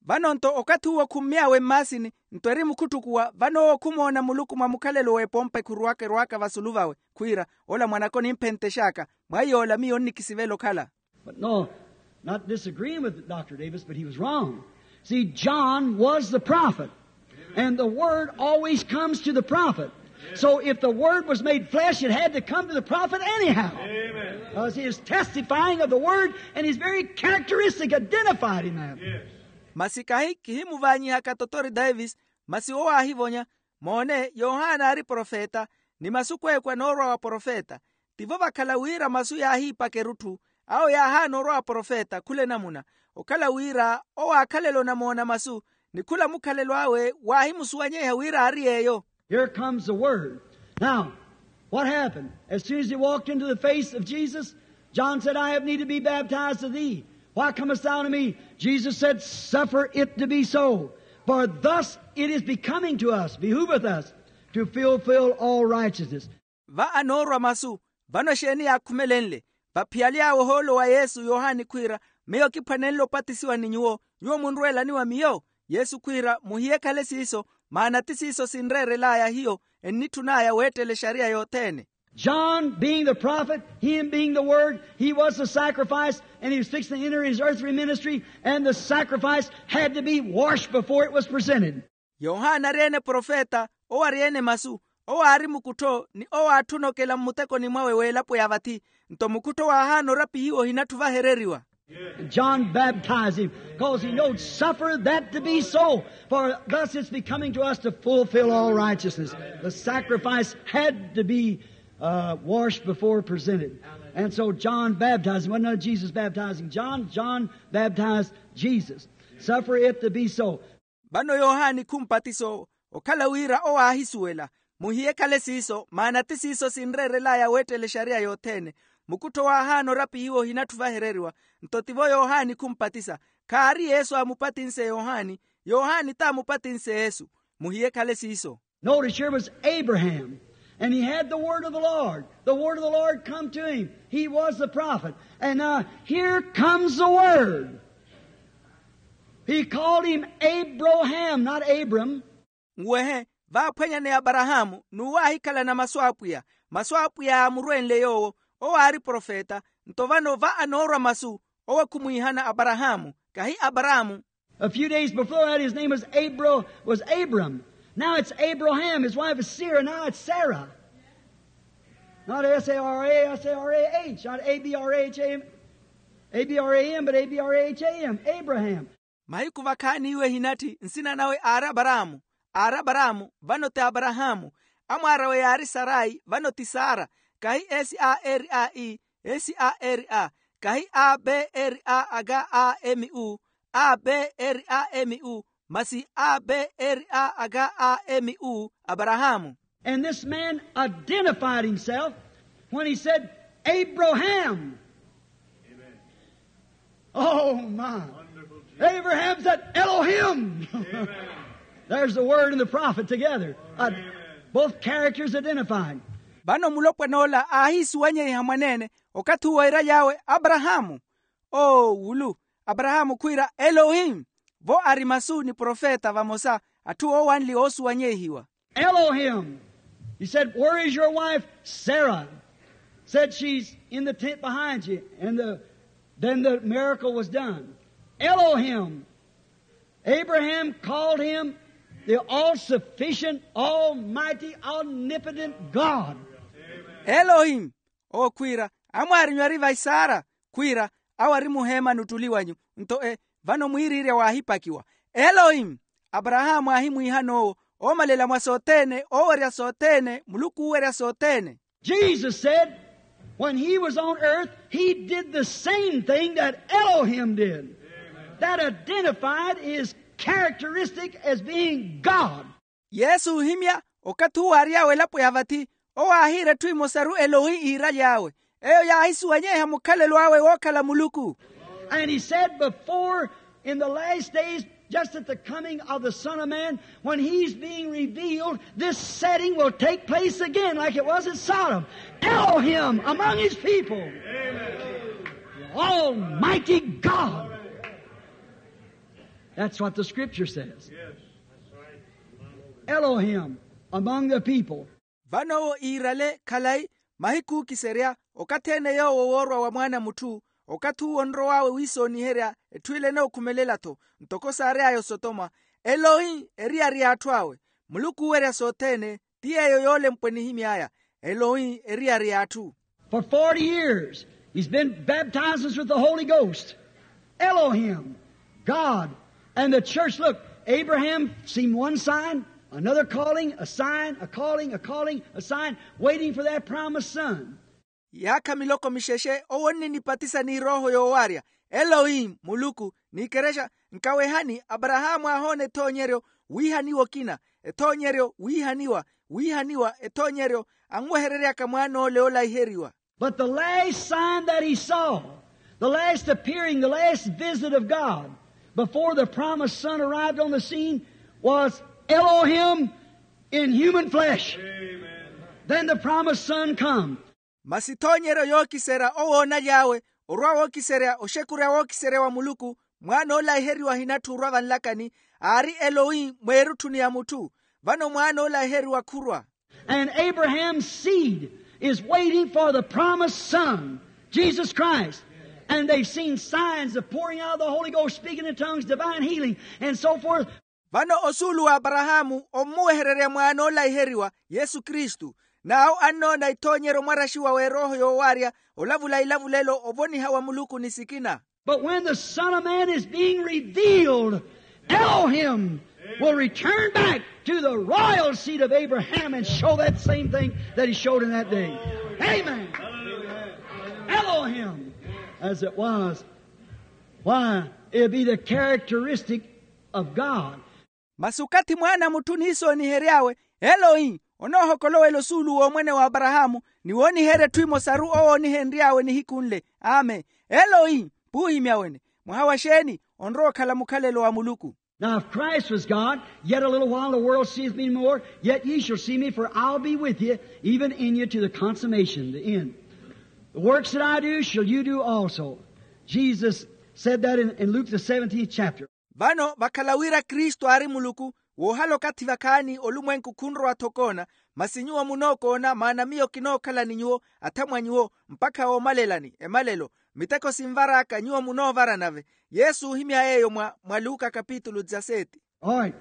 Vano nto okathi uwo khummy'awe mmaasini, nto eri mukhuttukuwa vano owo khumoona muluku mwa mukhalelo w'epompa ekhuruwaka erwaaka vasulu vawe, khwiira, ola mwanaka onimphenttex'aka, mwa iy'ola miyo onnikisivela okhala. But no, not disagreeing with dr davis, but he was wrong. See, john was the prophet, and the word always comes to the prophet. So if the word was made flesh, it had to come to the prophet anyhow, because he is testifying of the word, and he's very characteristic, identified in that. Masi kahi kihimuvaanyihaka totori davis, masi owo aahivonya, moone, yohana aari profeta, ni masu kweekwa noorwa wa profeta. Tivo vakhala wira masu yaahiipaka erutthu, awo yaahaana orwa wa profeta khula enamuna. Okhala wira owo aakhalela onamoona masu, ni khula mukhalelo awe waahimusuwanyeiha wira aari yeeyo. Here comes the word. Now, what happened? As soon as he walked into the face of Jesus, john said, i have need to be baptized of thee, why comest thou to me? Jesus said, suffer it to be so, for thus it is becoming to us, behooveth us, to fulfill all righteousness. Va anoorwa masu, vano exeeni yaakhumelenle? Vaphiyale awe ohoolo wa yesu yohani khwiira, miyo kiphwanenle opatisiwa ni nyuwo, nyuwo munrweelani wa miyo? Yesu khwiira, muhiye ekhale siiso, maana ti siiso sinreerel'aya hiyo, ennitthun'aya weettela exariya yothene. John being the prophet, him being the word, he was the sacrifice, and he was fixing to enter his earthly ministry, and the sacrifice had to be washed before it was presented. Yohana ari-ene profeta, owo ari-ene masu, owo aari mukuttho ni owo aatthuna okela mmutekoni mwawe w'elapo ya vathi. Nto mukuttho waahaana orapihiwa ohinatthu vahereriwa. John baptized him, because he knowed, suffer that to be so, for thus it's becoming to us to fulfill all righteousness. The sacrifice had to be uh, washed before presented. And so john baptized him, wasn't that jesus baptizing john? John baptized jesus. Suffer it to be so. Vano yohani khumpatisa owo, okhala wira owo aahisuwela. Muhiye ekhale siiso, maana ti siiso sinreerel'aya weettela exariya yothene. Mukuttho waahaana orapihiwa ohinatthu vahereriwa. Nto tivo yohani khumpatisa. Khaari yesu aamupatinse yohani, yohani t'amupatinse yesu. Muhiye ekhale siiso. Notice here was abraham. And he had the word of the Lord. The word of the Lord come to him. He was the prophet. And now here comes the word. He called him Abraham, not Abram. Nwehe, vaaphwanyaneya aparahaamu n'uwo aahikhalana masu a apwiya. Masu a apwiya yaamurwenle yoowo. Owo aari profeta. Nto vano va anoorwa masu, owo khumwiihana aparahaamu, kahi aparaamu. A few days before that his name was abram. Now it's abraham, his wife is sarah, now it's sarah. Not s-a-r-a, s-a-r-a-h, not a-b-r-a-h-a-m, a-b-r-a-m but a-b-r-a-h-a-m, abraham. Mahiku vakhaani iwo ehinatthi nsina nawe aari aparaamu. Aari aparaamu, vano ti aparahaamu. Amwaar'awe yaari sarai, vano ti sara. Kahi s-a-r-a-i, s-a-r-a. Kahi a-b-r-a-a-k-a-m-u, a-b-r-a-m-u, masi a-b-r-a-a-k-a-m-u, aparahaamu. And this man identified himself when he said, abraham. Oh my. Abraham said, elohim. There's the word and the prophet together. Both characters identified. Vano mulopwan'ola aahiisuwanyeiha mwaneene, okathi uwo eeraly'awe aparahaamu. Oowulu. Aparahaamu khwiira elohim. Vo ari masu ni profeta vamosa. Atthu oowanli oosuwanyeihiwa. Elohim. He said, where is your wife sarah? Said she's in the tent behind you. And the, then the miracle was done. Elohim. Abraham called him the all-sufficient, almighty, omnipotent god. Elohim. Owo khwiira, amwaari nyuwari vaisara? Khwiira, awo ari muheemani ottuli wanyu. Nto e, vano mwiiriirya waahipakiwa. Elohim. Aparahaamu aahimwiihan'owo, oomalela mwa sothene, oowerya sothene, muluku oowerya sothene. Jesus said, when he was on earth, he did the same thing that elohim did. That identified his characteristic as being god. Yesu oohimya, okathi uwo aary'awe elapo ya vathi, owo aahiira etthu emosaru elohi iiraly'awe. Eyo yaahisuwanyeiha mukhalelo awe wookhala muluku. And he said before, in the last days, just at the coming of the son of man, when he's being revealed, this setting will take place again like it was at sodom. Elohim among his people. Almighty god. That's what the scripture says. Elohim among the people. Vano owo iirale khalayi, mahiku ookiserya, okathi ene yoowo woorwa wa mwaana a mutthu, okathi uwo onrow'awe wiisooniherya etthu ile enookhumelela-tho, ntoko saary'aya osotoma. Elohi eriyari y'atthu awe. Muluku oowerya sothene. Ti yeeyo yoolempwe nihimy'aya. Elohi eriyari y'atthu. For forty years he's been baptizing us with the holy ghost. Elohim, god. And the church, look, abraham seen one sign, another calling, a sign, a calling, a calling, a sign, waiting for that promised son. Yaakha miloko mixexe owo onninipatisa ni erooho yoowarya. Elohi muluku. N'ikerexa, nkawehani, aparahaamu aahoona ethoonyeryo, wiihaniwa okina. Ethoonyeryo wiihaniwa, wiihaniwa ethoonyeryo, anwehereryaka mwaan'ole oolaiheriwa. But the last sign that he saw, the last appearing, the last visit of god, before the promised son arrived on the scene, was elohim in human flesh. Then the promised son come. Masi ethoonyeryo yookiserya owo oonaly'awe, orwa wookiserya oxekurya wookiserya wa muluku, mwaana oolaiheriwa ahinatthu orwa vanlakani. Aari elohi mweerutthuni ya mutthu. Vano mwaana oolaiheriwa khurwa. And abraham's seed is waiting for the promised son, jesus christ. And they've seen signs of pouring out of the holy ghost, speaking in tongues, divine healing, and so forth. Vano osuulu w'aparahaamu ommuwehererya mwaana oolaiheriwa, yesu kristu. N'awo annoona ethoonyeryo mwaraxiwa w'erooho yoowarya, olavula ilavulelo ovoniha wa muluku ni sikina. But when the son of man is being revealed, elohim will return back to the royal seed of abraham and show that same thing that he showed in that day. Amen. Elohim, as it was. Why, it'll be the characteristic of god. Masi okathi mwaana a mutthu oniisoonihery'awe, elohi onoohokolowela osuulu w'omwene w'aparahaamu, ni wooniherya etthu emosaru owo oonihenry'awe nihiku nle. Amen. Elohi, puuhimya wene. Mwaha wa xeeni? Onrowa okhala mukhalelo wa muluku. Now if Christ was God, yet a little while the world seeth me no more, yet ye shall see me, for I'll be with you, even in you to the consummation, the end. The works that I do shall you do also. Jesus said that in, in Luke the seventeenth chapter. Vano vakhala wira kristu aari muluku, woohala okathi vakhaani olumwenku khunrowa-tho okoona, masi nyuwo munookoona maana miyo kinookhala ni nyuwo, athamwa nyuwo mpakha woomalelani emalelo. Miteko sinvar'aka nyuwo munoovara nave. Yesu oohimya yeeyo mwa mwa luka kapitulu dizaseti. All right.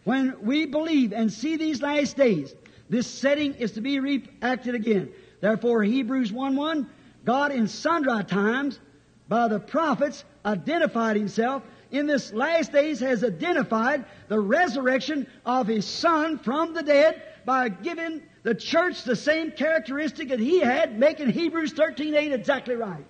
When we believe and see these last days, this setting is to be reacted again. Therefore Hebrews one one, God in sundry times by the prophets identified himself, in this last days has identified the resurrection of his son from the dead by giving the church the same characteristic that he had, making Hebrews thirteen eight exactly right.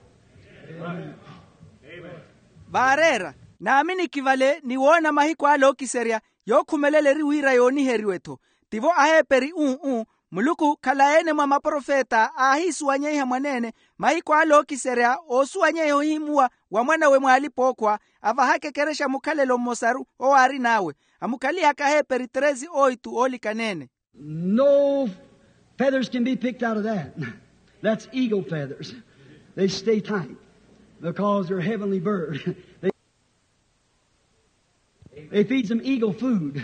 Vaareera, naaminiki vale ni woona mahiku ale ookiserya, yookhumelela eri wira yooniheriwe-tho. Tivo aheeperi uu-uu, muluku khalayi-ene mwa maprofeta aahiisuwanyeiha mwaneene, mahiku ale ookiserya oosuwanyeiha ohihimuwa wa mwanawe mwaalipa-ookhwa, avahaka ekerexa mukhalelo mmosaru owo aarin'awe. Amukhalihaka aheeperi treze oitu oolikana-ene. No feathers can be picked out of that. That's eagle feathers. They stay tight because they're a heavenly bird. They feed some eagle food.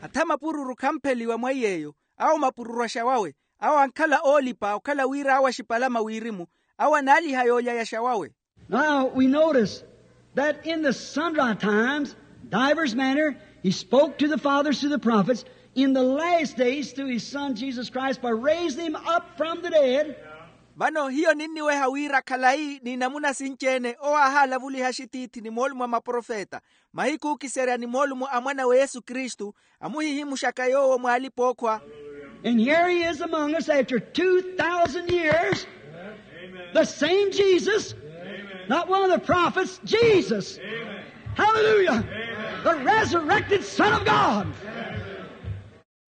Atha mapururu khampheliwa mwa iy'eyo. Awo mapururu axawawe. Awo ankhala oolipa okhala wira awo axipalama wirimu. Awo anaaliha yoolya yaxawawe. Now we notice that in the sundry times, divers manner, he spoke to the fathers through the prophets, in the last days through his son Jesus Christ by raising him up from the dead. Vano hiyo ninniweha wira khalayi n'inamuna sinci-ene owo aahalavuliha axitiithi ni moolumo a maprofeta, mahiku ookiserya ni moolumo a mwanawe yesu kristu, amuhihimuxaka yoowo mwaalipa-ookhwa. And here he is among us after two thousand years, the same Jesus, not one of the prophets, Jesus. Hallelujah. The resurrected Son of God.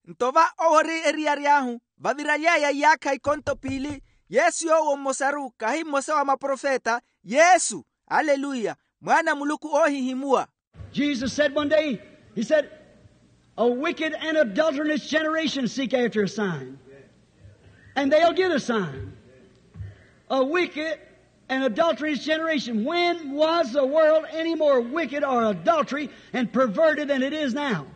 Nto va owo ori eriyari ahu, vaviraly'aya iyaakha ikonto piili, yesu yoowo mmosaru kahi mmosa wa maprofeta, yesu, aleluya, mwaana a muluku oohihimuwa. Jesus said one day, he said, a wicked and adulterous generation seek after a sign. And they'll get a sign. A wicked and adulterous generation. When was the world any more wicked or adultery and perverted than it is now?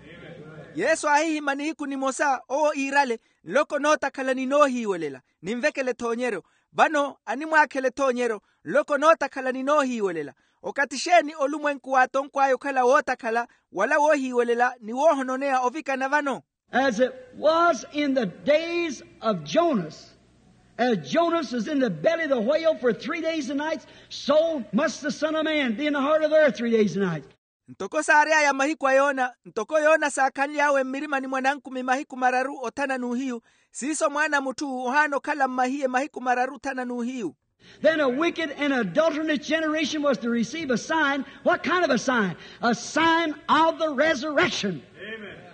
Yesu aahihimya nihiku nimosa owo iirale, nloko nootakhala ni noohiiwelela, ninvekele ethoonyeryo. Vano animwaakhela ethoonyeryo, nloko nootakhala ni noohiiwelela. Okathi xeeni olumwenku waatonkw'aya okhala wootakhala wala woohiiwelela ni woohononeya ovikana vano? As it was in the days of Jonas, as Jonas was in the belly of the whale for three days and nights, so must the Son of Man be in the heart of the earth three days and nights. Ntoko saary'aya mahiku a yona, ntoko yona saakhanly'awe mmirimani mwa nankumi mahiku mararu othana n'uhiyu, siiso mwaana a mutthu ohaana okhala mmahiye mahiku mararu othana n'uhiyu. Then a wicked and adulterous generation was to receive a sign. What kind of a sign? A sign of the resurrection.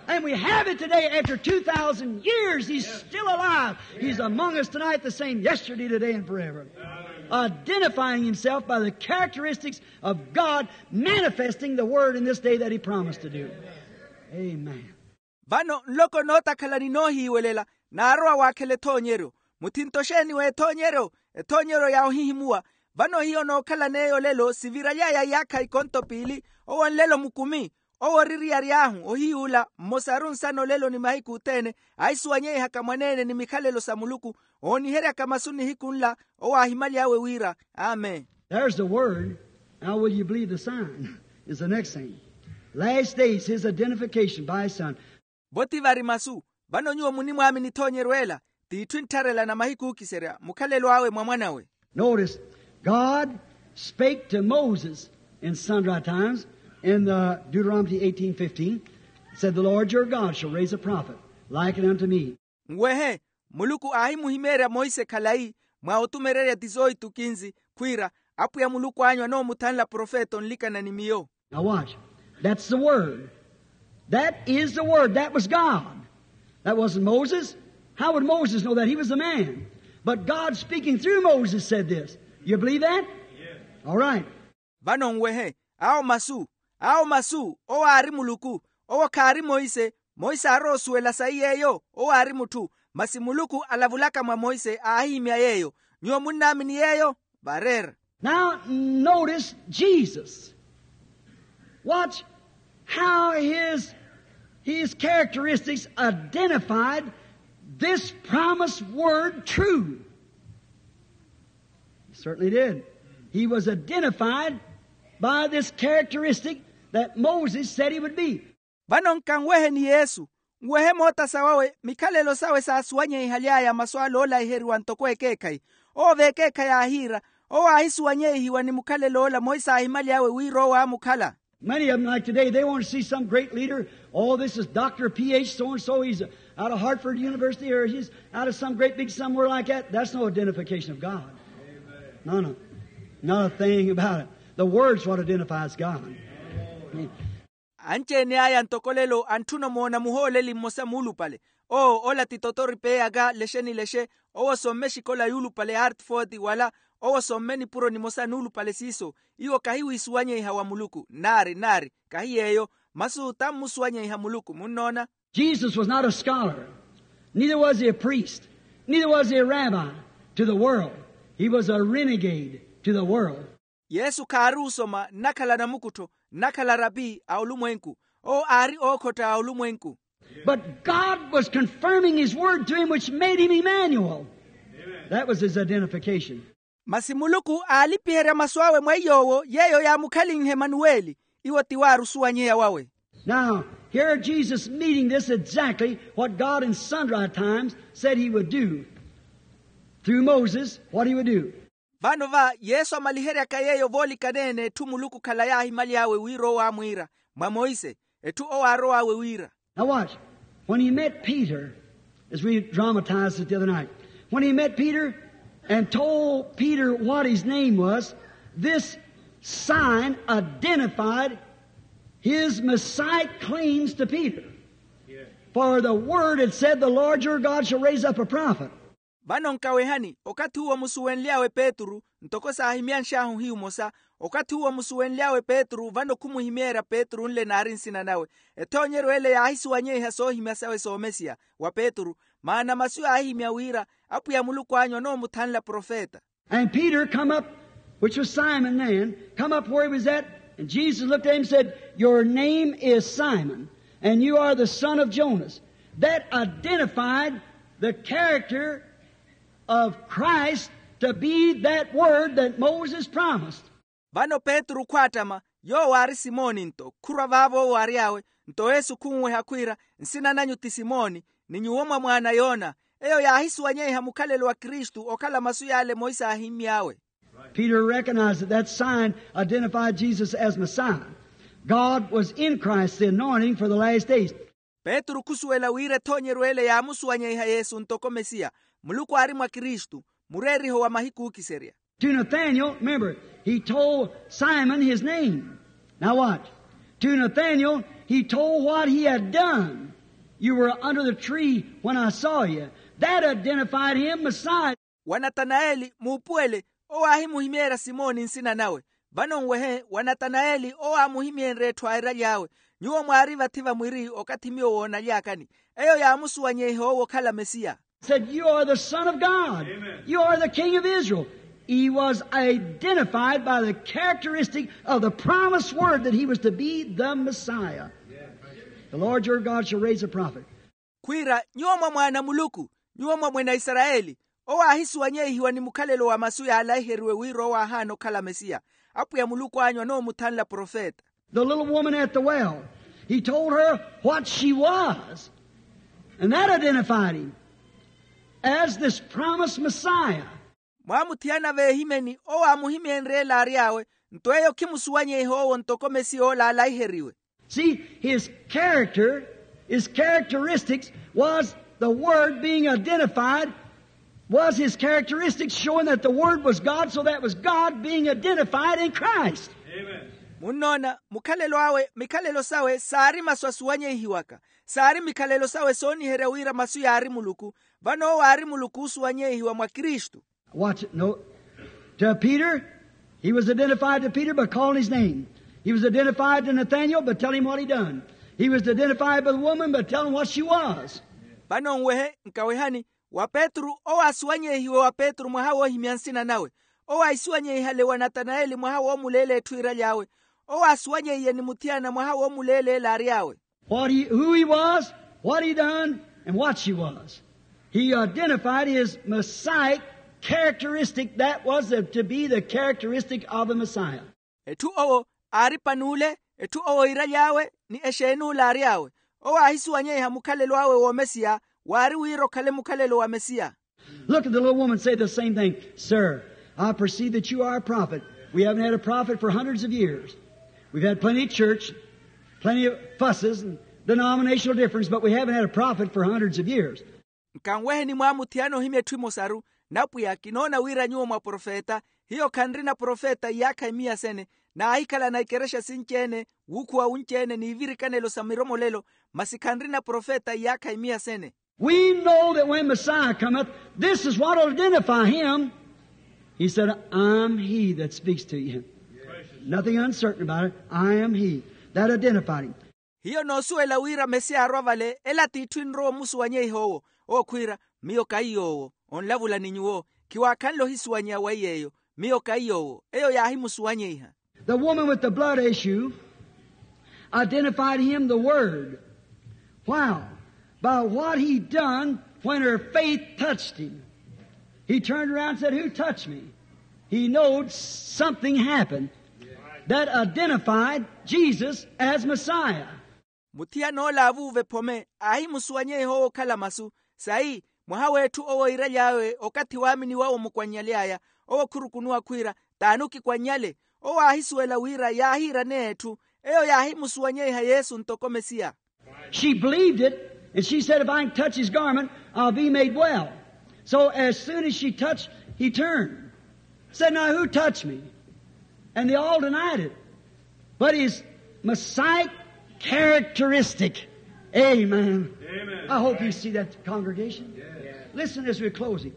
And we have it today after two thousand years. He's still alive. He's among us tonight, the same yesterday, today, and forever. Identifying himself by the characteristics of God, manifesting the word in this day that he promised to do. Amen. Vano nloko nootakhala ni noohiiwelela, naarowa waakhela ethoonyeryo. Muthinto xeeni w'ethoonyeryo? Ethoonyeryo ya ohihimuwa. Vano hiyo nookhalan'eyo olelo siviraly'aya iyaakha ikonto piili, owo nlelo mukumi, owo ori eriyari ahu ohiyuula mmosaru nsana olelo ni mahiku othene, aahisuwanyeihaka mwaneene ni mikhalelo sa muluku, ooniheryaka masu nihiku nla, owo aahimaly'awe wira, amen. There's the word. Now will you believe the sign? Is the next thing. Last days, his identification by his son. Vo ti vari masu. Vano nyuwo munimwaamini ethoonyeryo ela, t'itthu enttharela na mahiku ookiserya mukhalelo awe mwa mwanawe. Notice, God spake to Moses in sundry times in the Deuteronomy eighteen fifteen, said, the Lord your God shall raise a prophet like unto me. Nwehe, muluku aahimuhimeerya monse khalayi mwa otumererya tizoitu kinzi, khwiira, apwiya muluku anyu anoomuthanla profeta onlikana ni miyo. Now watch. That's the word. That is the word. That was God. That wasn't Moses. How would Moses know that? He was a man. But God speaking through Moses said this. You believe that? All right. Vano nwehe, awo masu, Awo masu owo aari muluku. Owo khaari monse. Monse aarowa osuwela sayi yeeyo owo aari mutthu. Masi muluku alavulaka mwa monse aahihimya yeeyo. Nyuwo munnaamini yeeyo? Vareera. Now notice Jesus. Watch how his, his characteristics identified this promised word true. He certainly did. He was identified by this characteristic that Moses said he would be. Vano nkanweheni yesu. Nwehe moota sawawe mikhalelo sawe saasuwanyeihyaly'aya masu ale oolaiheriwa ntoko ekeekhayi. Owo v'ekeekhayi aahiira. Owo aahisuwanyeihiwa ni mukhalelo ola monse aahimaly'awe wira owo aamukhala. Many of them, like today, they want to see some great leader. Oh, this is Doctor P H so and so. He's out of Hartford University, or he's out of some great big somewhere like that. That's no identification of God. No, no. Not a thing about it. The Word's what identifies God. Anci-ene aya ntoko lelo antthuna omoona muhooleli mmosa muulupale. Owo ola ti totori p'eyaka lexe ni lexe. Owo somme exikola yuulupale hartford wala owo somme nipuro nimosa nuulupale siiso. Iwo kahi wiisuwanyeiha wa muluku nnaari nnaari. Kahi yeeyo. Masu tammusuwanyeiha muluku munnoona. Jesus was not a scholar, neither was he a priest, neither was he a rabbi to the world. He was a renegade to the world. Yesu khaari osoma nnakhala namukuttho nnakhala rapi a olumwenku. Owo aari ookhotta a olumwenku. But God was confirming his word to him, which made him Emmanuel. That was his identification. Masi muluku aalipiherya masu awe mweiy'owo yeeyo yaamukhalinhe emanuweli. Iwo ti waarusuwanyeya wawe. Now here Jesus meeting this exactly what God in sundry times said he would do through Moses, what he would do. Vano va yesu amaliheryaka yeeyo voolikanene etthu muluku khala yaahimaly'awe wira owo aamwiira mwa monse. Etthu owo aarow'awe wira. Now watch. When he met Peter, as we dramatized it the other night, when he met Peter and told Peter what his name was, this sign identified his Messiah claims to Peter. For the word had said, the Lord your God shall raise up a prophet. Vano nkawehani okathi uwo musuwenly'awe petru ntoko saahimyanx'ahu hiyu mosa. Okathi uwo musuwenly'awe petru vano khumuhimeerya petru nle naari nsina nawe. Ethoonyeryo ele yaahisuwanyeiha soohimya sawe soomesiya wa petru. Maana masu yaahihimya wira apwiya muluku anyu anoomuthanla profeta. And Peter come up, which was Simon then, come up where he was at, and Jesus looked at him and said, your name is Simon, and you are the son of Jonas. That identified the character of Christ to be that word that Moses promised. Vano petru khwaattama, yoowo aari simoni nto khurwa vaavo owo ary'awe. Nto yesu khunweha khwiira, nsina nanyu ti simoni, ni nyuwo mwa mwaana yoona. Eyo yaahisuwanyeiha mukhalelo wa kristu okhala masu yaale monse aahimmy'awe. Peter recognized that that sign identified Jesus as Messiah. God was in Christ, the anointing for the last days. Petru khusuwela wira ethoonyeryo ele yaamusuwanyeiha yesu ntoko mesiya. Muluku aari mwa kristu, mureeriho wa mahiku ookiserya. To Nathaniel, remember, he told Simon his name. Now watch. To Nathaniel, he told what he had done. You were under the tree when I saw you. That identified him Messiah. Wa natanaeli muupuwele owo aahimuhimeerya simoni nsina nawe. Vano nwehe wa natanaeli owo aamuhimyenrye etthu airaly'awe, nyuwo mwaari vathi va mwiri okathi miyo woonaly'akani. Eyo yaamusuwanyeiha owo okhala mesiya. Said, you are the son of God. You are the king of Israel. He was identified by the characteristic of the promised word that he was to be the Messiah. The Lord your God shall raise a prophet. Khwiira nyuwo mwa mwaana muluku, nyuwo mwa mwene a isarayeli. Owo aahisuwanyeihiwa ni mukhalelo wa masu yaalaiheriwe wira owo aahaana okhala mesiya. Apwiya muluku anyu anoomuthanla profeta. The little woman at the well, he told her what she was. And that identified him as this promised Messiah. Mwaamuthiyana veehimeni owo aamuhimyenrye ele ary'awe. Nto eyo khimusuwanyeiha owo ntoko mesiya ola aalaiheriwe. See, his character, his characteristics was the Word being identified, was his characteristics showing that the Word was God, so that was God being identified in Christ. Munnoona, mukhalelo awe mikhalelo sawe saari masu asuwanyeihiwaka. Saari mikhalelo sawe sooniherya wira masu yaari muluku. Vano owo aari muluku oosuwanyeihiwa mwa kristu. Watch it. No. To Peter, he was identified to Peter by calling his name. He was identified to Nathaniel, but tell him what he done. He was identified by the woman, but tell him what she was. Vano nwehe nkawehani, wa petru owo aasuwanyeihiwe wa petru mwaha woohimya nsina nawe. Owo aahisuwanyeihale wa natanayeli mwaha woomuleela etthu iiraly'awe. Owo aasuwanyeiye ni muthiyana mwaha woomuleela eli aary'awe. What he, who he was, what he done, and what she was. He identified his Messiah characteristic, that was to be the characteristic of the Messiah. Etthu owo aari panuule, etthu owo iiraly'awe ni exeen'ule aary'awe. Owo aahisuwanyeiha mukhalelo awe w'omesiya, waari wira okhale mukhalelo wa mesiya. Look at the little woman say the same thing. Sir, I perceive that you are a prophet. We haven't had a prophet for hundreds of years. We've had plenty of church, plenty of fusses and denominational difference, but we haven't had a prophet for hundreds of years. Nkanweheni mwaamuthiyana ohimya etthu emosaru, napwiya kinoona wira nyuwo mwa profeta. Hiyo khanrina profeta iyaakha imiya sene, naahikhalana ikerexa sinci-ene, wuukhuwa wunci-ene n'ivirikanelo sa miromolelo, masi khanrina profeta iyaakha imiya sene. We know that when Messiah cometh, this is what will identify him. He said, I'm he that speaks to you. Nothing uncertain about it. I am he. That identified him. Hiyo noosuwela wira mesiya arwa vale ela t'itthu enrowa omusuwanyeiha owo. Owo khwiira, miyo kaiy'owo. Onlavula ni nyuwo, khiwaakhanle ohisuwanyeya wa iy'eyo. Miyo kaiy'owo. Eyo yaahimusuwanyeiha. The woman with the blood issue identified him the word. Why? By what he done when her faith touched him. He turned around and said, who touched me? He knowed something happened that identified Jesus as Messiah. Muthiyana ola aavuuva ephome aahimusuwanyeiha owo okhala masu. Sayi mwaha w'etthu owo iiraly'awe okathi waamini wawe omukwannyal'aya. Owo khurukunuwa khwiira, t'ani okikwannyale? Owo aahisuwela wira yaahiiraneya etthu. Eyo yaahimusuwanyeiha yesu ntoko mesiya. She believed it, and she said, if I can touch his garment, I'll be made well. So as soon as she touched, he turned. Said, now who touched me? And they all denied it. But his Messiah characteristic. Amen. I hope you see that, congregation. Listen as we're closing.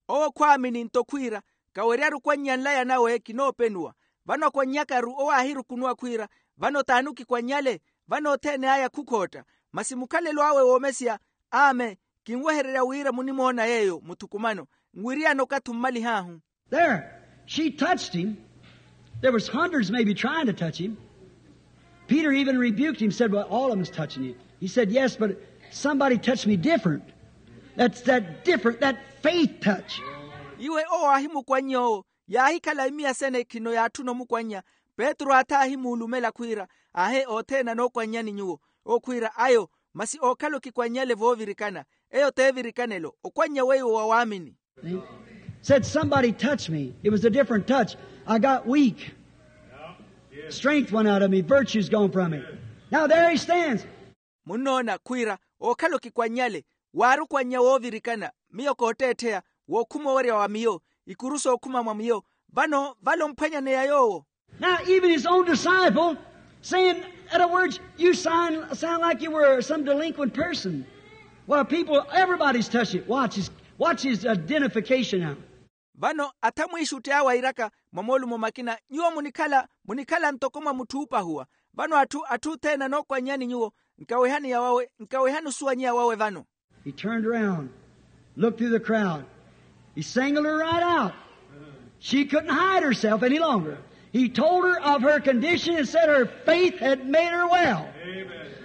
Owo khwaamini nto khwiira, kaweryaru okwannya nlaya nawe kinoopenuwa. Vano akwannyakaru owo aahirukunuwa khwiira, vano t'ani okikwannyale? Vano othene aya khukhootta. Masi mukhalelo awe w'omesiya, amen. Kinwehererya wira munimoona yeeyo muthukumano, nwiriyana okathi ommalih'ahu. There, she touched him. There was hundreds maybe trying to touch him. Peter even rebuked him, said, well, all of them is touching you. He said, yes, but somebody touched me different. That's that different, that faith touch. Iwe owo aahimukwannya owo, yaahikhala imiya sene khino yaatthuna omukwannya. Petru aatha aahimuulumela khwiira, ahe othene anookwannyani nyuwo. Owo khwiira, ayo masi ookhala okikwannyale voovirikana. Eyo t'evirikanelo okwannya weiwo wa waamini. Said somebody touched me. It was a different touch. I got weak. Strength went out of me. Virtue's gone from me. Now there he stands. Munnoona khwiira ookhala okikwannyale, waari okwannya woovirikana. Miyo kootteettheya, wookhuma owerya wa miyo, ikuru sookhuma mwa miyo. Vano vale omphwanyaneya yoowo. Now even his own disciple saying, in other words, you sound, sound like you were some delinquent person. Well, people, everybody's touched it. Watch his, watch his identification now. Vano atha mwiixutti awe airaka mwa moolumo makina, nyuwo munikhala munikhala ntoko mwa mutthu oopahuwa. Vano atthu atthu othene anookwannyani nyuwo, nkawehani yawawe, nkawehani osuwanyeya wawe vano. He turned around, looked through the crowd. He singled her right out. She couldn't hide herself any longer. He told her of her condition and said her faith had made her well.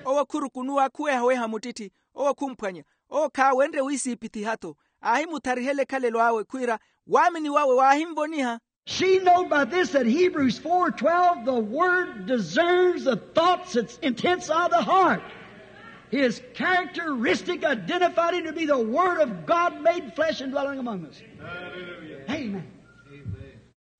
Owo khurukunuwa khuwehaweha muttitthi. Owo khumphwanya. Owo khaawenrye wiisiipithiha-tho. Aahimuthariha elekhalelo awe khwiira, waamini wawe waahinvoniha. She knowed by this that Hebrews four twelve, the word discerns the thoughts and intents of the heart. His characteristic identified him to be the Word of God made flesh and dwelling among us. Amen.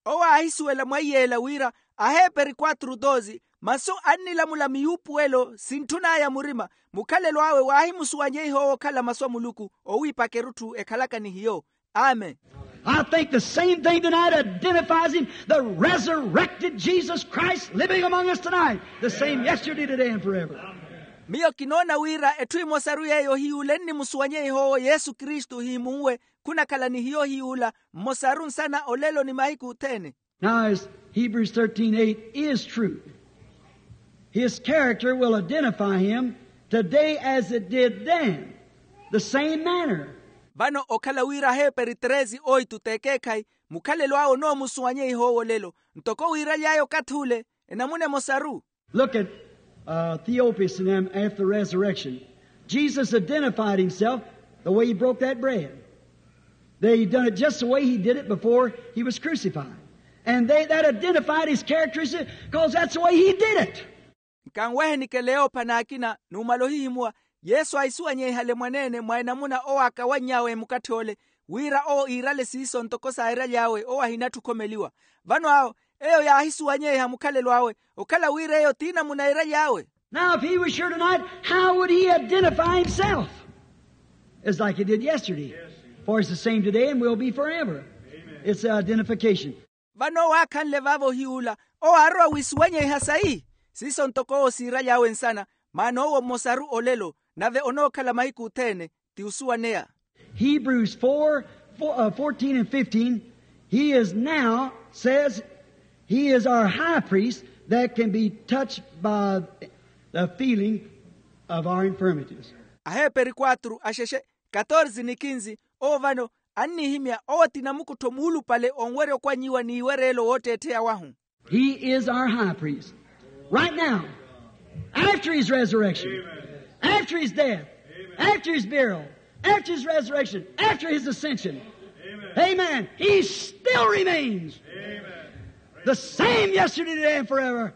Owo aahisuwela mwa iyeela wira, aheperi quatro doze, masu annilamula miyuupuwelo sintthun'aya murima. Mukhalelo awe waahimusuwanyeiha owo okhala masu a muluku, owiipaka erutthu ekhalaka ni hiyo. Amen. I think the same thing tonight identifies him, the resurrected Jesus Christ living among us tonight, the same yesterday, today, and forever. Miyo kinoona wira etthu emosaru yeeyo ohiyuula ennimusuwanyeiha owo yesu kristu ohihimunwe, khunakhala ni hiyo ohiyuula mmosaru nsana olelo ni mahiku othene. Now, as Hebrews thirteen eight is true, His character will identify him today as it did then, the same manner. Vano okhala wira aheeperi tresi oitu t'ekeekhayi, mukhalelo awe onoomusuwanyeiha owo olelo ntoko wiiraly'aya okathi ule, enamuna emosaru. Look at uh, Theophilus and them after the resurrection. Jesus identified himself the way he broke that bread. They done it just the way he did it before he was crucified. And they, that identified his characteristics because that's the way he did it. Nkanwehe nikeleya ophana akina numala ohihimuwa. Yesu aisuwanyeihale mwaneene mwa enamuna owo akawanny'awe mukatthi ole, wira owo iirale siiso ntoko sairaly'awe owo ahinatthu okhomeliwa. Vano awo eyo yaahisuwanyeiha mukhalelo awe okhala wira eyo ti namuna eiraly'awe. Now if he was here tonight, how would he identify himself? It's like he did yesterday. For it's the same today and will be forever. It's an identification. Vano owo aakhanle vaavo ohiy'ula owo aarowa wiisuwanyeiha sayi. Siiso ntoko owo siiraly'awe nsana, maana owo mmosaru olelo nave onookhala mahiku othene. Ti osuwaneya. Hebrews four, four, uh, fourteen and fifteen, he is now, says, he is our high priest that can be touched by the feeling of our infirmities. Aheeperi quatro axexe katorze ni kinzi, owo vano annihimya owo ti namukuttho muulupale onwerya okwannyiwa n'iwereelo wootteettheya wahu. He is our high priest. Right now, after his resurrection, after his death, after his burial, after his resurrection, after his ascension, amen, he still remains the same yesterday, today, and forever.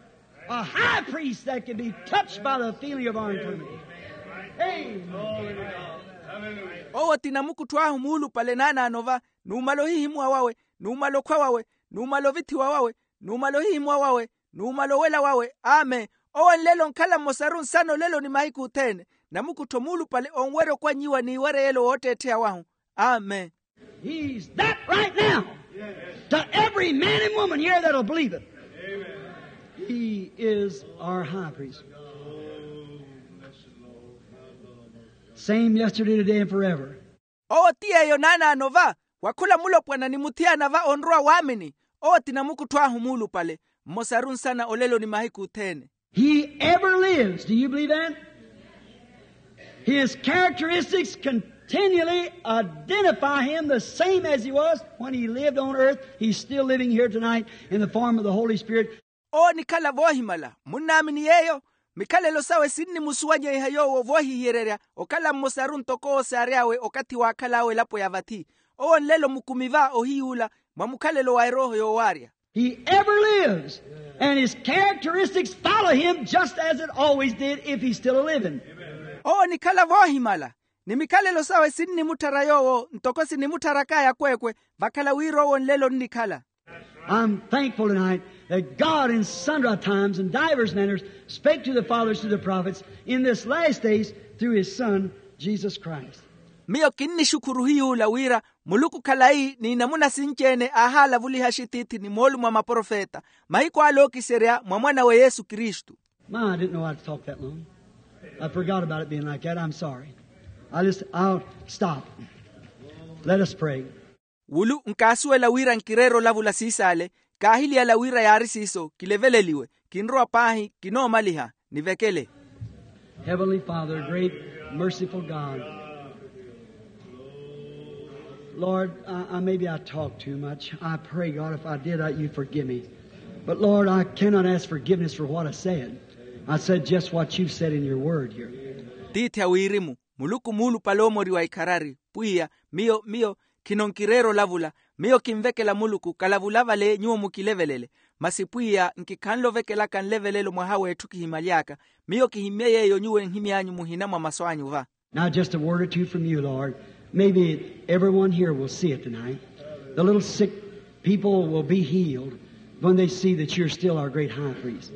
A high priest that can be touched by the feeling of our infirmity. Amen. Owo ti namukuttho ahu muulupale naanaano va, numala ohihimuwa wawe, numala okhwa wawe, numala ovithiwa wawe, numala ohihimuwa wawe, numala owela wawe. Amen. Owo nlelo onkhala mmosaru nsana olelo ni mahiku othene, namukuttho muulupale onwerya okwannyiwa n'iwereyelo wootteettheya wahu. Amen. He's that right now to every man and woman here that'll believe it. He is our high priest. Same yesterday, today, and forever. Owo ti yeeyo naanaano va, wa khula mulopwana ni muthiyana va onrowa waamini. Owo ti namukuttho ahu muulupale, mmosaru nsana olelo ni mahiku othene. He ever lives. Do you believe that? His characteristics continually identify him the same as he was when he lived on earth. He's still living here tonight in the form of the Holy Spirit. Owo nikhala voohimala. Munnaamini yeeyo? Mikhalelo sawe sinnimusuwanyeiha yoowo voohihiyererya okhala mmosaru ntoko owo saary'awe okathi waakhal'awe elapo ya vathi. Owo nlelo mukumi va ohiy'ula mwa mukhalelo wa erooho yoowaarya. He ever lives, and his characteristics follow him just as it always did if he's still a living. Owo nikhala voohimala, ni mikhalelo sawe sinnimutthara yoowo ntoko sinimuttharaakaya akweekwe, vakhala wira owo nlelo onnikhala. I'm thankful tonight that God in sundry times and divers manners spake to the fathers through the prophets in this last days through his Son, Jesus Christ. Miyo kinnixukhuru hiy'ula wira Muluku khalayi ni namuna sinci-ene aahaalavuliha axitiithi ni moolumo a maprofeta mahiku ale ookiserya mwa mwan'awe Yesu Kristu. My, I didn't know I'd talk that long. I forgot about it being like that. I'm sorry. I just, I'll stop. Let us pray. Wulu nkaasuwela wira nkireera olavula siisaale, kaahiliyala wira yaari siiso kileveleliwe. Kinrowa paahi, kinoomaliha. Nivekele. Heavenly Father, great, merciful God. Lord, I, I, maybe I talk too much. I pray, God, if I did, I, you forgive me. But Lord, I cannot ask forgiveness for what I said. I said just what you've said in your word here. Tiithi a wirimu, Muluku muulupale oomoriwa ikharari. Pwiya, miyo, miyo, khino nkireera olavula. Miyo kinvekela Muluku, kalavula vale nyuwo mukilevelele. Masi Pwiya, nkikhanle ovekelaka nlevelelo mwaha w'etthu kihimaly'aka. Miyo kihimmye yeeyo nyuwo enhimy'anyu muhina mwa masu anyu va. Now, just a word or two from you, Lord. Maybe everyone here will see it tonight. The little sick people will be healed when they see that you're still our great high priest.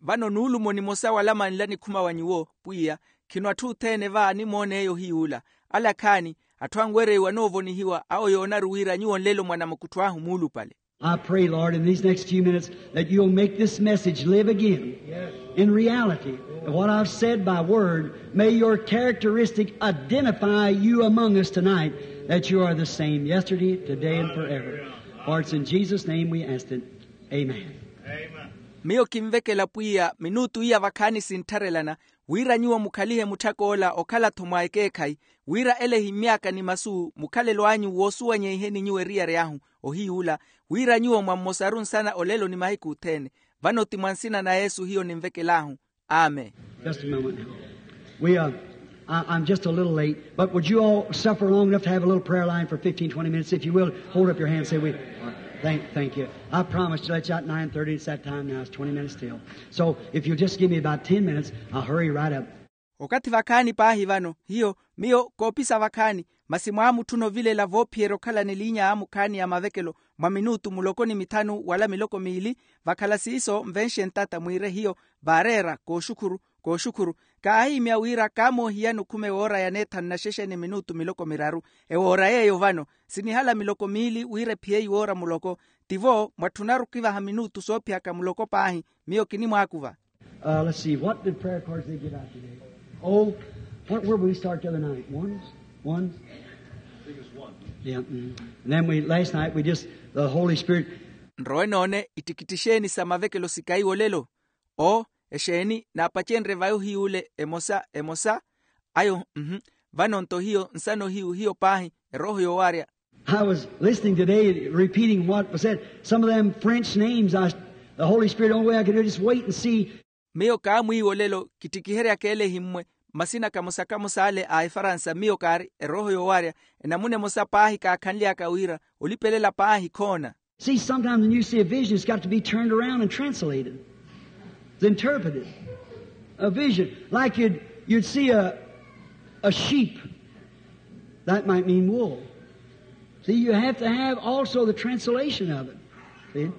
Vano nuulumo nimosa walamanla nikhuma wa nyuwo, Pwiya, khino atthu othene va animoona eyo hiy'ula. Ale akhaani, atthu anwereiwa noovonihiwa, awo yoonaru wira nyuwo nlelo mwa namukuttho ahu muulupale. I pray, Lord, in these next few minutes that you'll make this message live again in reality. And what I've said by word, may your characteristic identify you among us tonight, that you are the same yesterday, today, and forever. For it's in Jesus' name we ask it. Amen. Amen. Miyo kinvekela pwiya minutu iya vakhaani sinttharelana, wira nyuwo mukhalihe mutthak'ola okhala-tho mwa ekeekhayi, wira ele ehimmyaka ni masu mukhalelo anyu woosuwanyeiheni nyuwo eriyari ahu, ohiy'ula, wira nyuwo mwammosaru nsana olelo ni mahiku othene. Vano ti mwa nsina na yesu hiyo ninvekel'ahu. Amen. Just a moment now. We, uh, I, I'm just a little late, but would you all suffer long enough to have a little prayer line for fifteen, twenty minutes? If you will, hold up your hand and say, we, thank, thank you. I promise to let you out nine thirty. It's that time now. It's twenty minutes till. So if you'll just give me about ten minutes, I'll hurry right up. Okathi vakhaani paahi vano hiyo miyo koopisa vakhaani, masi mwaamutthuna ovilela voophiyerya okhala ni liinya ya mukhaani ya mavekelo mwa minutu muloko ni mithanu wala miloko miili. Vakhala siiso nvenxe ntata mwiire hiyo vaareera kooxukhuru kooxukhuru. Kaahihimya wira kaamoohiyani okhume woora ya neethanu na xexe ni minutu miloko miraru. Ewoora yeeyo vano sinihala miloko miili wira ephiye iwoora muloko. Tivo mwatthunaru okivaha minutu soophiyaka muloko paahi. Miyo kinimwaakuva. Uh, let's see, what did prayer cards they give out today? Oh, what were we start the other night? Ones? Ones? Yeah. Mm. And then we, last night, we just, the Holy Spirit. Nrowe noone ittikitti exeeni sa mavekelo sikaiwo lelo? O exeeni naapacenrye vayo hiy'ule emosa emosa. Ayo mhu. Vano-nto hiyo nsano hiyu hiyo paahi erooho yoowarya. I was listening today, repeating what was said. Some of them French names, I, the Holy Spirit, the only way I could do is just wait and see. Miyo kaamwiiwa olelo kittikiheryaka ele ehimmwe masina kamosa-kamosa ale a efaransa miyo kaari erooho yoowarya. Enamuna emosa paahi kaakhanly'aka wira olipelela paahi khoona. See, sometimes when you see a vision, it's got to be turned around and translated. It's interpreted. A vision, like you'd, you'd see a, a sheep. That might mean wool. See, you have to have also the translation of it. See?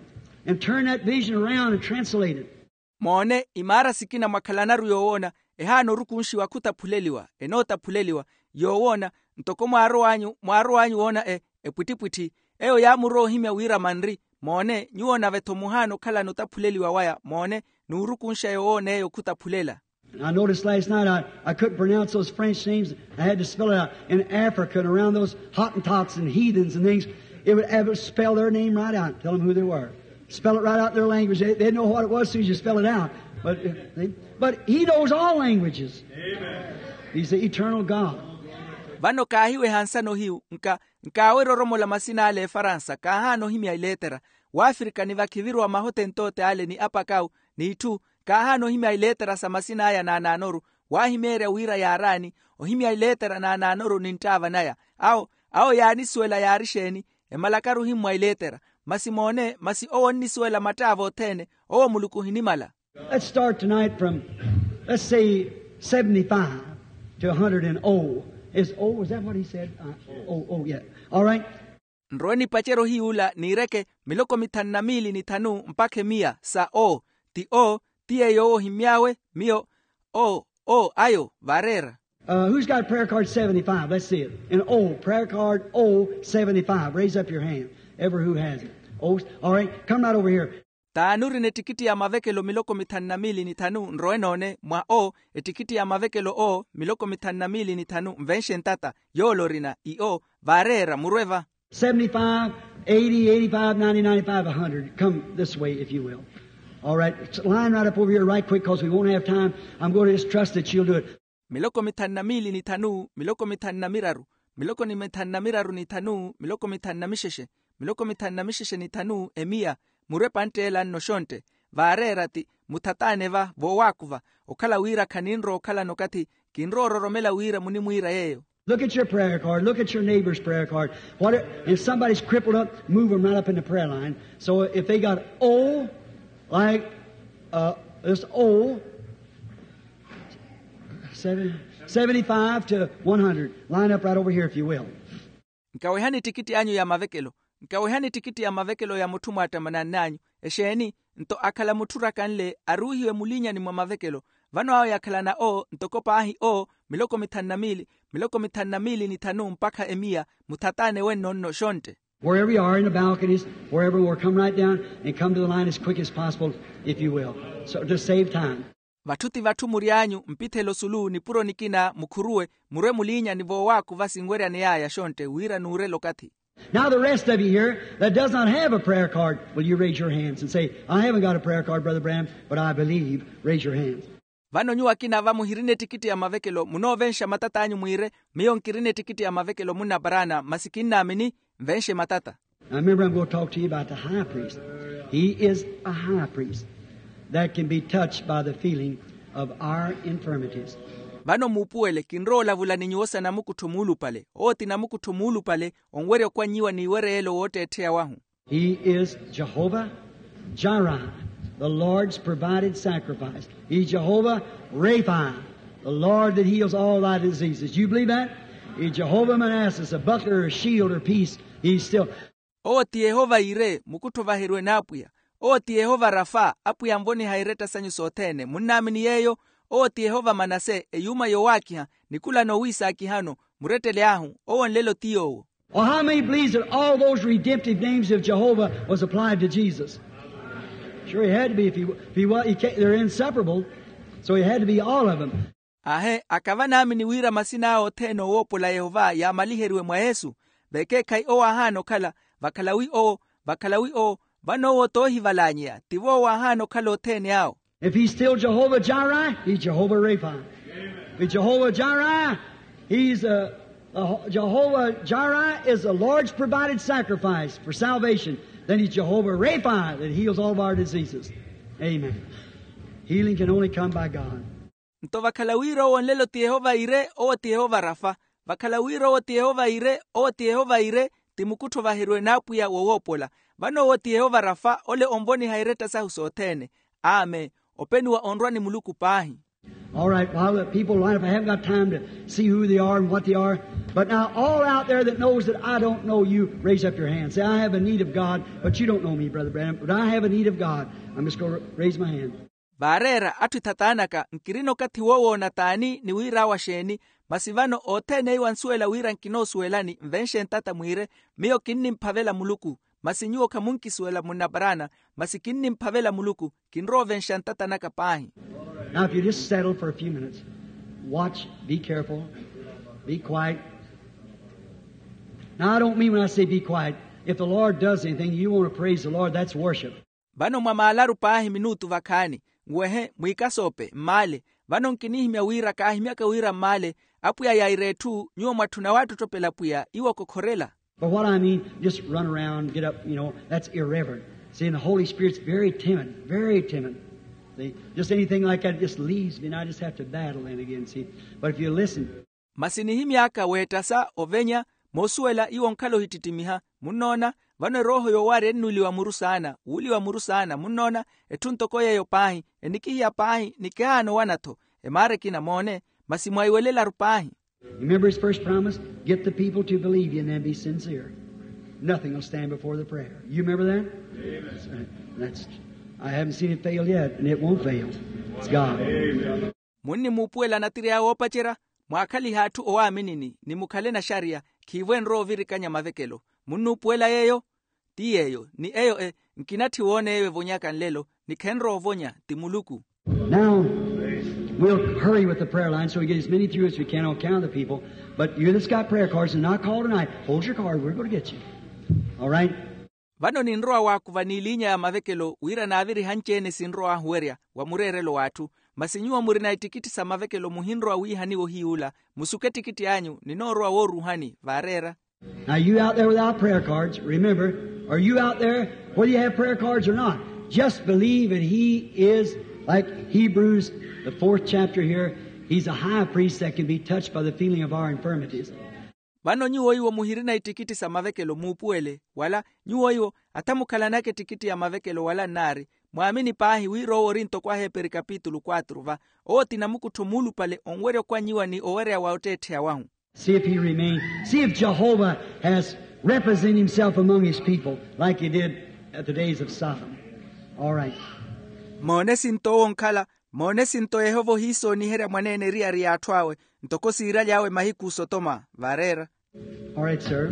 And turn that vision around and translate it. Moone imaara sikina mwakhalanaru yoowoona ehaana orukunxiwa khutaphuleliwa enootaphuleliwa. Yoowoona ntoko mwaarow'anyu mwaarow'anyu woona e epwittipwitthi. Eyo yaamurowa ohimya wira manri. Moone nyuwo nave-tho muhaana okhalana otaphuleliwa waya moone n'urukunxa yoowoona eyo khutaphulela. And I noticed last night I, I couldn't pronounce those French names. I had to spell it out. In Africa and around those Hottentots and heathens and things, it would have to spell their name right out, tell them who they were. Spell it right out in their language. They, they'd know what it was as soon as you spell it out. But, uh, but he knows all languages. Amen. He's the eternal God. Vano kaahiweha nsano hiyu nka nkaawerya oromola masina ale efaransa kaahaana ohimya ileetera. Waafirikani vakhiviruwa mahotentote ale ni apakawu n'itthu. Kaahaana ohimya ileetera sa masina aya naanaanoru. Waahimeerya wira yaaraani ohimya ileetera naanaanoru ni nttaava naya. Awo awo yaanisuwela yaari exeeni? Emalakaru ohimmwa ileetera. Masi moone masi owo onnisuwela mattaava othene. Owo muluku ohinimala. Let's start tonight from, let's say, seventy-five to a hundred and oh. Is oh, is that what he said? Uh, oh, oh, yeah. All right. Nrowe nipacerye ohiy'ula niireke miloko mithanu na miili ni thanu mpakha emiya sa o. Ti o ti yeeyo owo ohimmy'awe. Miyo o o ayo vaareera. Uh, who's got prayer card seventy-five? Let's see it. An O, prayer card O seventy-five. Raise up your hand. Ever who has it. Oh, all right. Come right over here. T'ani orina ettikitti ya mavekelo miloko mithanu na miili ni thanu nrowe noone mwa o. Ettikitti ya mavekelo o miloko mithanu na miili ni thanu nvenxe ntata. Yoole orina i o vaareera murwe va. Seventy-five, eighty, eighty-five, ninety, ninety-five, a hundred. Come this way, if you will. All right. Line right up over here right quick, 'cause we won't have time. I'm going to just trust that you'll do it. Miloko mithanu na miili ni thanu miloko mithanu na miraru miloko ni mithanu na miraru ni thanu miloko mithanu na mixexe miloko mithanu na mixexe ni thanu emiya. Murwe pantt'ela nno xontte. Vaareera ti muthataane va voowaakuva. Okhala wira khaninrowa okhalana okathi kinrowa ororomela wira munimwiira yeeyo. Look at your prayer card. Look at your neighbor's prayer card. What if somebody's crippled up? Move them right up in the prayer line. So if they got O, like, uh, this O, seven, seventy-five to one hundred. Line up right over here if you will. Nkawehani ettikitti anyu ya mavekelo. Nkawehani ettikitti ya mavekelo ya mutthu mwaattamanann'anyu. Exeeni? Nto akhala mutthu orakanle aruuhiwe muliinyani mwa mavekelo. Vano awo yakhalana o ntoko paahi o miloko mithanu na miili miloko mithanu na miili ni thanu mpakha emiya. Muthataane wenno nno xontte. Wherever you are in the balconies, wherever, or come right down and come to the line as quick as possible, if you will. So to save time. Vatthu ti vatthu mury'anyu mpithelo sulu nipuro nikina mukhuruwe murwe muliinyani voowaakuva sinweryaney'aya xontte wira nuurela okathi. Now the rest of you here that does not have a prayer card, will you raise your hands and say, I haven't got a prayer card, Brother Branham, but I believe? Raise your hands. Vano nyuwo akina va muhirina ettikitti ya mavekelo munoovenxa matat'anyu mwiire, miyo nkirina ettikitti ya mavekelo munna parana masi kinnaamini. Nvenxe matata. Now remember, I'm going to talk to you about the high priest. He is a high priest that can be touched by the feeling of our infirmities. Vano muupuwele kinrowa olavula ni nyuwo sa namukuttho muulupale owo ti namukuttho muulupale onwerya okwannyiwa n'iwereyelo wootteettheya wahu. He is Jehovah Jireh, the Lord's provided sacrifice. He's Jehovah Rapha, the Lord that heals all thy diseases. You believe that? He's Jehovah Manasseh, a buckler, a shield, or peace. He's still. Owo ti yehova yire mukuttho vaheriwe n'apwiya. Owo ti yehova rafa, apwiya anvoniha eretta sanyu sothene munnaamini yeeyo. Owo ti yehova manase, eyuuma yowaakiha, nikulano owiisaakihano, murettele ahu. Owo nlelo ti yoowo. Well, how many believes that all those redemptive names of Jehovah was applied to Jesus? Sure, he had to be. If he, if he was, he can't, they're inseparable. So he had to be all of them. Ahe, akava naamini wira masina awe othene owoopola yehova yaamaliheriwe mwa yesu. Vekeekhayi owo aahaana okhala, vakhala wi owo, vakhala wi owo. Vano owo toohivalanyeya tivo owo aahaana okhala othene awo. If he's still Jehovah Jireh, he's Jehovah Rapha. If he's Jehovah Jireh, he's uh, uh, Jehovah Jireh is the Lord's provided sacrifice for salvation. Then he's Jehovah Rapha that heals all of our diseases. Amen. Healing can only come by God. Nto vakhala wira owo nlelo ti yehova ire owo ti yehova rafa. Vakhala wira owo ti yehova ire owo ti yehova ire, ti mukuttho vaheriwe n'apwiya wowoopola. Vano owo ti yehova rafa ole onvoniha eretta sahu sothene. Amen. Openiwa onrwa ni muluku paahi. All right, while the people line up, I haven't got time to see who they are and what they are. But now, all out there that knows that I don't know you, raise up your hand. Say, I have a need of God, but you don't know me, Brother Branham, but I have a need of God. I'm just going to raise my hand. Vaareera atthu ethataanaka nkirina okathi woowoona t'ani ni wira awa xeeni. Masi vano othene iwo ansuwela wira nkinoosuwelani nvenxe ntata mwiire. Miyo kinnimphavela muluku. Masi nyuwo khamunkisuwela munnaparana. Masi kinnimphavela muluku. Kinrowa ovenxa ntata naka paahi. Now if you just settle for a few minutes, watch, be careful, be quiet. Now I don't mean when I say be quiet, if the Lord does anything you want to praise the Lord, that's worship. Vano mwamaalaru paahi minutu vakhaani, nwehe mwiikasoope mmaale. Vano nkinihimya wira kaahimyaka wira mmaale. Apwiya yaira etthu nyuwo mwatthuna waattottopela apwiya iwo okokhorela. But what I mean, just run around, get up, you know, that's irreverent. See, and the Holy Spirit's very timid, very timid. See, just anything like that just leaves me, and I just have to battle then again, see. But if you listen. Masi nihimy'aka weettasa ovenya, moosuwela iwo onkhala ohittittimiha. Munnoona? Vano erooho yoowaarya ennuuliwa muru saana, wuuliwa muru saana. Munnoona? Etthu ntoko yeeyo paahi. Enikihiya paahi nikihaana owana-tho. Emaara ekina moone. Masi mwaiwelelaru paahi. Remember his first promise? Get the people to believe you and then be sincere. Nothing will stand before the prayer. You remember that? That's, I haven't seen it fail yet, and it won't fail. It's God. Munnimuupuwela anatirya awe oopacerya, mwaakhalihe atthu owaaminini ni mukhale naxariya. Khiivo enrowa ovirikanya mavekelo. Munnuupuwela yeeyo? Ti yeeyo ni eyo e nkinatthi woona eyo evonyaka nlelo, ni khenrowa ovonya. Ti muluku. Now we'll hurry with the prayer line so we get as many through as we can on account of the people. But you that's got prayer cards and not called tonight, hold your card, we're going to get you. All right. Vano ninrowa waakuva n'iliinya ya mavekelo wira naaviriha anci-ene sinrowa ahuwerya wa mureerelo w'atthu. Masi nyuwo murina ittikitthi sa mavekelo muhinrowa wiihaniwa ohiy'ula. Musuke ettikitthi anyu ninoorowa wooruuhani vaareera. Now you out there without prayer cards, remember, are you out there whether you have prayer cards or not? Just believe that he is like Hebrews, the fourth chapter here. He's a high priest that can be touched by the feeling of our infirmities. Vano nyuwo iwo muhirina ittikitthi sa mavekelo muupuwele wala nyuwo iwo athamukhalanaka ettikitthi ya mavekelo wala nnaari, mwaamini paahi wira owo ori ntoko aheeperi kapitulu quatro va. Owo ti namukuttho muulupale onwerya okwannyiwa ni owereya wa otteettheya wahu. See if he remains. See if Jehovah has represented himself among his people like he did at the days of Sodom. All right. Moone sinto owo onkhala, moone sinto yehova ohiisooniherya mwaneene eriyari y'atthu awe ntoko siiraly'awe mahiku osotoma vaareera. All right, sir.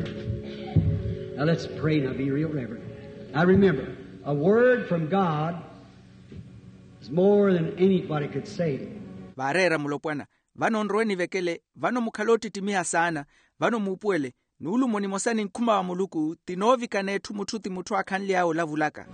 Now let's pray now, be real reverent. Now remember, a word from God is more than anybody could say. Vaareera mulopwana. Vano nrowe nivekele. Vano mukhale oottittimiha saana. Vano muupuwele. Nuulumo nimosa ni nkhuma wa muluku ti noovikana etthu mutthu ti mutthu aakhanly'awe olavulaka.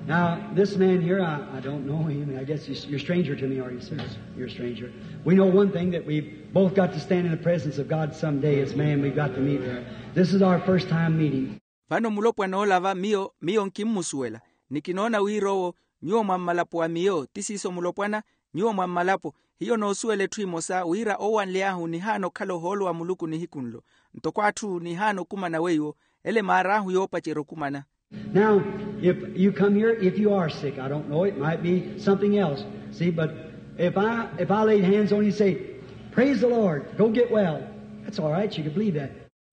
Now this man here, I don't know him. I guess you're a stranger to me, are you, sir? You're a stranger. We know one thing, that we've both got to stand in the presence of God some day as man. We've got to meet there. This is our first time meeting. Vano mulopwana ola va miyo miyo nkimmusuwela. Ni kinoona wira owo nyuwo mwa mmalapo wa miyo ti siiso mulopwana. Nyuwo mwa mmalapo hiyo noosuwela etthu emosa wira owanly'ahu nihaana okhala ohoolo wa muluku nihiku nlo. Ntoko atthu nihaana okumana weiwo ele maar'ahu yoopacerya okumana. Now, if you come here, if you are sick, I don't know, it might be something else. See, but if i if i laid hands on you and say, praise the lord, go get well, that's all right, you can believe that.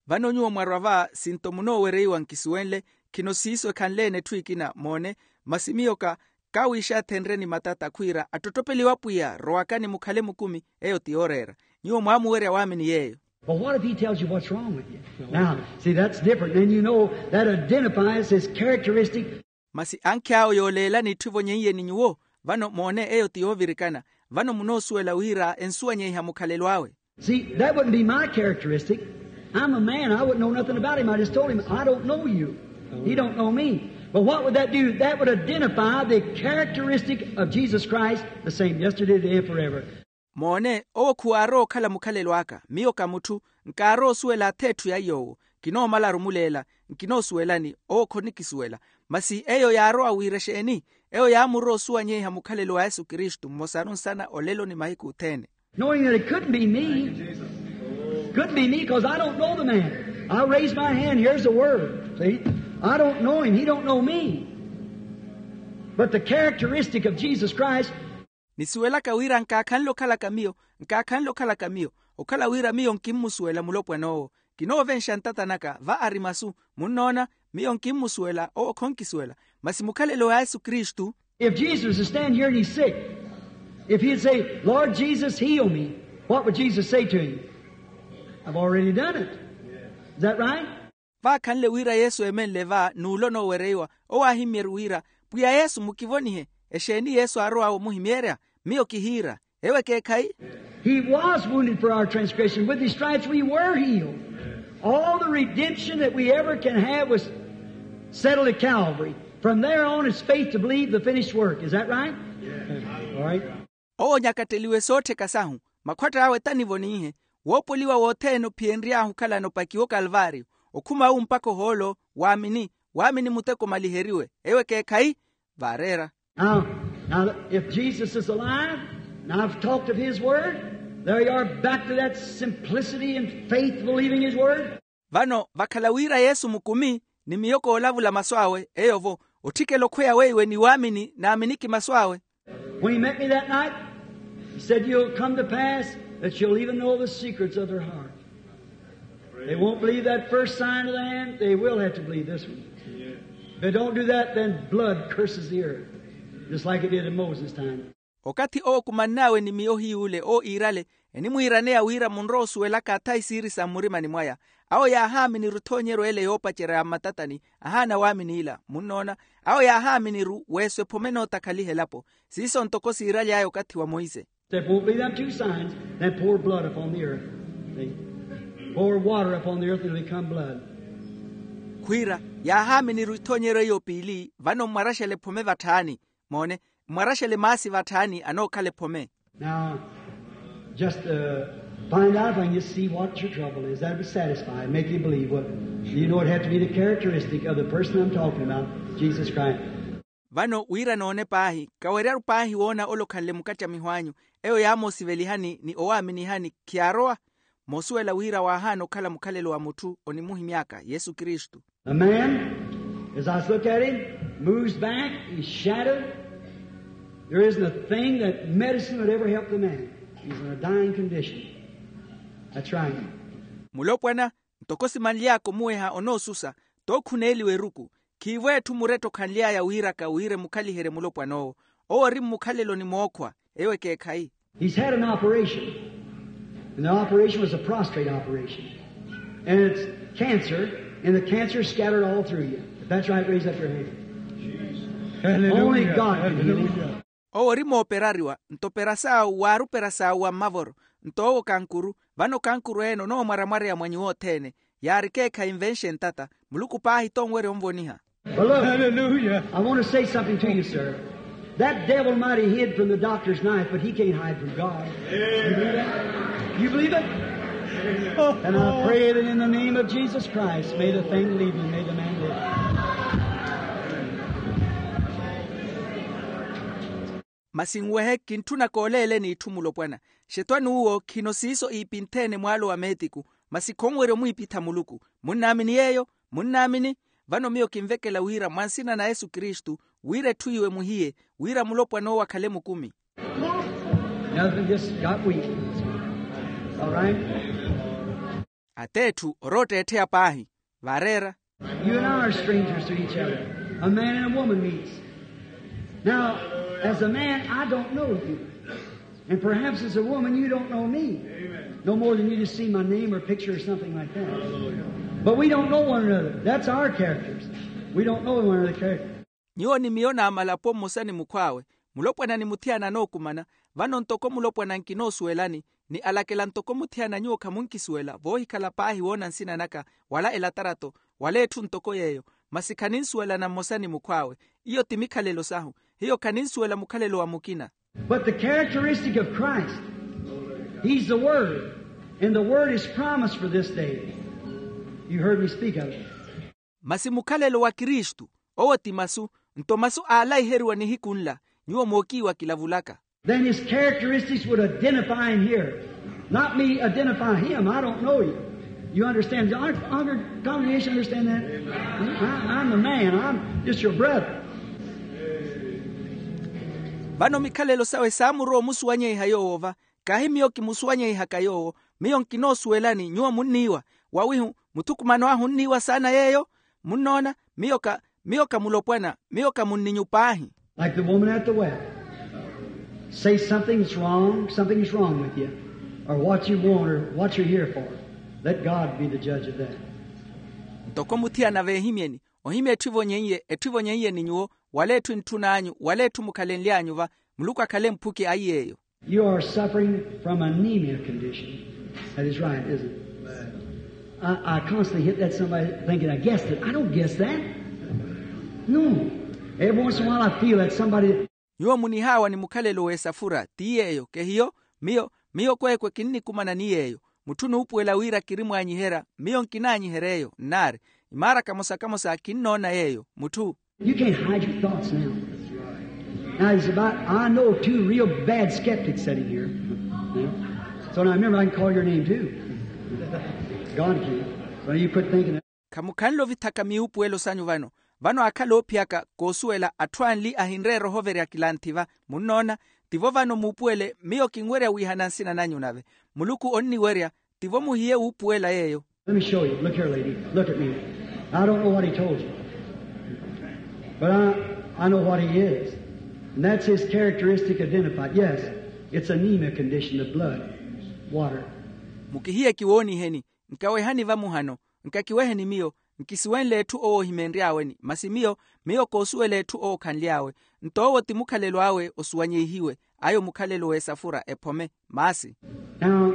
Vano nyuwo mwarwa va sinto munoowereiwa nkisuwenle. Khino siiso ekhanle-ene etthu ekina moone. Masi miyo ka kawiixathenrye ni matata khwiira attotopeliwa pwiya rowakani mukhale mukumi. Eyo ti yooreera. Nyuwo mwaamuwerya waamini yeeyo. But what if he tells you what's wrong with you? Now, see, that's different. Then you know that identifies his characteristic. Masi ankhi awo yooleelani etthu evonyeiye ni nyuwo. Vano moone eyo ti yoovirikana. Vano munoosuwela wira ensuwanyeiha mukhalelo awe. See, that wouldn't be my characteristic. I'm a man. I wouldn't know nothing about him. I just told him, I don't know you. He don't know me. But what would that do? That would identify the characteristic of Jesus Christ, the same yesterday, today, and forever. Moone, owo khuwaarowa okhala mukhalelo aka. Miyo ka mutthu. Nkaaroosuwela ath'etthu ya yoowo. Kinoomalaru muleela. Nkinoosuwelani. Owo khonikisuwela. Masi eyo yaarowa wira exeeni? Eyo yaamurowa osuwanyeiha mukhalelo wa yesu kristu mmosaru nsana olelo ni mahiku othene. Knowing that it couldn't be me. Couldn't be me, because I don't know the man. I'll raise my hand. Here's the word. See? I don't know him. He don't know me. But the characteristic of Jesus Christ. Nisuwelaka wira nkaakhanle okhalaka miyo. Nkaakhanle okhalaka miyo. Okhala wira miyo nkimmusuwela mulopwan'owo. Kinoovenxa ntata naka va ari masu. Munnoona? Miyo nkimmusuwela owo khonkisuwela. Masi mukhalelo wa yesu kristu. If jesus is standing here and he's sick, if he'd say, lord jesus, heal me, what would jesus say to him? I've already done it. Is that right? Vaakhanle wira yesu eemenle va n'ulo onoowereiwa. Owo aahimmyerye wira, pwiya yesu mukivonihe. Exeeni yesu aarowawe omuhimmyerya? Miyo kihiira. Ewo ekeekhayi. He was wounded for our transgression, with his stripes we were healed. All the redemption that we ever can have was settled at calvary. From there on it's faith to believe the finished work. Is that right? All right. Owo onyakatteliwe soottheka sahu. Makhwatta awe tanivoninhe. Woopoliwa wothene ophiyenry'ahu okhalana opakiwa okalvario. Okhuma awu mpakha ohoolo. Waamini. Waamini muteko omaliheriwe. Ewo ekeekhayi. Vaareera. Now, now, if jesus is alive, and i've talked of his word, there you are, back to that simplicity and faith, believing his word. Vano vakhala wira yesu mukumi, ni miyo koolavula masu awe eyo-vo. Otthikela okhweya weiwe ni waamini naaminiki masu awe. When he met me that night, he said, you'll come to pass that you'll even know the secrets of their heart. They won't believe that first sign of the hand. They will have to believe this one. If they don't do that, then blood curses the earth, just like it did in moses' time. Okathi owo kumann'awe ni miyo hiy'ule owo iirale, enimwiiraneya wira munrowa osuwelaka athayi siiri sa mmurimani mwaya. Awo yaahaamini-ru ethoonyeryo ele yoopacerya ya mmatatani. Ahaana waamini ila. Munnoona? Awo yaahaamini-ru weeso ephome enootakhaliha elapo. Siiso ntoko siiraly'aya okathi wa monse. Except won't be them two signs, then pour blood upon the earth. See? Pour water upon the earth and it'll become blood. Khwiira, yaahaamini-ru ethoonyeryo eyo piili. Vano mmwaraxele ephome vatthaani. Moone, mmwaraxele maasi vatthaani anookhala ephome. Now, just find out if i can just see what your trouble is, that would satisfy and make you believe what you know. It had to be the characteristic of the person i'm talking about, jesus christ. Vano wira noone paahi, kaweryaru paahi woona ole okhanle mukattamiho anyu. Eyo yaamoosivelihani ni owaaminihani khiyaarowa. Moosuwela wira waahaana okhala mukhalelo wa mutthu onimuhimy'aka yesu kristu. The man, as i look at him, moves back, he's shattered. There isn't a thing that medicine would ever help the man. He's in a dying condition. That's right. Mulopwana, ntoko simanly'aka omuweha onoosusa, tookhuneeliwa eruku. Khiivo etthu muretta okhanly'aya wiiraka wira emukhaliherye mulopwan'owo. Owo ori mmukhaleloni mookhwa. Ewo ekeekhayi. He's had an operation, and the operation was a prostate operation, and it's cancer, and the cancer scattered all through you. If that's right, raise up your hand. Only god can heal him. Owo ori mooperariwa, nto operas'awe waari operas'awe wa mmavoro. Nto owo kankuru. Vano kankuru ene onoomwaramwareya mwa nyuwo othene. Yaari ekeekhayi nvenxe ntata. Muluku paahi tonwerya onvoniha. But look, I want to say something to you, sir. That devil might have hid from the doctor's knife, but he can't hide from God. You believe it? And I pray that in the name of Jesus Christ, may the thing leave you, may the man live. Masi nwehe kintthuna kooleeleni itthu mulopwana. Xetwani uwo khino siiso iipintheene mwaalo wa meetiku. Masi khonwerya omwiipitha muluku. Munnaamini yeeyo? Munnaamini? Vano miyo kinvekela wira mwa nsina na yesu kristu, wira etthu iwe muhiye, wira mulopwana owo akhale mukumi. Nothing, just got weak. All right. Ateetthu orootteettheya paahi. Vareera. You and I are strangers to each other. A man and a woman meets. Now, as a man, I don't know you. And perhaps as a woman, you don't know me. No more than you just see my name or picture or something like that. But we don't know one another. That's our characters. We don't know one another's character. Nyuwo ni miyo naamalapo mmosa ni mukhw'awe. Mulopwana ni muthiyana anookumana. Vano ntoko mulopwana nkinoosuwelani, ni alakela ntoko muthiyana nyuwo khamunkisuwela voohikhala paahi woona nsina naka, wala elatarato, wala etthu ntoko yeeyo. Masi khaninsuwelana mmosa ni mukhw'awe. Iyo ti mikhalelo sahu. Hiyo khaninsuwela mukhalelo wa mukina. But the characteristic of Christ, he's the word, and the word is promised for this day. You heard me speak of it. Masi mukhalelo wa kristu, owo ti masu. Nto masu aalaiheriwa nihiku nla, nyuwo mookiiwa kilavulaka. Then his characteristics would identify him here. Not me identify him. I don't know you. You understand? Our, our congregation understand that? I, I'm the man. I'm just your brother. Vano mikhalelo sawe saamurowa omusuwanyeiha yoowo va. Kahi miyo kimusuwanyeihaka yoowo. Miyo nkinoosuwelani nyuwo munniiwa. Wawihu muthukumano ahu onniiwa saana yeeyo. Munnoona? Miyo ka miyo ka mulopwana. Miyo ka munninyu paahi. Like the woman at the well. Say something's wrong, something's wrong with you, or what you want, or what you're here for. Let God be the judge of that. Ntoko muthiyana veehimyeni, ohimya etthu evonyeiye etthu evonyeiye ni nyuwo, wala etthu entthun'anyu wala etthu mukhalenly'anyu va. Muluku akhale mphuki a iy'eyo. You are suffering from anemia condition. That is right, isn't it? I, I constantly hit that somebody thinking I guessed it. I don't guess that. No. Every once in a while I feel that somebody. Nyuwo munihaawa ni mukhalelo w'esafura ti yeeyo kehiyo. Miyo miyo kweekwe kinnikumana ni yeeyo. Mutthu onuupuwela wira kirimwaanyiherya. Miyo nkinaanyiherya eyo nnaari. Imaara kamosa kamosa kinnoona yeeyo mutthu. You can't hide your thoughts now. Now, he's about, I know two real bad skeptics sitting here. So now remember, I can call your name too. God can. So you quit thinking that. Khamukhanle ovithaka miupuwelo sanyu vano. Vano aakhala oophiyaka koosuwela atthu anli ahinreera ohoverya kilanthi va. Munnoona? Tivo vano muupuwele miyo kinwerya wiihana nsina nanyu nave. Muluku onniwerya. Tivo muhiye wuupuwela yeeyo. Let me show you. Look here, lady. Look at me. I don't know what he told you. But I, I know what he is. And that's his characteristic identified. Yes, it's anemia condition, the blood, water. Mukihiye kiwooniheni. Nkawehani va muhano. Nkakiweheni miyo. Nkisuwenle etthu owo ohimeenry'aweni masi miyo miyo koosuwela etthu owo okhanly'awe. Nto owo ti mukhalelo awe osuwanyeihiwe. Ayo mukhalelo w'esafura ephome. Maasi. Now,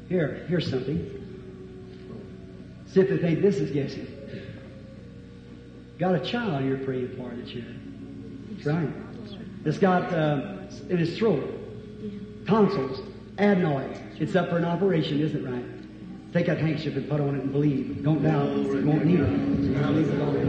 here, here's something. See if they think this is guessing. Got a child you're praying for that's here. That's right. It's got uh, in his throat, tonsils, adenoids. It's up for an operation, isn't it right? Take that handkerchief and put on it and believe. Don't doubt. You won't need it. Believe with all your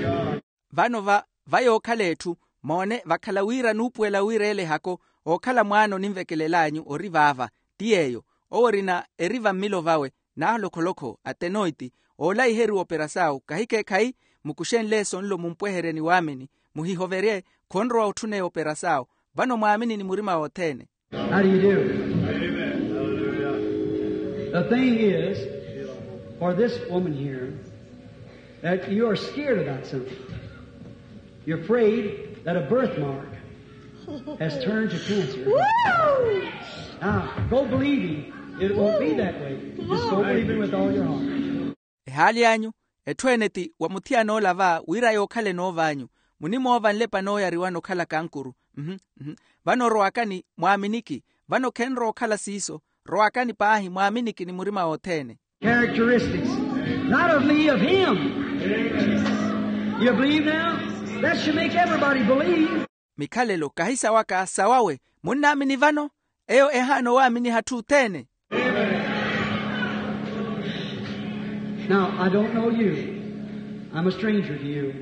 heart. Vano va va yookhala etthu. Moone vakhala wira nuupuwela wira ele hako ookhala mwaana oninvekelel'anyu ori vaava. Ti yeeyo. Owo orina eri va mmilo vawe. Naaholokholokh'o atenoiti oolaiheriwa operasau kahikeekhayi. Mukuxenle eso nlo mumpweherye ni waamini. Muhihoverye. Khonrowa otthuneya operasau. Vano mwaamini ni murima wothene. How do you do? The thing is, for this woman here, that you are scared about something. You're afraid that a birthmark has turned to cancer. Now, go believing it won't be that way. Just go believing with all your heart. Ehaali anyu, etthu ene ti wa muthiyana ola va wira yookhaleni oov'anyu. Munimoova nlepa nooyariwana okhala kankuru. Vano orowakani mwaaminiki. Vano khenrowa okhala siiso. Rowakani paahi mwaaminiki ni murima wothene. Characteristics, not of me, of him. You believe now? That should make everybody believe. Mikhalelo kahi sawaka, sawawe. Munnaamini vano? Eyo ehaana owaaminiha atthu othene. Now, I don't know you. I'm a stranger to you.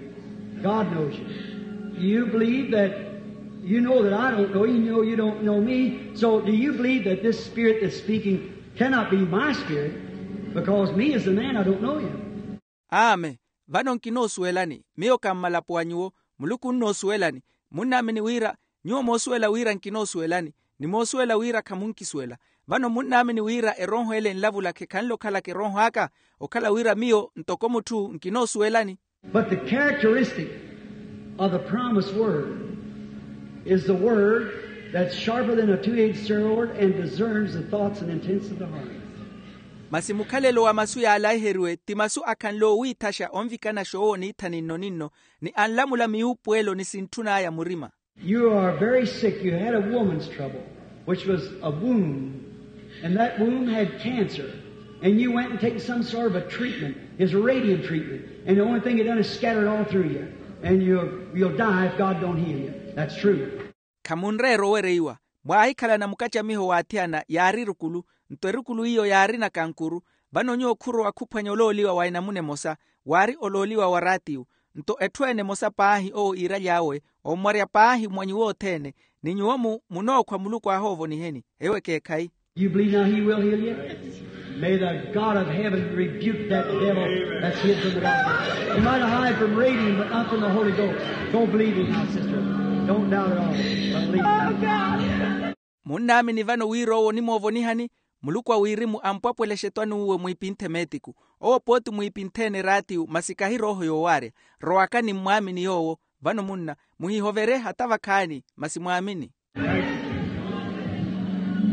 God knows you. Do you believe that, you know that I don't know you, you know you don't know me. So do you believe that this spirit that's speaking cannot be my spirit? Because me as a man, I don't know you. Aame. Vano nkinoosuwelani, miyo kammalapo wa nyuwo. Muluku onnoosuwelani. Munnaamini wira, nyuwo moosuwela wira nkinoosuwelani, ni moosuwela wira khamunkisuwela. Vano munnaamini wira erooho ele enlavula khekhanle okhalaka erooho aka, okhala wira miyo ntoko mutthu nkinoosuwelani. But the characteristic of the promised word is the word that's sharper than a two-edged sword and discerns the thoughts and intents of the heart. Masi mukhalelo wa masu yaalaiheriwe ti masu akhanle owiithaxa onvikanaxa owo niitha ninno-ninno, ni anlamula miwuupuwelo ni sintthun'aya murima. You are very sick. You had a woman's trouble, which was a womb. And that womb had cancer. And you went and taken some sort of a treatment. It's a radiant treatment. And the only thing it done is scattered all through you. And you'll, you'll die if God don't heal you. That's true. Khamunreera owereiwa. Mwaahikhalana mukacamiho w'athiyana yaari erukulu, nto erukulu iyo yaarina kankuru. Vano nyuwo khurowa khuphwanya olooliwa wa enamuna emosa, waari olooliwa wa raatiyu. Nto etthu ene emosa paahi owo iiraly'awe, omwarya paahi mwa nyuwo othene, ni nyuwo mu munookhwa muluku aahoovoniheni. Eyo ekeekhayi. You believe now he will heal you? May the God of heaven rebuke that devil that's hid from the doctor. You might hide from radiant, but not from the Holy Ghost. Go believe him now, sister. Don't doubt at all, but believe him. Munnaamini vano wira owo onimoovonihani? Muluku a wirimu ampwapwelexe etwani uwe mwiipinthe meetiku. Owo pooti mwiipinthene eraatiyu masi kahi rooho yoowaarya. Rowakani mmwaamini yoowo. Vano munna, muhihovere hata vakhaani, masi mwaamini.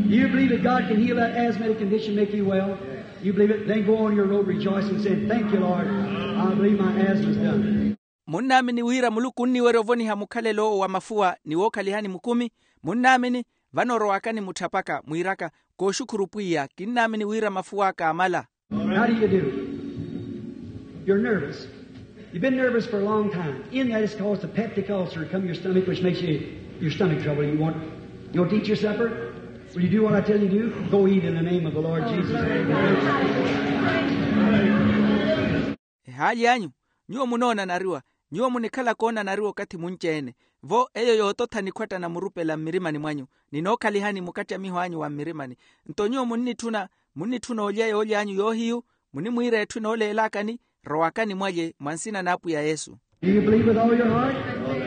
You believe that God can heal that asthmatic condition, make you well? You believe it? Then go on your road rejoicing, saying, thank you, Lord. I believe my asthma's done. Munnaamini wira muluku onniwerya ovoniha mukhalelo owo wa mafuwa ni wookhalihani mukumi? Munnaamini? Vano rowakani mutthapaka mwiiraka, kooxukhuru pwiya, kinnaamini wira mafuw'aka amala. How do you do? You're nervous. You've been nervous for a long time. In that is caused a peptic ulcer to come your stomach, which makes you, your stomach trouble. You want, you want to eat your supper? Will you do what I tell you to do? Go eat in the name of the Lord Jesus. Ehaali anyu, nyuwo munoonanariwa, nyuwo munikhala koonanariwa okathi munci-ene. Vo eyo yoototha nikhwattana murupela mmirimani mwanyu, ni nookhalihani mukacamiho anyu wa mmirimani. Nto nyuwo munnitthuna, munnitthuna olya yoolya anyu yoohiyu, munimwiira etthu enooleelakani. Rowakani mwalye mwa nsina n'apwiya yesu. Do you believe with all your heart?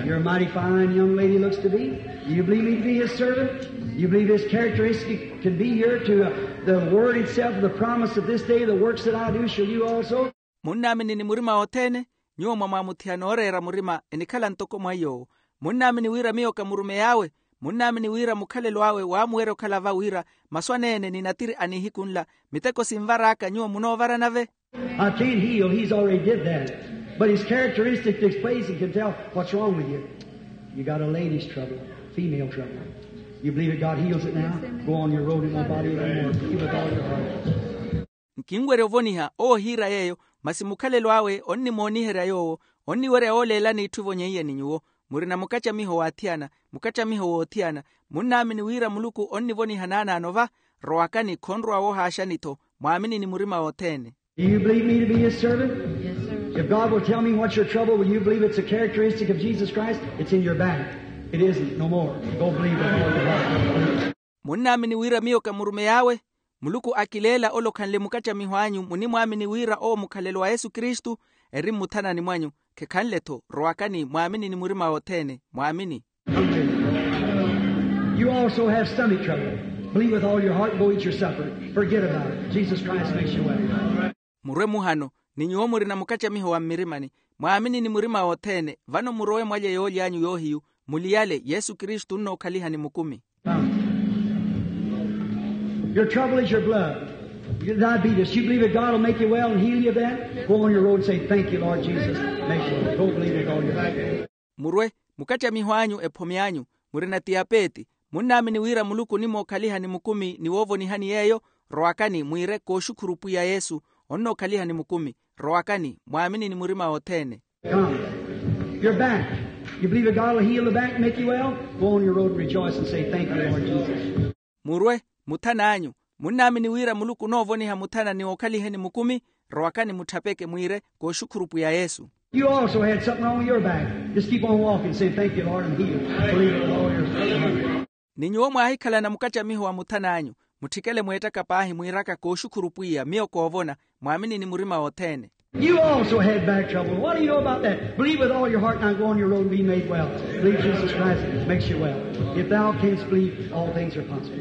You're a mighty fine young lady looks to be. Do you believe me to be his servant? Do you believe his characteristic can be here to, uh, the word itself, the promise of this day, the works that I do, shall you also? Munnaamini ni murima wothene? Nyuwo mwamwamuthiha nooreera murima enikhala ntoko mwa iy'owo. Munnaamini wira miyo ka murumeyi awe? Munnaamini wira mukhalelo awe waamuwerya okhala va wira masu aneene ni natiri a nihiku nla miteko sinvar'aka nyuwo munoovara nave? I can't heal, he's already did that. But his characteristic displays and can tell what's wrong with you. You got a lady's trouble, female trouble. You believe that God heals it now? Go on your road and won't bother you no more. Believe with all your heart. Nkinwerya ovoniha owo ohiira yeeyo, masi mukhalelo awe onnimooniherya yoowo, onniwerya wooleelani itthu evonyeiye ni nyuwo. Murina mukacamiho w'athiyana, mukacamiho w'othiyana. Munnaamini wira muluku onnivoniha naanaano va? Rowakani khonrowa woohaaxani-tho. Mwaamini ni murima wothene. Do you believe me to be his servant? If God will tell me what's your trouble, will you believe it's a characteristic of Jesus Christ? It's in your back. It isn't, no more. Go believe with all your heart. Munnaamini wira miyo ka murumeyi awe? Muluku akileela ole okhanle mukacamiho anyu munimwaamini wira owo mukhalelo wa yesu kristu. Eri mmuthanani mwanyu. Khekhanle-tho. Rowakani mwaamini ni murima wothene. Mwaamini. You also have stomach trouble. Believe with all your heart, go eat your supper. Forget about it. Jesus Christ makes you well. Murwe muhano, ni nyuwo murina mukacamiho wa mmirimani. Mwaamini ni murima wothene. Vano murowe mwalye yoolya anyu yoohiyu. Muliyale, yesu kristu onnookhalihani mukumi. Your trouble is your blood. Your diabetes. You believe that God will make you well and heal you of that? Go on your road and say, thank you, Lord Jesus. Make you well. Go believe with all your heart. Murwe, mukacamiho anyu ephomi anyu. Murina tiyapeeti. Munnaamini wira muluku onimookhaliha ni mukumi ni woovonihani yeeyo. Rowakani mwiire kooxukhuru pwiya yesu. Onnookhalihani mukumi. Rowakani mwaaminini murima wothene. Come. You're back. You believe that God will heal the back and make you well? Go on your road and rejoice and say, thank you, Lord Jesus. Murwe. Muthan'anyu. Munnaamini wira muluku onoovoniha muthana ni ookhaliheni mukumi. Rowakani mutthapeke mwiire kooxukhuru pwiya yesu. You also had something wrong with your back. Just keep on walking, saying, thank you, Lord, I'm healed. Believe it with all your heart. Ni nyuwo mwaahikhalana mukattamiho wa muthan'anyu. Mutthikele mweettaka paahi mwiiraka kooxukhuru pwiya miyo koovona. Mwaaminini murima wothene. You also had back trouble. What do you know about that? Believe with all your heart, now go on your road and be made well. Believe Jesus Christ makes you well. If thou canst believe, all things are possible.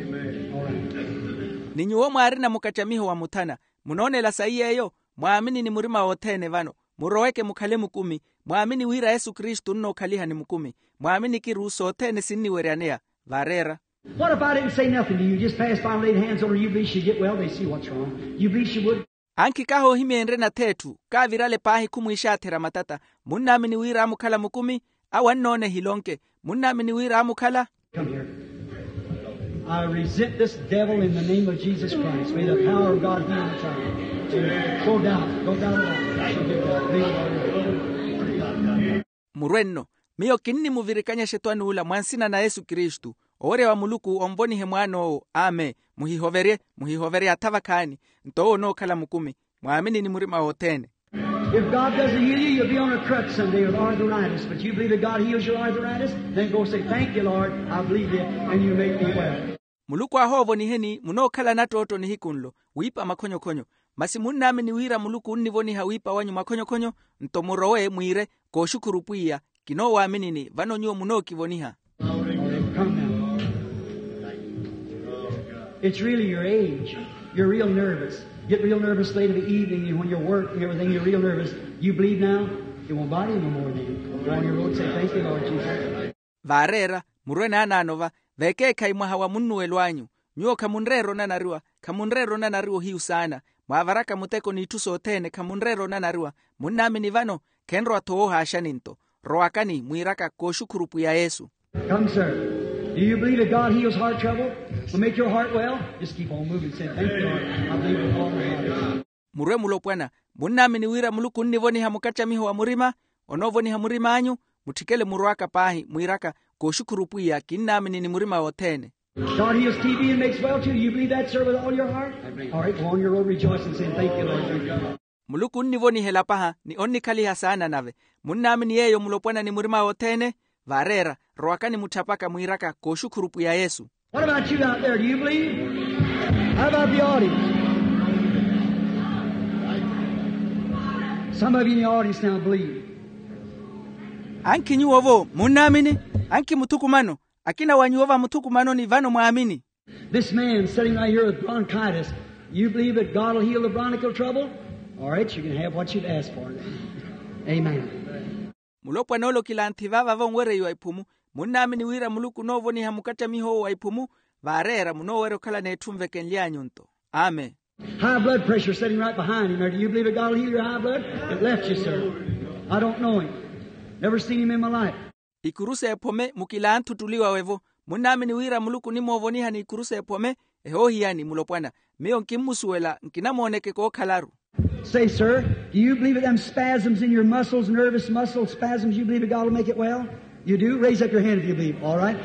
All right. Ni nyuwo mwaarina mukattamiho wa muthana. Munoonela sayi yeeyo. Mwaaminini murima wothene vano. Muroweke mukhale mukumi. Mwaamini wira yesu kristu onnookhaliha ni mukumi. Mwaaminiki ruuso othene sinniweryaneya. Vareera. What if I didn't say nothing to you? Just passed by and laid hands on her. You believe she'd get well? They see what's wrong. You believe she would? Ankhi kahoohimyenrye natheetthu. Kaavirale paahi khumwiixaatherya matata. Munnaamini wira aamukhala mukumi? Awo annoona ehilonke. Munnaamini wira aamukhala? Come here. I resent this devil in the name of Jesus Christ. May the power of God heal the child. Go down. Go down. Murwe nno. Miyo kinnimuvirikanya exetwani ula mwa nsina na yesu kristu. Owerya wa muluku onvonihe mwaan'owo. Amen. Muhihoverye. Muhihoverye atha vakhaani. Nto owo onookhala mukumi. Mwaaminini murima wothene. If God doesn't heal you, you'll be on a crutch someday with arthritis. But you believe that God heals your arthritis? Then go say, thank you, Lord, I believe you, and you make me well. Muluku ahoovoniheni munookhala nattootto nihiku nlo. Wiipa makhonyokhonyo. Masi munnaamini wira muluku onnivoniha wiipa wanyu makhonyokhonyo? Nto murowe mwiire, kooxukhuru pwiya. Kinoowaminini vano nyuwo munookivoniha. Come now. It's really your age. You're real nervous. Get real nervous late in the evening and when you work and everything, you're real nervous. You believe now? It won't bother you no more then. Go on your road, say, thank you, Lord Jesus. Vaareera. Murwe naanaano va. Vekeekhayi mwaha wa munnuwelo anyu. Nyuwo khamunreera onanariwa. Khamunreera onanariwa ohiyu saana. Mwaavaraka muteko n'itthu sothene khamunreera onanariwa. Munnaamini vano? Khenrowa-tho woohaaxani nto. Rowakani mwiiraka kooxukhuru pwiya yesu. Come, sir. Do you believe that God heals heart trouble? Will make your heart well? Just keep on moving. Say, thank you, Lord. I believe with all my heart. Murwe mulopwana. Munnaamini wira muluku onnivoniha mukattamiho wa murima? Onoovoniha murim'anyu. Mutthikele murowaka paahi mwiiraka, kooxukhuru pwiya kinnaaminini murima wothene. God heals T B and makes well too. You believe that, sir, with all your heart? All right, go on your road rejoicing, saying, thank you, Lord. Muluku onnivonihela paha ni onnikhaliha saana nave. Munnaamini yeeyo mulopwana ni murima wothene? Vaareera. Rowakani mutthapaka mwiiraka kooxukhuru pwiya yesu. What about you out there? Do you believe? How about the audience? Some of you in the audience now believe. Ankhi nyuwo-vo munnaamini? Ankhi muthukumano. Akina wa nyuwo va muthukumanoni vano mwaamini? This man sitting right here with bronchitis, you believe that God will heal the bronchial trouble? All right, you can have what you've asked for then. Amen. Mulopwana ole okilanthi vaava vonwereiwa iphumu. Munnaamini wira muluku onoovoniha mukattamiho owo wa iphumu? Vaareera munoowerya okhala n'etthu nvekenly'anyu nto. Amen. High blood pressure sitting right behind him there. Do you believe that God will heal your high blood? It left you, sir. I don't know him. Never seen him in my life. Ikuru s'ephome mukilanthu ottuli wawe-vo. Munnaamini wira muluku onimoovoniha n'ikuru s'ephome? Ehoohiyani mulopwana. Miyo nkimmusuwela nkinamooneke kookhalaru. Say, sir, do you believe that them spasms in your muscles, nervous muscle spasms, you believe that God will make it well? You do? Raise up your hand if you believe. All right.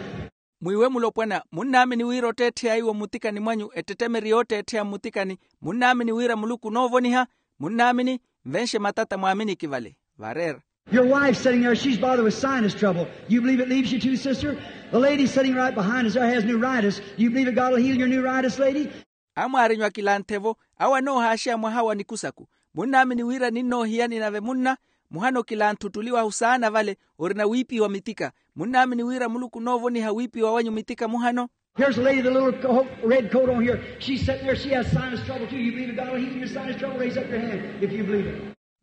Mwiiwe mulopwana, munnaamini wira otteettheya iwo mmutikani mwanyu ettettemeri yootteettheya mmutikani? Munnaamini wira muluku onoovoniha? Munnaamini? Nvenxe matata mwaaminiki vale. Vareera. Your wife sitting there, she's bothered with sinus trouble. You believe it leaves you too, sister? The lady sitting right behind us there has neuritis. You believe that God will heal your neuritis, lady? Amwaarinyu akilanthe-vo, awo anoohaaxeya mwaha wa nikusaku. Munnaamini wira ninnoohiyani nave munna? Muhana okilanthe ottuli wahu saana vale, orina wiipiwa mitika. Munnaamini wira muluku onoovoniha wiipiwa wanyu mitika muhano? Here's a lady with a little co- red coat on here. She's sitting there. She has sinus trouble too. You believe that God will heal your sinus trouble? Raise up your hand if you believe it.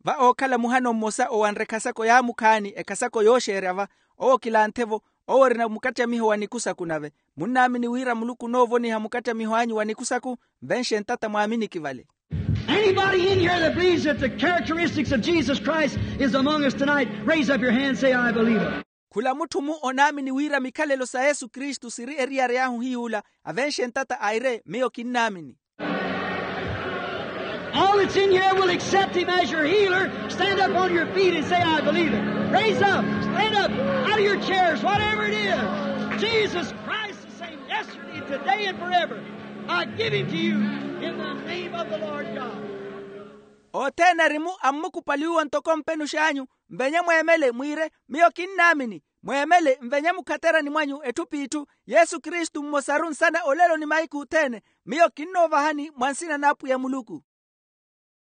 Va ookhala muhano mmosa owanre ekhasako yaamukhaani, ekhasako yooxeerya va. Owo kilanthe-vo, owo orina mukattamiho wa nikusaku nave. Munnaamini wira muluku onoovoniha mukattamiho anyu wa nikusaku? Nvenxe ntata mwaaminiki vale. Anybody in here that believes that the characteristics of Jesus Christ is among us tonight, raise up your hand and say, I believe it. Khula mutthu-mu onaamini wira mikhalelo sa yesu kristu siri eriyari ahu hiy'ula avenxe ntata aire miyo kinnaamini. All that's in here will accept him as your healer. Stand up on your feet and say, I believe it. Raise up, stand up out of your chairs, whatever it is. Jesus Christ, the same yesterday, today, and forever. I give him to you in the name of the Lord God. Othene arimu ammukupali uwo ntoko mpenux'anyu, mvenye mweemele mwiire, miyo kinnaamini. Mweemele mvenye mukhaterani mwanyu etthu p'itthu. Yesu kristu mmosaru nsana olelo ni mahiku othene. Miyo kinnoovahani mwa nsina n'apwiya muluku.